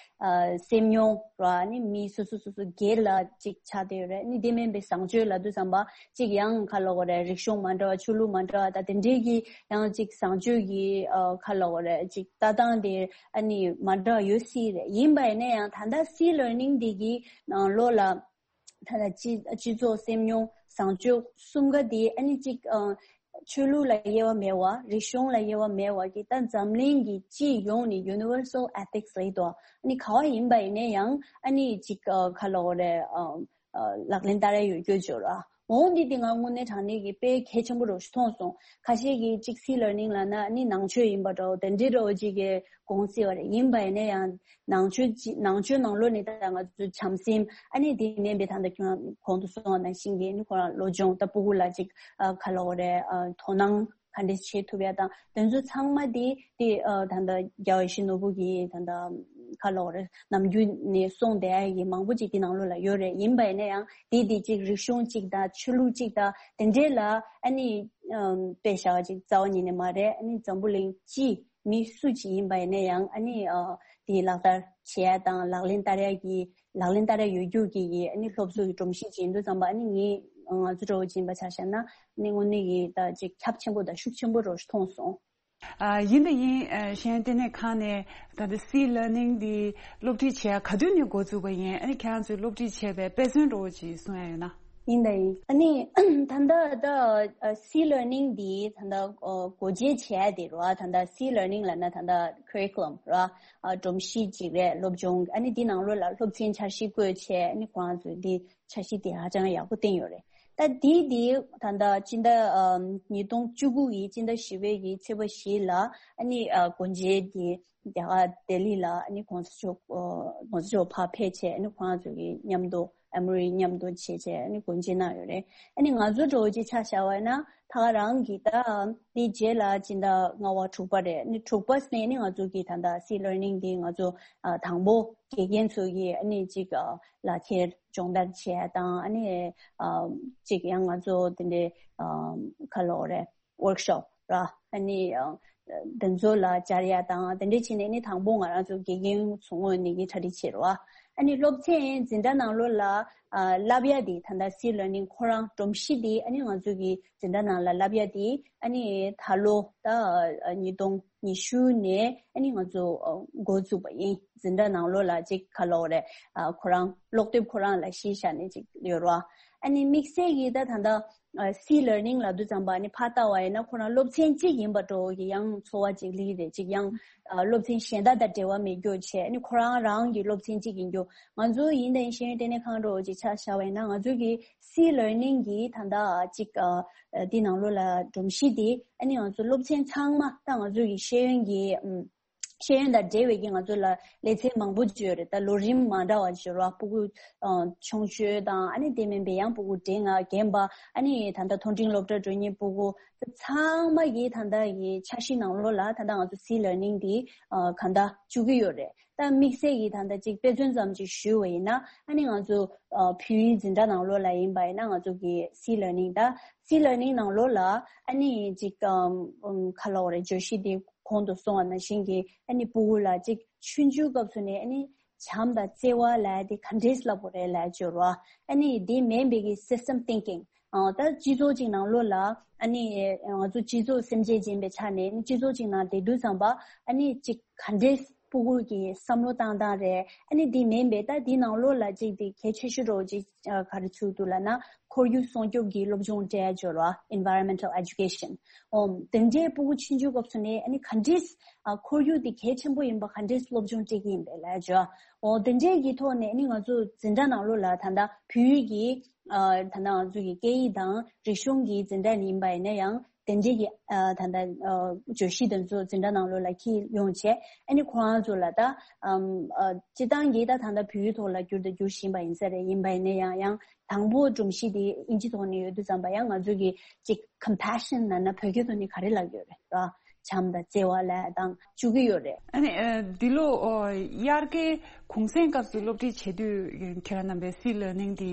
སེམས་མྱོང་ར་ཨ་ནི་མི་སོ་སོ་སོ་སོ་སྒེར་ལ་ཅིག་ཆགས་བསྡད་ཡོད་རེད། ཨ་ནི་དེ་མིན་པའི་བཟང་སྤྱོད་ལབ་དུས་ཙམ་པ། གཅིག་ཡང་ཁ་ལོ་གོ་རེ་རིག་གཞུང་མ་འདྲ་བ་ཆོས་ལུགས་མ་འདྲ་བ་ད་དེ་འདྲའི་གི་ཡང་གཅིག་བཟང་སྤྱོད་ཀྱི་ཨ་ཁ་ལོ་གོ་རེ་གཅིག་ལྟ་སྟངས་དེ་ཨ་ནི་མ་འདྲ་བ་ཡོད་སྲིད་རེད། ཡིན་པ་ཡིན་ན་ཡང་ད་ལྟ་སི་ལར་ནིང་འདི་གི་ནང་ལོགས་ལ་ད་ལྟ་སྤྱི་སྤྱི་ཚོགས་སེམས་མྱོང་བཟང་སྤྱོད་གསུམ་ཀ་དེ་ཨ་ནི་གཅིག་ཨ་ཆོས་ལུགས་ལ་དབྱེ་བ་མེད་པ་རིག་གཞུང་ལ་དབྱེ་བ་མེད་པ་གི་ད་འཛམ་གླིང་གི་སྤྱི་ཡོངས་ནས་universal ethics ལབ་ཡོད་དོ། ཨ་ནི་ག་བ་ཡིན་པ་ཡིན་ན་ཡང་ཨ་ནི་གཅིག་ཨ་ཁ་ལོ་གོ་རེ་ཨ། ལག་ལེན་བསྟར་ཡ་ཡོད་རྒྱུ་འབྱོར་བ། འོང་འདི་དེ་ང་དངོས་གནས་དྲང་གནས་ཀྱི་དཔེ་གལ་ཆེན་པོ་རོ་ཞིག་མཐོང་སོང་། ཁ་ཤས་ཀྱིས་གཅིག་སི་ལར་ནིང་ལབ་ན་ནི་ནང་ཆོས་ཡིན་པ་འདྲ་བོ་དེ་འདྲའི་འདྲ་བོ་ཅིག་གི་དགོངས་སྲིད་པ་རེད། ཡིན་པ་ཡིན་ན་ཡང་ནང་ཆོས་ཅི་ནང་ཆོས་ནང་ལོགས་ནས་ད་ང་ཚོ་བྱམས་སེམས་ཨ་ནི་དེ་མིན་པའི་ད་ལྟ་ཁྱོད་རང་གོང་དུ་གསུངས་པ་ནང་བཞིན་གྱི་ནི་ཁོ་རང་སློབ་སྦྱོང་ད་སྤུ་གུ་ལ་ཅིག་ཨ་ག་ལབ་དགོས་རེད། ཨ་དོ་སྣང་ག་འདྲས་བྱེད་ཐུབ་ཡ་དང་དེ་ཚོ་ཚང་མ་དེ་དེ་ཨ་ད་ལྟ་རྒྱལ་བ་ཡིད་བཞིན་ནོར་བུ་གི་ད་ལྟ་ག་ལབ་དགོས་རེད། ནམ་རྒྱུན་ནས་གསུངས་བསྡད་ཡ་གི་མང་པོ་ཅིག་དེ་ནང་ལོགས་ལ་ཡོད་རེད། ཡིན་པ་ཡིན་ན་ཡང་དེ་དེ་ཅིག་རིག་གཞུང་ཅིག་དང་ཆོས་ལུགས་ཅིག་དང་དེ་འདྲས་ལ་ཨ་ནི་ཨམ་དཔེ་བཞག་ཅིག་རྩ་བ་ཉིད་ནས་མ་རེད། ཨ་ནི་འཛམ་བུ་གླིང་སྤྱི་མི་སུ་ཅིག་ཡིན་པ་ཡིན་ན་ཡང་ཨ་ནི་ཨ་དེ་ལག་བསྟར་བྱེད་ཡ་དང་ལག་ལེན་བསྟར་ཡ་གི་ལག་ལེན་བསྟར་ཡ་ཡོད་རྒྱུ་གི་གི་ཨ་ནི་སློབ་གསོ་གི་སྒྲོམ་གཞི་ཅིག་ཡིན་དུས་ཙམ་པ་ཨ་ནི་ངས་ང་ཚོ་འདྲ་བོ་ཅིག་ཡིན་པ་ཆ་བཞག་ན་ཨ་ནི་དངོས་གནས་ཀྱི་ད་ཅིག་ཁྱབ་ཆེན་པོ་དང་ཤུགས་ཆེན་པོ་རོ་ཞིག་མཐོང་སོང་། ཨ་ཡིན་ད་ཡིན། ཨ་ཤེས་ཡོན་ལྟེ་གནས་ཁང་ནས་ད་ལྟ་སི་ལར་ནིང་འདི་སློབ་ཁྲིད་བྱེད་ཡ་ག་དུས་ནས་འགོ་བཙུགས་པ་ཡིན། ཨ་ནི་ཁྱེད་རང་ཚོས་སློབ་ཁྲིད་བྱས་པའི་དཔེ་མཚོན་འདྲ་བོ་ཅིག་གསུང་ཡ་ཡོད་ན། ཡིན་ད་ཡིན། ཨ་ནི་ད་ལྟ་ད་ཨ་སི་ལར་ནིང་འདི་ད་ལྟ་ཨ་སྒོ་འབྱེད་བྱས་ཡ་དེ་རེད་བ། ད་ལྟ་སི་ལར་ནིང་ལབ་ན་ད་ལྟ་ཁུ་རི་ཀུ་ལམ་རེད་བ། ཨ་སྒྲོམ་གཞི་ཅིག་རེད། སློབ་སྦྱོང་ཨ་ནི་འདི་ནང་ལོགས་ལ་སློབ་ཚན་འཆར་གཞི་བཀོད་བྱས་ཨ་ནི་ཁོ་རང་ཚོས་འདི་འཆར་གཞི་དེ་ཧ་ཅང་ཡག་པོ་བཏིང་ཡོད་རེད། ད་དེ་དེ་ད་ལྟ་སྤྱི་ཟླ་ཨམ་ཉིས་སྟོང་བཅུ་དགུ་གི་སྤྱི་ཟླ་བཞི་པའི་གི་ཚེས་པ་བཞི་ལ་ཨ་ནི་ཨ་སྒོ་འབྱེད་དེ་རྒྱ་གར་ལྡི་ལི་ལ་ཨ་ནི་གོང་ས་མཆོག་ཨ་གོང་ས་མཆོག་ཕར་ཕེབས་བྱས་ཨ་ནི་ཁོང་ཚོ་གི་མཉམ་དུ་ཨ་མོ་རི་མཉམ་དུ་བྱས་བྱས་ཨ་ནི་སྒོ་འབྱེད་གནང་ཡོད་རེད། ཨ་ནི་ང་ཚོ་འདྲ་བོ་ཅིག་ཆ་བཞག་པ་ཡིན་ན་ད་ག་རང་གི་ད་དེ་རྗེས་ལ་སྤྱི་ཟླ་ལྔ་པ་དྲུག་པ་རེད། ཨ་ནི་དྲུག་པ་ནས་ཨ་ནི་ང་ཚོ་གི་ད་ལྟ་སི་ལར་ནིང་དེ་ང་ཚོ་ཨ་དང་པོ་དགེ་རྒན་ཚོ་གི་ཨ་ནི་ཅིག་ཨ་ལག་ཁྱེར་སྦྱོང་བརྡར་བྱས་དང་ཨ་ནི་ཨ་ཅིག་ཡང་ང་ཚོ་དེ་འདྲའི་ཨ་ག་ལབ་དགོས་རེད། ཝོརྐ་ཤོབ་ར་ཨ་ནི་ཨ་དེ་ཚོ་ལ་སྦྱར་ཡ་དང་དེ་འདྲའི་བྱས་ནས་ཨ་ནི་དང་པོ་ང་རང་ཚོ་དགེ་རྒན་ཚོ་ངོས་ནས་གི་གྲ་སྒྲིག་བྱས་རེད་བ། ཨ་ནི་སློབ་ཚན་འཛིན་གྲྭ་ནང་ལོགས་ལ་ཨ་བསླབ་ཡ་དེ་ད་ལྟ་སི་ལར་ནིང་ཁོ་རང་སྒྲོམ་གཞི་དེ་ཨ་ནི་ང་ཚོ་གི་འཛིན་གྲྭ་ནང་ལ་བསླབ་ཡ་དེ་ཨ་ནི་ད་ལོ་ད་ཨ་ཉིས་སྟོང་ཉི་ཤུ་ནས་ཨ་ནི་ང་ཚོ་ཨ་འགོ་བཙུགས་པ་ཡིན། འཛིན་གྲྭ་ནང་ལོགས་ལ་ཅིག་ག་ལབ་དགོས་རེད། ཨ་ཁོ་རང་ཀློག་དེབ་ཁོ་རང་ལ་གཞི་བཞག་ནས་ཅིག་ཡོད་རེད་བ། ཨ་ནི་དམིགས་བསལ་གྱིས་ད་ད་ལྟ་ཨ་སི་ལར་ནིང་ལབ་དུས་ཙམ་པ་ཨ་ནི་ཕར་ལྟ་བ་ཡིན་ན་ཁོ་རང་སློབ་ཚན་གཅིག་ཡིན་པ་འདྲ་བོ་གི་ཡང་ཚོར་བ་ཅིག་སླེབས་རེད། ཅིག་ཡང་ཨ་སློབ་ཚན་གཞན་དག་དང་འབྲེལ་བ་མེད་རྒྱུ་བྱས་ཨ་ནི་ཁོ་རང་རང་གི་སློབ་ཚན་གཅིག་ཡིན་རྒྱུ། ང་ཚོ་ཡིན་ད་ཡིན་ཤེས་ཡོན་ལྟེ་གནས་ཁང་འདྲ་བོ་ཅིག་ཆ་བཞག་པ་ཡིན་ན་ང་ཚོ་གི་སི་ལར་ནིང་གི་ད་ལྟ་ཅིག་ཨ་འདི་ནང་ལོགས་ལ་སྒྲོམ་གཞི་དེ་ཨ་ནི་ང་ཚོ་སློབ་ཚན་ཚང་མ་ད་ང་ཚོ་གི་ཤེས་ཡོན་གྱི་ཨམ། ཤེས་ཡོན་དང་འབྲེལ་བའི་གི་ང་ཚོ་ལ་ལེ་ཚན་མང་པོ་ཅིག་ཡོད་རེད། ད་ལོ་རིམ་མ་འདྲ་བ་ཅིག་ཡོད་རེད་བ། སྤུ་གུ་ཨ་ཆུང་ཤོས་དང་ཨ་ནི་དེ་མིན་པའི་ཡང་སྤུ་གུ་བགྲེས་ང་རྒན་པ་ཨ་ནི་ད་ལྟ་མཐོ་འབྲིང་སློབ་གྲྭ་འགྲོ་མཁན་སྤུ་གུ་ཚང་མ་གི་ད་ལྟ་གི་འཆར་གཞི་ནང་ལོགས་ལ་ད་ལྟ་ང་ཚོ་སི་ལར་ནིང་འདི་ཨ་གང་ལྟར་བཅུག་གི་ཡོད་རེད། ད་དམིགས་བསལ་གྱིས་ད་ལྟ་ཅིག་དཔེ་མཚོན་ཙམ་ཅིག་ཞུས་པ་ཡིན་ན་ཨ་ནི་ང་ཚོ་ཨ་བོད་ཡིག་འཛིན་གྲྭ་ནང་ལོགས་ལ་ཡིན་པ་ཡིན་ན་ང་ཚོ་གི་སི་ལར་ནིང་ད་སི་ལར་ནིང་ནང་ལོགས་ལ་ཨ་ནི་ཅིག་ཨམ་ཨམ་ག་ལབ་དགོས་རེད། བརྗོད་གཞི་དེ་གོང་དུ་སོང་བ་ནང་བཞིན་གྱི་ཨ་ནི་སྤུ་གུ་ལ་ཅིག་ཆུང་ཆུང་སྐབས་སུ་ནས་ཨ་ནི་བྱམས་དང་བརྩེ་བ་ལབ་ཡ་དེ་ག་འདྲས་ལབ་དགོས་རེད་ལབ་ཡ་ཅིག་ཡོད་རེད་བ། ཨ་ནི་དེ་མིན་པའི་གི་སི་སི་ཊེམ་ཐིང་ཀིང་ཨ་ད་སྤྱི་ཚོགས་ཅིག་ནང་ལོགས་ལ་ཨ་ནི་ང་ཚོ་སྤྱི་ཚོགས་སེམས་ཅན་ཅིག་ཡིན་པའི་ཆ་ནས་ཨ་ནི་སྤྱི་ཚོགས་ཅིག་ནང་བསྡད་དུས་ཙམ་པ་ཨ་ནི་ཅིག་ག་འདྲས་སྤུ་གུ་གི་བསམ་བློ་བཏང་སྟངས་རེད། ཨ་ནི་དེ་མིན་པའི་ད་དེ་ནང་ལོགས་ལ་ཅིག་དེ་གལ་ཆེ་ཤོས་འདྲ་བོ་ཅིག་ཨ་ག་རེ་ཚུད་འདུག་ལབ་ན་ཁོར་ཡུག་སྲུང་སྐྱོབ་ཀྱི་སློབ་སྦྱོང་སྤྲད་ཡ་ཅིག་ཡོད་རེད་བ། Environmental Education། ཨོ་དེ་འདྲའི་སྤུ་གུ་ཆུང་ཆུང་སྐབས་སུ་ནས་ཨ་ནི་ག་འདྲས་ཨ་ཁོར་ཡུག་དེ་གལ་ཆེན་པོ་ཡིན་པ་ག་འདྲས་སློབ་སྦྱོང་སྤྲད་ཀྱི་ཡིན་པས་ལབ་ཡ་ཅིག་ཡོད། ཨོ་དེ་འདྲས་ཀྱི་ཐོག་ནས་ཨ་ནི་ང་ཚོ་འཛིན་གྲྭ་ནང་ལོགས་ལ་ད་ལྟ་བོད་ཡིག་གི་ཨ་ད་ལྟ་ང་ཚོ་གི་སྐད་ཡིག་དང་རིག་གཞུང་གི་འཛིན་གྲྭ་ཡིན་པ་ཡིན་ན་ཡང་དེ་འདྲས་ཀྱི་ཨ་ད་ལྟ་ཨ་བརྗོད་གཞི་དེ་ཚོ་འཛིན་གྲྭ་ནང་ལོགས་ལ་འཁྱེར་ཡོང་བྱས་ཨ་ནི་ཁོ་རང་ཚོ་ལ་ད་ཨམ་ཨ་སྤྱིར་བཏང་གི་ད་ད་ལྟ་བོད་ཡིག་ཐོག་ལ་བསྒྱུར་དང་བསྒྱུར་བཞིན་པ་ཡིན་ས་རེད། ཡིན་པ་ཡིན་ན་ཡང་ཡང་དང་པོ་སྒྲོམ་གཞི་དེ་ཨིན་ཇི་ཐོག་ནས་ཡོད་དུས་ཙམ་པ་ཡང་ང་ཚོ་གི་ཅིག་compassion་ལབ་ན་བོད་སྐད་ཐོག་ནས་ག་རེ་ལབ་ཀྱི་ཡོད་རེད་ར། བྱམས་དང་བརྩེ་བ་ལབ་དང་བཅུག་གི་ཡོད་རེད། ཨ་ནི་ཨ་འདི་ལོ་ཨོ་དབྱར་ཁའི་གུང་སེང་སྐབས་སུ་སློབ་ཁྲིད་བྱེད་དུས་ཁྱེད་རང་རྣམ་པས་སི་ལར་ནིང་དེ་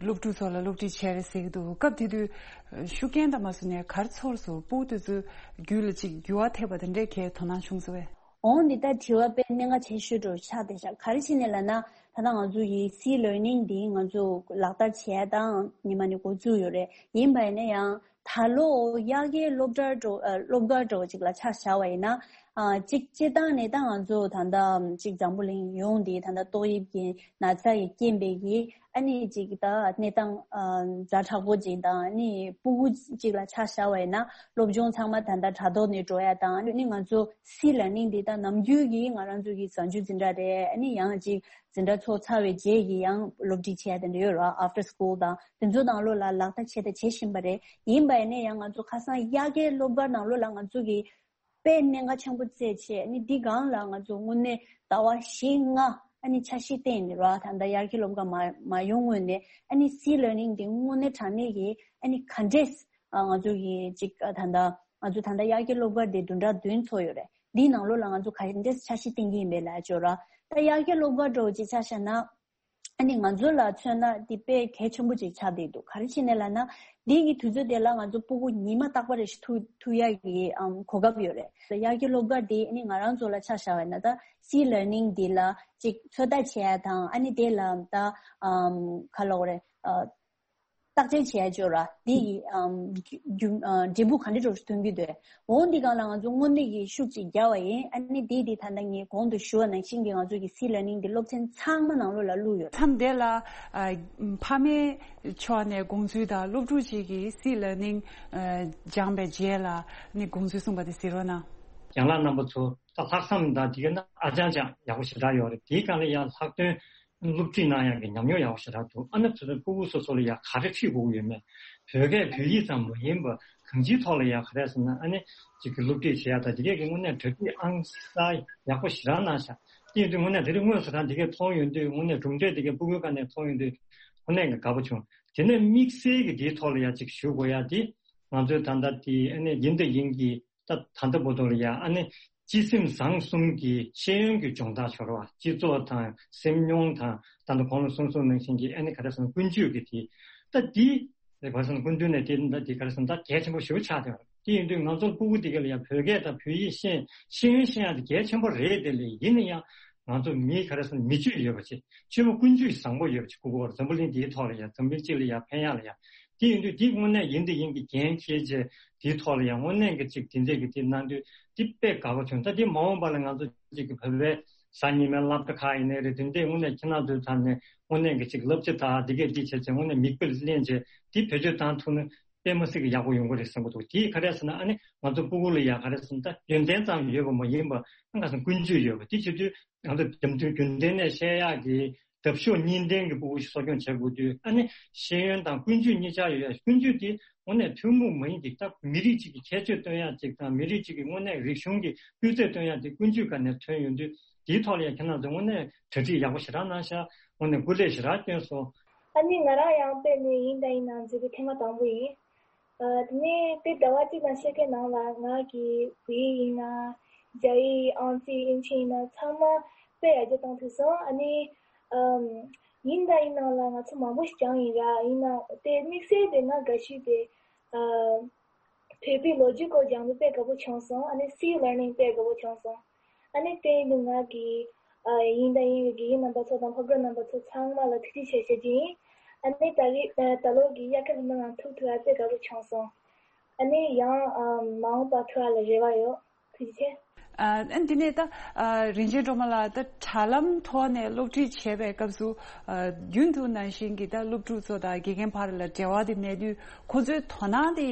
སློབ་ཕྲུག་ཚོ་ལ་སློབ་ཁྲིད་བྱས་རེད་ཟེར་གྱི་འདུག་སྐབས་དེ་དུས་ཨ་ཤུགས་རྐྱེན་དང་མ་སོང་ནས་ག་རེ་ཚོར་སོང་། སྤུ་གུ་དེ་ཚོའི་རྒྱུད་ལ་ཅིག་འགྱུར་བ་ཐེབས་པ་དེ་འདྲས་ཁྱེད་དོ་སྣང་བྱུང་སོང་བས། འོང་འདི་ལྟར་དྲི་བ་དཔེ་གནད་འགག་ཆེ་ཤོས་འདྲ་བོ་ཆགས་བསྡད་ཤག་ག་རེ་བྱས་ནས་ལབ་ན་ད་ལྟ་ང་ཚོ་ཡི་སི་ལར་ནིང་འདི་ང་ཚོ་ལག་བསྟར་བྱས་དང་ཉི་མ་ནས་འགོ་བཙུགས་ཡོད་རེད། ཡིན་པ་ཡིན་ན་ཡང་ ད་ལོ་དབྱར་ཁའི་སློབ་གྲྭ་འགྲོ་ཨ་སློབ་གར་འགྲོ་ཅིག་ལ་ཆ་བཞག་པ་ཡིན་ན། ཨ་གཅིག་སྤྱིར་བཏང་ནས་ད་ང་ཚོ་ད་ལྟ་གཅིག་འཛམ་བུ་གླིང་ཡོངས་འདི་ད་ལྟ་ཏོག་དབྱིབས་ཀྱི་ན་ཚ་ཡི་རྐྱེན་པས་ཀྱི་ཨ་ནི་གཅིག་ད་གནས་སྟངས་ཨ་ཛ་དྲག་པོ་ཅིག་དང་ཨ་ནི་སྤུ་གུ་ཅིག་ལ་ཆ་བཞག་པ་ཡིན་ན་སློབ་སྦྱོང་ཚང་མ་ད་ལྟ་དྲ་ཐོག་ནས་འགྲོ་ཡ་དང་ཨ་ནི་ང་ཚོ་སི་ལར་ནིང་འདི་ད་ནམ་རྒྱུན་གྱི་ང་རང་ཚོ་གི་གཟའ་མཇུག་འཛིན་གྲྭ་རེད། ཨ་ནི་ཡང་གཅིག་འཛིན་གྲྭ་ཚོགས་ཚར་བའི་རྗེས་ཀྱི་ཡང་སློབ་ཁྲིད་བྱས་དེ་འདྲ་ཡོད་ར། after school དང་དེ་ཚོ་ནང་ལོགས་ལ་ལག་བསྟར་བྱས་དང་བྱེད་བཞིན་པ་རེད། ཡིན་པ་ཡིན་ནའི་ཡང་ང་ཚོ་ཁ་སང་དབྱར་ཁའི་སློབ་གར་ནང་ལོགས་ལ་ང་ཚོ་གི་དཔེ་གནད་འགག་ཆེན་པོ་བརྩད་བྱས་ནི་འདི་སྒང་ལ་ང་ཚོ་དངོས་གནས་ཟླ་བ་བཞི་ལྔ་ཨ་ནི་འཆར་གཞི་བཏིང་ནས་ར། ད་ལྟ་དབྱར་ཁའི་སློབ་གར་མ་མ་ཡོང་སྔོན་ནས་ཨ་ནི་སི་ལར་ནིང་འདི་དངོས་གནས་དྲང་གནས་ཀྱི་ཨ་ནི་ག་འདྲས་ང་ཚོ་གི་ཅིག་ད་ལྟ་ང་ཚོ་ད་ལྟ་དབྱར་ཁའི་སློབ་གར་འདི་བདུན་ཕྲག་བདུན་ཚོགས་ཡོད་རེད། འདིའི་ནང་ལོགས་ལ་ང་ཚོ་ག་འདྲས་འཆར་གཞི་བཏིང་གི་ཡིན་པས་ལབ་ཅོ་ར། ད་དབྱར་ཁའི་སློབ་གར་འགྲོ་ཅིག་ཆ་བཞག་ན། ཨ་ནི་ང་ཚོ་ལ་མཚོན་ན་འདི་དཔེ་གལ་ཆེན་པོ་ཅིག་ཆགས་བསྡད་འདུག་ག་རེ་བྱས་ནས་ལབ་ན། འདི་གི་དུས་ཚོད་དེ་ལ་ང་ཚོ་སྤུ་གུ་ཉི་མ་རྟག་པ་རེ་ཞིག་ཐུག་ཐུག་ཡ་གི་ཨམ་གོ་སྐབས་ཡོད་རེད། དབྱར་ཁའི་སློབ་གར་འདི་ཨ་ནི་ང་རང་ཚོ་ལ་ཆ་བཞག་པ་ཡིན་ན་ད་སི་ལར་ནིང་འདི་ལ་ཅིག་ཚོད་ལྟ་བྱེད་ཡ་དང་ཨ་ནི་དེ་ལ་ད་ཨམ་ག་ལབ་དགོས་རེད། ཨ། བརྟག་དཔྱད་བྱས་ཡ་ཅོ་ར། འདི་ཡི་ཨམ་རྒྱུ་ཨ་འབྲས་བུ་ག་འདྲ་འགྲོ་ཐོན་གྱི་འདུག་འོ་འདི་སྒང་ལ་ང་ཚོ་དངོས་གནས་ཀྱི་ཤུགས་ཅིག་རྒྱག་པ་ཡིན། ཨ་ནི་འདི་འདི་ད་ལྟ་ངས་གོང་དུ་ཞུ་བ་ནང་བཞིན་གྱི་ང་ཚོ་གི་སི་ལར་ནིང་འདི་སློབ་ཚན་ཚང་མ་ནང་ལོགས་ལ་བླུགས་ཡོད། མཚམས་དེ་ལ་ཨ་ཕ་མའི་ཕྱོགས་ནས་དགོངས་ཚུལ་དང་སློབ་ཕྲུག་ཅིག་གིས་སི་ལར་ནིང་ཨ་སྦྱངས་པའི་རྗེས་ལ་ནི་དགོངས་ཚུལ་གསུངས་པ་དེ་གཟིགས་རོགས་གནང་། ཡང་ལ་རྣམ་པ་ཚོ་ད་ལྷག་བསམ་དང་དེ་ག་ན་ཨ་ཅང་ཅང་ཡག་པོ་ཞེ་དྲག་ཡོད་རེད། དེའི་སྒང་ལ་ཡང་ལྷག་དོན། སློབ་ཁྲིད་གནང་ཡག་གི་ཉམས་མྱོང་ཡག་པོ་ཞེ་དྲག་འདུག་ཨ་ནི་ཚོ་ཚོ་སྤུ་གུ་སོ་སོ་ལ་ཡང་ག་རེ་ཁྲིད་དགོས་ཀྱི་ཡོད་མེད། བོད་སྐད་བོད་ཡིག་ཙམ་མ་ཡིན་པར་གང་ཅིའི་ཐོག་ལ་ཡང་ག་རེ་ཟེར་ན་ཨ་ནི་ཅིག་གི་སློབ་ཁྲིད་བྱེད་ཡག་དང་དེ་གས་ཀྱི་དངོས་གནས་གྲ་སྒྲིག་ཨང་གསར་ཡག་པོ་ཞེ་དྲག་གནང་ཤག་དེ་ཡིན་དུས་དངོས་གནས་དེ་རིང་དངོས་སུ་རང་དེ་གས་མཐོང་ཡོང་དུས་དངོས་གནས་གྲུབ་འབྲས་དེ་གས་སྤུ་གུའི་སྒང་ནས་མཐོང་ཡོང་དུས་དངོས་གནས་ཀྱི་དགའ་པོ་བྱུང་། དེ་ནས་དམིགས་བསལ་གྱི་དེའི་ཐོག་ལ་ཡང་ཅིག་ཞུ་དགོས་ཡ་དེ་ང་ཚོའི་ད་ལྟ་དེ་ཨ་ནི་ཡིན་དང་ཡིན་གྱི། ད་ད་ལྟ་བར་དུ་ལ་ཡང་ཨ་ནི་སྤྱི་སེམས་བཟང་གསུམ་གྱི་ཤེས་ཡོན་གྱི་སྦྱོང་བརྡར་ཤོར་བ་སྤྱི་ཚོགས་དང་སེམས་མྱོང་དང་ད་ལྟ་གོང་ལ་གསུངས་སོང་ནང་བཞིན་གྱི་ཨ་ནི་ག་རེ་ཟེར་ན་ཀུན་སྤྱོད་ཀྱི་དེ་ད་འདི་རེད་བ་ཟེར་ན་ཀུན་སྤྱོད་ནས་དེ་ད་འདི་ག་རེ་ཟེར་ན་ད་གལ་ཆེན་པོ་ཞེ་པོ་ཆགས་བསྡད་པ་རེད། དེ་ཡིན་དུས་ང་ཚོར་སྤུ་གུ་དེ་ག་ལ་ཡང་བོད་སྐད་དང་བོད་ཡིག་ཤེས་ཤེས་ཡོན་ཤེས་ཡ་དེ་གལ་ཆེན་པོ་རེད་དེ་ལས་ཡིན་ན་ཡང་ང་ཚོ་མི་ག་རེ་ཟེར་ན་མི་སྤྱོད་ཡོད་པ་ཆེ་ཆེ་བོ་ཀུན་སྤྱོད་བཟང་པོ་ཡོད་པ་ཆེ་སྐུ་གོར་འཛམ་བུ་གླིང་འདིའི་ཐོག་ལ་ཡང་འཛམ་གླིང་སྤྱི་ལ་ཡང་ཕན་ཡག་ལ་ཡང་དེ་ཡིན་དུས་འདི་དངོས་གནས་ཡིན་དེ་ཡིན་གྱི་འགན་འཁྱེར་བྱས། དེའི་ཐོག་ལ་ཡང་དངོས་གནས་ཀྱི་ཅིག་དེ་འདྲས་ཀྱི་དེ་གནང་དུས་དེ་དཔེ་དགའ་པོ་བྱུང་། ད་དེ་མ་འོངས་པ་ལ་ང་ཚོ་ཅིག་གི་བོད་པའི་གཟའ་ཉི་མའི་སློབ་གྲྭ་ཁག་ཡིན་ནའི་རེད། དེ་འདྲས་དངོས་གནས་ཁྱེད་རང་ཚོའི་ཐོག་ནས་དངོས་གནས་ཀྱི་ཅིག་བསླབ་བྱ་དང་དེ་གས་དེ་བྱས་བྱས་དངོས་གནས་མིག་དཔེ་ལེན་བྱས་དེ་བེད་སྤྱོད་བཏང་ཐུབ་ན་དཔེ་མ་སྲིད་ཀྱི་ཡག་པོ་ཡོང་གི་རེད་བསམ་གྱི་འདུག་དེ་ག་རེ་ཟེར་ན་ཨ་ནི་ང་ཚོ་སྤུ་གུ་ལ་ཡང་ག་རེ་ཟེར་ན་ད་ཡོན་ཏན་ཙམ་ཡོད་པ་མ་ཡིན་པ་ཨ་ནི་ག་ཟེར་ན་ཀུན་སྤྱོད་ཡོད་པ་དེ་བྱེད་དུས་ང་ཚོ་རྒྱུ་མཚན་རྒྱུན་ལྡན་ནས་བཤད་ཡག་གི་འདབ་གཤོག་གཉིས་ལྡན་གྱི་སྤུ་གུ་ཞིག་གསོ་སྐྱོང་བྱེད་དགོས་དུས་ཨ་ནི་ཤེས་ཡོན་དང་ཀུན་སྤྱོད་གཉིས་ཆ་ཡོད་ཡ། ཀུན་སྤྱོད་དེ་དངོས་གནས་ཐུན་མོང་མ་ཡིན་ཅིག་ད་མི་རིགས་གཅིག་གི་ཁྱད་ཆོས་སྟོན་ཡ་ཅིག་དང་མི་རིགས་གཅིག་གི་དངོས་གནས་རིག་གཞུང་གི་སྤུས་ཚད་སྟོན་ཡ་དེ་ཀུན་སྤྱོད་སྒང་ནས་ཐོན་ཡོང་དུས་དེའི་ཐོག་ལ་ཡང་ཁྱེད་རང་ཚོས་དངོས་གནས་གྲ་སྒྲིག་ཡག་པོ་ཞེ་དྲག་གནང་ཤག་དངོས་གནས་སྐུ་ལས་ཞེ་དྲག་བསྐྱོན་སོང་། ཨ་ནི་ང་རང་ཡང་དཔེ་ནས་ཡིན་དང་ཡིན་ནམ་འཛུལ་གི་ཐེངས་མ་དང་པོ་ཡིན། ཨ། དེ་ནས་དེ་ཟླ་བ་གཅིག་དང་ཕྱེད་ཀའི་ནང་ལ་ང་གི་བོད་ཡིག་ཡིན་ན་རྒྱ་ཡིག་ཨང་རྩིས་དབྱིན་ཇི་ཡིན་ན་ཚང་མ་དཔེ་ཡར་རྒྱས་བཏང་ཐུབ་སོང་། ཨ་ནི་ཨམ། ཡིན་དང་ཡིན་ནམ་ལ་ང་ཚོ་མང་པོ་ཞིག་སྦྱངས་ཡིན་ར། ཡིན་ན་དེ་དམིགས་བསལ་དེ་ང་དགའ་ཤོས་དེ་ཨ། བོད་པའི་ལོ་རྒྱུས་སྐོར་སྦྱངས་དུས་དཔེ་དགའ་པོ་བྱུང་སོང་། ཨ་ནི་སི་ལར་ནིང་དཔེ་དགའ་པོ་བྱུང་སོང་། ཨ་ནི་དེ་ཡིན་དུས་ང་གི་ཨ། ཡིན་དང་ཡིན་རུང་དགེ་རྒན་རྣམ་པ་ཚོ་དང་སློབ་གྲྭ་རྣམ་པ་ཚོ་ཚང་མ་ལ་ཐུགས་རྗེ་ཆེ་ཞུ་རྒྱུ་ཡིན། ཨ་ནི་ད་རེས་ཨ། ད་ལོ་གི་དབྱར་ཁ་ལྷ་མོ་ནང་ཐུག་ཐུབ་ཡ་དཔེ་དགའ་པོ་བྱུང་སོང་། ཨ་ནི་ཡང་ཨ། མ་འོངས་པ་ཐུག་ཡ་ལ་རེ་བ་ཡོད། ཐུགས་རྗེ་ཆེ། ཨ། ཨ། འདི་ནས་ད་ཨ། རིན་ཆེན་སྒྲོལ་མ་ལགས་ད་དྲ་ལམ་ཐོག་ནས་སློབ་ཁྲིད་བྱེད་པའི་སྐབས་སུ་ཨ། རྒྱུན་དུ་ནང་བཞིན་གྱི་ད་སློབ་ཕྲུག་ཚོ་དང་དགེ་རྒན་བར་ལ་འབྲེལ་བ་དེ་གནས་དུས་ཁོ་ཚོའི་དོ་སྣང་དེ་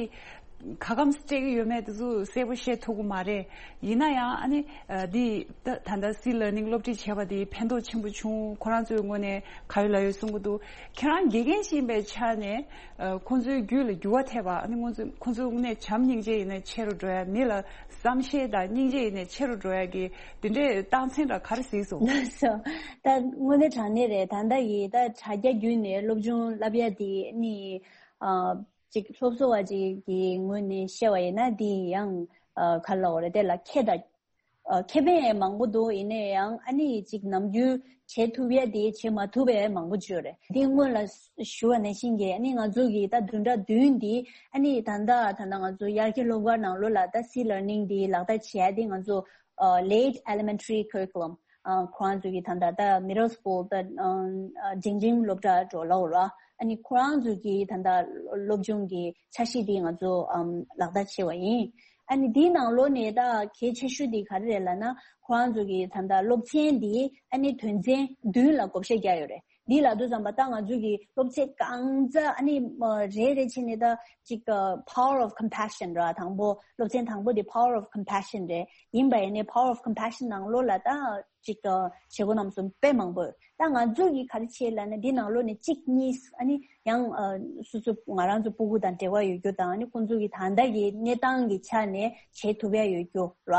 ག་གམ་སྤྲད་ཀྱི་ཡོད་མེད་དེ་ཚོ་གསལ་པོ་ཤེས་ཐུབ་ཀྱི་མ་རེད། ཡིན་ན་ཡང་ཨ་ནི་ཨ། འདི་ད་ད་ལྟ་སི་ལར་ནིང་སློབ་ཁྲིད་བྱས་པ་དེ་ཕན་ཐོགས་ཆེན་པོ་བྱུང་། ཁོ་རང་ཚོའི་ངོས་ནས་ག་ཡོད་ལ་ཡོད་གསུང་གི་འདུག་ཁྱེད་རང་དགེ་རྒན་ཞིག་ཡིན་པའི་ཆ་ནས་ཨ། ཁོང་ཚོའི་རྒྱུད་ལ་འགྱུར་བ་ཐེབས་པ། ཨ་ནི་ཁོང་ཚོ་ཁོང་ཚོ་དངོས་གནས་བྱམས་སྙིང་རྗེ་ཡིན་ནའི་ཆེ་རུ་འགྲོ་ཡ། མི་ལ་བསམ་ཤེས་དང་སྙིང་རྗེ་ཡིན་ནའི་ཆེ་རུ་འགྲོ་ཡ་གི་དེ་འདྲའི་རྟགས་མཚན་འདྲ་ག་རེ་གཟིགས་སོང་། ལགས་སོ། ད་དངོས་གནས་དྲང་གནས་རེད། ད་ལྟ་ཡི་ད་དྲ་རྒྱ་བརྒྱུད་ནས་སློབ་སྦྱོང་བསླབ་ཡ་དེ་ནི་ཨ། ཅིག་སློབ་གསོ་བ་ཅིག་གི་ངོས་ནས་བཤད་པ་ཡིན་ན་དེ་ཡང་ཨ། ག་ལབ་དགོས་རེད། དེ་ལ་ཁེ་ད་ཨ། ཁེ་ཕན་མང་པོ་འདུག་ཡིན་ནའི་ཡང་ཨ་ནི་ཅིག་ནམ་རྒྱུན་བྱེད་ཐུབ་ཡ་དེ་བྱེད་མ་ཐུབ་པའི་མང་པོ་ཅིག་ཡོད་རེད། དེ་སྔོན་ལ་ཞུ་བ་ནང་བཞིན་གྱི་ཨ་ནི་ང་ཚོ་གི་ད་བདུན་ཕྲག་བདུན་འདི་ཨ་ནི་ད་ལྟ་ད་ལྟ་ང་ཚོ་དབྱར་ཁའི་སློབ་གར་ནང་ལོགས་ལ་ད་སི་ལར་ནིང་འདི་ལག་བསྟར་བྱེད་ཡ་དེ་ང་ཚོ་ཨ། late elementary curriculum ཨ་ཁོ་རང་ཚོ་གི་ད་ལྟ་ད་མི་རོ་སི་ཀུལ་ད་ཨ་འབྲིང་འབྲིང་སློབ་གྲྭ་འགྲོ་ལ་འོ་ར། ཨ་ནི་ཁོ་རང་ཚོ་གི་ད་ལྟ་སློབ་སྦྱོང་གི་འཆར་གཞི་དེ་ང་ཚོ་ཨམ་ལག་བསྟར་བྱས་པ་ཡིན། ཨ་ནི་དེའི་ནང་ལོགས་ནས་ད་གལ་ཆེ་ཤོས་དེ་ག་རེ་རེད་ལབ་ན། ཁོ་རང་ཚོ་གི་ད་ལྟ་སློབ་ཚན་དེ་ཨ་ནི་དོན་ཚན་བདུན་ལ་བགོ་བཤའ་བརྒྱབ་ཡོད་རེད། འདི་ལབ་དུས་ཙམ་པ་ད་ང་ཚོ་གི་སློབ་ཚན་གང་ཙམ་ཨ་ནི་ཨ་རེ་རེ་བྱས་ནས་ད་ཅིག་ཨ་power of compassion ར། དང་པོ་སློབ་ཚན་དང་པོ་དེ་power of compassion རེད། ཡིན་པ་ཡིན་ནའི་power of compassion ནང་ལོགས་ལ་ད་ཅིག་ཨ་བྱེད་སྒོ་རྣམས་སུ་དཔེ་མང་པོ་ཡོད། ད་ང་ཚོ་གི་ག་རེ་བྱེད་ལབ་ན། འདི་ནང་ལོགས་ནས་གཅིག་གཉིས་ཨ་ནི་ཡང་ཨ་སོ་སོ་ང་རང་ཚོ་སྤུ་གུ་དང་འབྲེལ་བ་ཡོད་རྒྱུ་དང་། ཨ་ནི་ཁོང་ཚོ་གི་ད་ལྟ་གི་གནས་སྟངས་ཀྱི་ཆ་ནས་བྱེད་ཐུབ་ཡ་ཡོད་རྒྱུ་ར།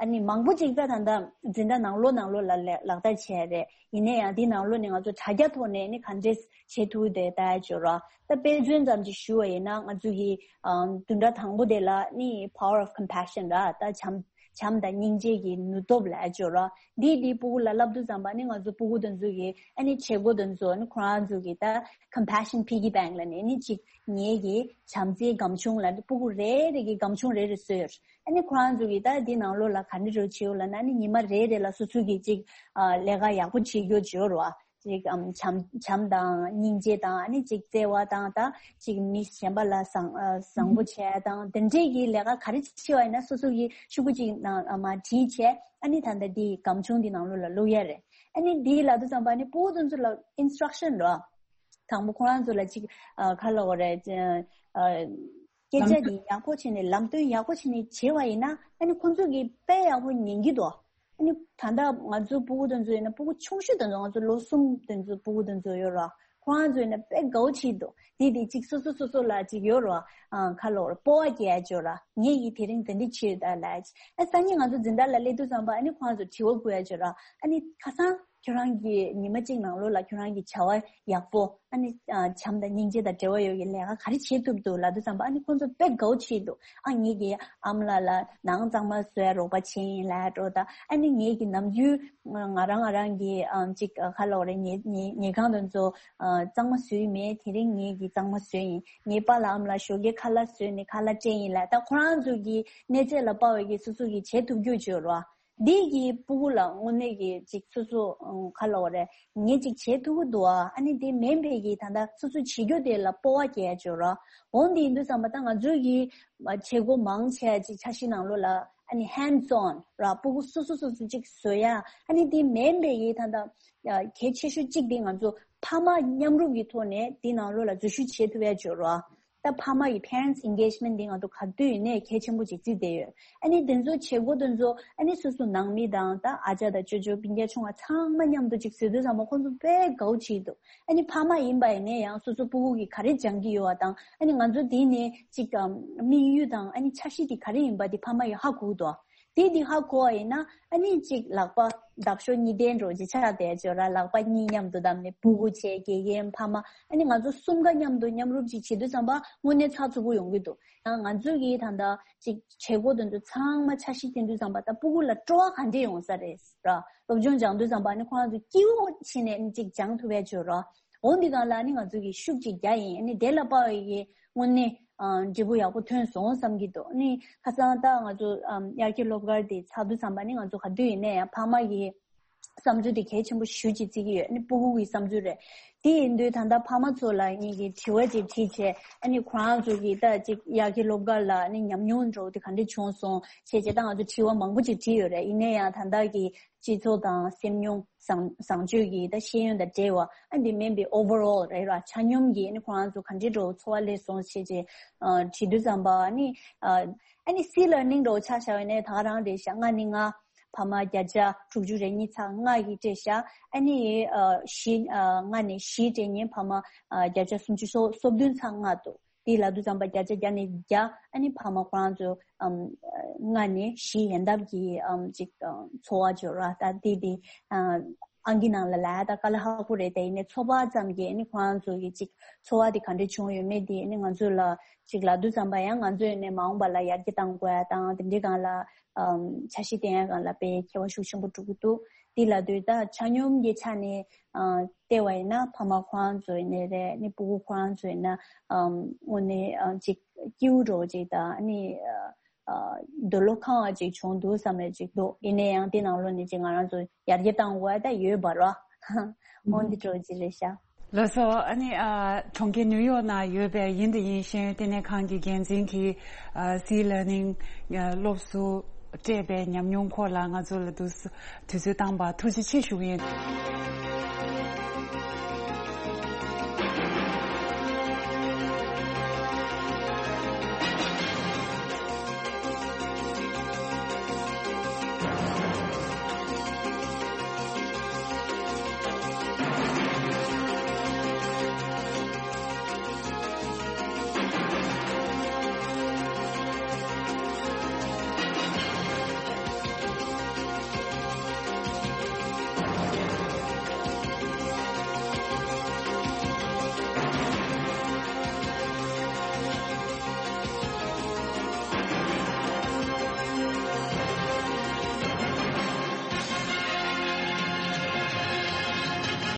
ཨ་ནི་མང་པོ་ཅིག་ད་ད་ལྟ་འཛིན་གྲྭ་ནང་ལོགས་ནང་ལོགས་ལ་ལ་ལག་བསྟར་བྱས་རེད། ཡིན་ན་ཡང་འདི་ནང་ལོགས་ནས་ང་ཚོ་དྲ་རྒྱ་ཐོག་ནས་ནི་ག་འདྲས་བྱེད་ཐུབ་དེ་ལྟ་ཡ་ཅིག་ཡོད་ར། ད་དཔེ་མཚོན་ཙམ་ཅིག་ཞུ་བ་ཡིན་ན། ང་ཚོ་གི་ཨ་བདུན་ཕྲག་དང་པོ་དེ་ལ་ནི་power of compassion ར། ད་བྱམས་བྱམས་དང་སྙིང་རྗེ་གི་ནུས་སྟོབས་ལབ་ཡ་ཅིག་ཡོད་ར། འདི་འདི་སྤུ་གུ་ལ་བསླབ་དུས་ཙམ་པ་ནི་ང་ཚོ་སྤུ་གུ་དེ་ཚོ་གི་ཨ་ནི་བྱེད་སྒོ་དེ་ཚོ་ནི་ཁོ་རང་ཚོ་གི་ད་compassion piggy bank ལབ་ནས་ནི་ཅིག་ངེད་ཀྱི་བྱམས་བརྩེའི་སྒམ་ཆུང་ལབ་ནས་སྤུ་གུ་རེ་རེ་གི་སྒམ་ཆུང་རེ་རེ་བཟོས་ཡོད། ཨ་ནི་ཁོ་རང་ཚོ་གིས་ད་འདི་ནང་ལོགས་ལ་ག་འདྲ་རེ་བྱེད་ཡོད་ལབ་ན། ཨ་ནི་ཉི་མ་རེ་རེ་ལ་སོ་སོ་གིས་ཅིག་ཨ་ལས་ཀ་ཡག་པོ་བྱེད་རྒྱུ་བྱེད་ཡོད་རེད་བ། ཅིག་ཨམ་བྱམས་བྱམས་དང་སྙིང་རྗེ་དང་། ཨ་ནི་ཅིག་བརྩེ་བ་དང་། ད་ཅིག་མི་གཞན་པ་ལ་བཟང་ཨ་བཟང་པོ་བྱས་དང་། དེ་འདྲས་ཀྱི་ལས་ཀ་ག་རེ་བྱེད་པ་ཡིན་ན་སོ་སོ་གིས་ཤོག་གུ་ཅིག་ནང་ཨ་མ་བྲིས་བྱས། ཨ་ནི་ད་ལྟ་འདི་སྒམ་ཆུང་འདི་ནང་ལོགས་ལ་བླུག་ཡ་རེད། ཨ་ནི་འདི་ལབ་དུས་ཙམ་པ་ཨ་ནི་སྤུ་གུ་དེ་ཚོ་ལ་instruction རོ། དང་པོ་ཁོ་རང་ཚོ་ལ་ཅིག་ཨ་ག་ལབ་དགོས་རེད། ཨ་སྐད་ཆ་འདི་ཡག་པོ་བྱས་ནས་ལམ་སྟོན་ཡག་པོ་བྱས་ནས་བྱས་པ་ཡིན་ན། ཨ་ནི་ཁོང་ཚོ་གིས་དཔེ་ཡག་པོ་ཉན་གྱི་འདུག་ཨ་ནི་ད་ལྟ་ང་ཚོའི་སྤུ་གུ་དེ་ཚོ་ཡིན་ན། སྤུ་གུ་ཆུང་ཤོས་དེ་ཚོ་ང་ཚོ་ལོ་གསུམ་དེ་ཚོ་སྤུ་གུ་དེ་ཚོ་ཡོད་ར། ཁོ་རང་ཚོ་ཡིན་ན་དཔེ་དགའ་བོ་བྱེད་འདུག་དེ་དེ་ཅིག་སོ་སོ་སོ་སོ་ལ་ཅིག་ཡོད་ར། ཨ་ག་ལབ་དགོས་རེད། སྤོབས་པ་སྐྱེ་ཡ་ཅིག་ཡོད་ར། ངེད་ཀྱིས་དེ་རིང་དེ་འདྲ་བྱས་ཡོད་ད་ལབ་ཡ་ཅིག་ཨ་སང་ཉིན་ང་ཚོ་འཛིན་གྲྭ་ལ་སླེབས་དུས་ཙམ་པ་ཨ་ནི་ཁོ་རང་ཚོ་དྲི་བ་བཀོད་ཡ་ཅིག་ཡོད་ར། ཨ་ནི་ཁ་སང་ཁྱོད་རང་གིས་ཉི་མ་གཅིག་ནང་ལོགས་ལ་ཁྱོད་རང་གི་བྱ་བ་ཡག་པོ། ཨ་ནི་ཨ་བྱམས་དང་སྙིང་རྗེ་དང་འབྲེལ་བ་ཡོད་ཀྱི་ལས་ཀ་ག་རེ་བྱེད་ཐུབ་འདུག་ལབ་དུས་ཙམ་པ། ཨ་ནི་ཁོང་ཚོ་དཔེ་དགའ་བོ་བྱེད་འདུག་ཨ་ངེད་ཀྱི་ཨ་མ་ལགས་ལ་ནང་གཙང་མ་བཟོ་ཡ་རོགས་པ་བྱེད་ཡིན་ལབ་འགྲོ་ད། ཨ་ནི་ངེད་ཀྱི་ནམ་རྒྱུན་ང་རང་ང་རང་གི་ཨ་ཅིག་ཨ་ག་ལབ་དགོས་རེད། ཉལ་ཉལ་ཉལ་ཁང་དེ་ཚོ་ཨ་གཙང་མ་བཟོས་ཡིན་མེད། དེ་རིང་ངེད་ཀྱིས་གཙང་མ་བཟོས་ཡིན། ངའི་པཱ་ལགས་ཨ་མ་ལགས་ཞོགས་ཀའི་ཁ་ལག་བཟོས་ནས་ཁ་ལག་སྤྲད་ཡིན་ལབ། ད་ཁོ་རང་ཚོ་གི་གནས་ཚད་ལ་དཔག་པའི་གི་སོ་སོ་གི་བྱེད་ཐུབ་རྒྱུ་ཅིག་ཡོད་རེད་བ། འདི་གི་སྤུ་གུ་ལ་དངོས་གནས་ཀྱི་ཅིག་སོ་སོ་ཨང་ག་ལབ་དགོས་རེད། ངས་ཅིག་བྱེད་ཐུབ་ཀྱི་འདུག་ཨ། ཨ་ནི་དེ་མིན་པའི་གི་ད་ལྟ་སོ་སོ་བྱེད་རྒྱུ་དེ་ལ་སྤོབས་པ་སྐྱེ་ཡ་ཅིག་ཡོད་རེད། འོ་འདི་ཡིན་དུས་ཙམ་པ་ད་ང་ཚོའི་གི་བྱེད་སྒོ་མང་ཆེ་བ་ཅིག་འཆར་གཞི་ནང་ལོགས་ལ་ཨ་ནི་hands on ར། སྤུ་གུ་སོ་སོ་སོ་སོ་ཅིག་བཟོ་ཡ། ཨ་ནི་དེ་མིན་པའི་གི་ད་ལྟ་གལ་ཆེ་ཤོས་གཅིག་དེ་ང་ཚོ་ཕ་མ་མཉམ་རུབ་ཀྱི་ཐོག་ནས་དེ་ནང་ལོགས་ལ་འཛུལ་ཞུགས་བྱེད་ཐུབ་ཡ་ཅིག་ཡོད་རེད། ད་ཕ་མ་ཡི་parents engagement འདི་ང་ཚོ་ག་དུས་ཡིན་ནའི་གལ་ཆེན་པོ་ཅིག་བརྩིས་བསྡད་ཡོད། ཨ་ནི་དེ་ཚོ་བྱེད་སྒོ་དེ་ཚོ་ཨ་ནི་སོ་སོ་ནང་མི་དང་ད་ཨ་ཅག་དང་ཅོ་ཅོ་སྤུན་ཀྱག་ཆུང་བ་ཚང་མ་མཉམ་དུ་ཅིག་བཟོས་དུས་ཙམ་པ་ཁོང་ཚོ་དཔེ་དགའ་བོ་བྱེད་འདུག་ཨ་ནི་ཕ་མ་ཡིན་པ་ཡིན་ནའི་ཡང་སོ་སོ་སྤུ་གུ་གིས་ག་རེ་སྦྱང་གི་ཡོད་པ་དང་། ཨ་ནི་ང་ཚོ་དེ་ནས་ཅིག་དམིགས་ཡུལ་དང་ཨ་ནི་འཆར་གཞི་དེ་ག་རེ་ཡིན་པ་དེ་ཕ་མ་ཡིས་ཧ་གོ་གི་འདུག་དེ་དེ་ཧ་གོ་བ་ཡིན་ན་ཨ་ནི་ཅིག་ལག་པ་འདབ་གཤོག་གཉིས་ལྡན་འདྲ་བོ་ཅིག་ཆགས་བསྡད་ཅིག་ཡོད་ར། ལག་པ་གཉིས་མཉམ་དུ་བསྡམས་ནས་སྤུ་གུ་བྱས། དགེ་རྒན་ཕ་མ། ཨ་ནི་ང་ཚོ་གསུམ་ཀ་མཉམ་དུ་མཉམ་རུབ་ཅིག་བྱེད་དུས་ཙམ་པ་དངོས་གནས་ཚགས་ཚུད་པོ་ཡོང་གི་འདུག་ཡང་ང་ཚོ་གིས་ད་ལྟ་ཅིག་བྱེད་སྒོ་དེ་ཚོ་ཚང་མ་འཆར་གཞི་བཏིང་དུས་ཙམ་པ་ད་སྤུ་གུ་ལ་སྤྲོ་བ་ག་འདྲས་ཡོང་ས་རེད་ར། སློབ་སྦྱོང་སྦྱང་དུས་ཙམ་པ་ཨ་ནི་ཁོ་རང་ཚོ་སྐྱིད་པོ་བྱས་ནས་ཨ་ནི་ཅིག་སྦྱང་ཐུབ་ཡ་ཅིག་ཡོད་ར། འོ་འདི་སྒང་ལ་ཨ་ནི་ང་ཚོ་གིས་ཤུགས་ཅིག་རྒྱག་ཡིན། ཨ་ནི་དེ་ལ་དཔག་པའི་གི་དངོས་གནས་ཨ་འབྲས་བུ་ཡག་པོ་ཐོན་སོང་བསམ་གྱི་འདུག་ཨ་ནི་ཁ་སང་ད་ང་ཚོ་ཨམ་དབྱར་ཁའི་སློབ་སྐར་དེ་ཚར་དུས་ཙམ་པ་ཨ་ནི་ང་ཚོ་ག་དུས་ཡིན་ནའི་ཡང་ཕ་མ་གི་བསམ་ཚུལ་དེ་གལ་ཆེན་པོ་ཞེ་པོ་ཅིག་བརྩི་གི་ཡོད། ཨ་ནི་སྤུ་གུ་གི་བསམ་ཚུལ་རེད། དེ་ཡིན་དུས་ད་ལྟ་ཕ་མ་ཚོ་ལ་ངེད་ཀྱིས་དྲི་བ་ཅིག་དྲིས་བྱས། ཨ་ནི་ཁོ་རང་ཚོ་གིས་ད་ཅིག་དབྱར་ཁའི་སློབ་སྐར་ལ་ཨ་ནི་ཉམས་མྱོང་འདྲ་བོ་དེ་ག་འདྲ་བྱུང་སོང་བྱས་བྱས། ད་ང་ཚོ་དྲི་བ་མང་པོ་ཅིག་དྲིས་ཡོད་རེད། ཡིན་ནའི་ཡང་ད་ལྟ་གི་སྤྱི་ཚོགས་དང་སེམས་མྱོང་བཟང་བཟང་སྤྱོད་ཀྱི་ད་ཤེས་ཡོན་དང་འབྲེལ་བ། ཨ་འདི་མིན་པའི་overall རེད་ར། ཆ་སྙོམས་ཀྱི་ཨ་ནི་ཁོ་རང་ཚོ་ག་འདྲའི་འདྲ་བོ་འཚོ་བ་སླེབས་སོང་བྱས་བྱས། ཨ་དྲིས་དུས་ཙམ་པ་ཨ་ནི་ཨ་ཨ་ནི་སི་ལར་ནིང་འདྲ་བོ་ཆ་བཞག་པ་ཡིན་ནའི་ད་ག་རང་རེད་ཤག་ལྔ་ནས་ལྔ། ཕ་མ་བརྒྱ་ཆ་དྲུག་ཅུ་རེ་གཉིས་ཚེག་ལྔ་ཡིས་སྤྲད་ཤག་ཨ་ནི་ཨ་བཞི་ཨ་ལྔ་ནས་བཞི་སྤྲད་མཁན་ཕ་མ་ཨ་བརྒྱ་ཆ་སུམ་ཅུ་སོ་སོ་བདུན་ཚེག་ལྔ་འདུག་དེ་ལབ་དུས་ཙམ་པ་བརྒྱ་ཆ་བརྒྱ་ནས་བརྒྱ་ཨ་ནི་ཕ་མ་ཁོ་རང་ཚོ་ཨམ་ལྔ་ནས་བཞི་ཡན་འདབ་ཀྱི་ཨམ་ཅིག་ཨ་འཚོ་བ་སྦྱོར་བ་ད་དེ་དེ་ཨ་ཨང་ཀི་ནང་ལ་ལབ་ཡ་ད་དཀའ་ལས་ཁག་པོ་རེད། དེ་ཡིན་ནའི་ཚོད་དཔག་ཙམ་གྱིས་ཨ་ནི་ཁོ་རང་ཚོ་གི་ཅིག་འཚོ་བ་དེ་ག་འདྲ་བྱུང་ཡོད་མེད་དེ་ཨ་ནི་ང་ཚོ་ལ་ཅིག་ལབ་དུས་ཙམ་པ་ཡང་ང་ཚོ་ཡིན་ནའི་མ་འོངས་པ་ལ་ཡར་རྒྱས་གཏང་དགོས་ཡ་དང་དེ་འདྲའི་སྒང་ལ་ཨམ་འཆར་གཞི་བཏིང་ཡ་སྒང་ལ་དཔེ་ཁྱད་པར་ཤུགས་ཆེན་པོ་འགྲོ་གི་འདུག་དེ་ལབ་དུས་ད་ཆ་སྙོམས་ཀྱི་ཆ་ནས་ཨ་བལྟས་པ་ཡིན་ན་ཕ་མ་ཁོ་རང་ཚོ་ཡིན་ནའི་རེད། ཨ་ནི་སྤུ་གུ་ཁོ་རང་ཚོ་ཡིན་ན་ཨམ་དངོས་གནས་ཨ་ཅིག་སྐྱིད་པོ་འདྲ་བོ་ཅིག་དང་ཨ་ནི་ཨ་ འདོད་བློ་ཁེངས་པ་ཅིག་བྱུང་འདུག་བསམ་ཡ་ཅིག་འདུག་ཡིན་ན་ཡང་དེ་ནང་ལོགས་ནས་ཅིག་ང་རང་ཚོ་ཡར་རྒྱས་བཏང་དགོས་ཡ་ད་ཡོད་པ་རེད། འོ་འདི་འདྲ་ཅིག་རེད་ཤག་ལགས་སོ། ཨ་ནི་ཨ་གྲོང་ཁྱེར་ནིའུ་ཡོག་ནང་ཡོད་པའི་ཡིན་དང་ཡིན་ཤེས་ཡོན་ལྟེ་གནས་ཁང་གི་འགན་འཛིན་གྱིས་ཨ་སི་ལར་ནིང་སློབ་གསོ་སྤྲད་པའི་ཉམས་མྱོང་སྐོར་ལ་ང་ཚོ་ལ་དུས་དུས་ཚོད་བཏང་བར་ཐུགས་རྗེ་ཆེ་ཞུ་གི་ཡིན།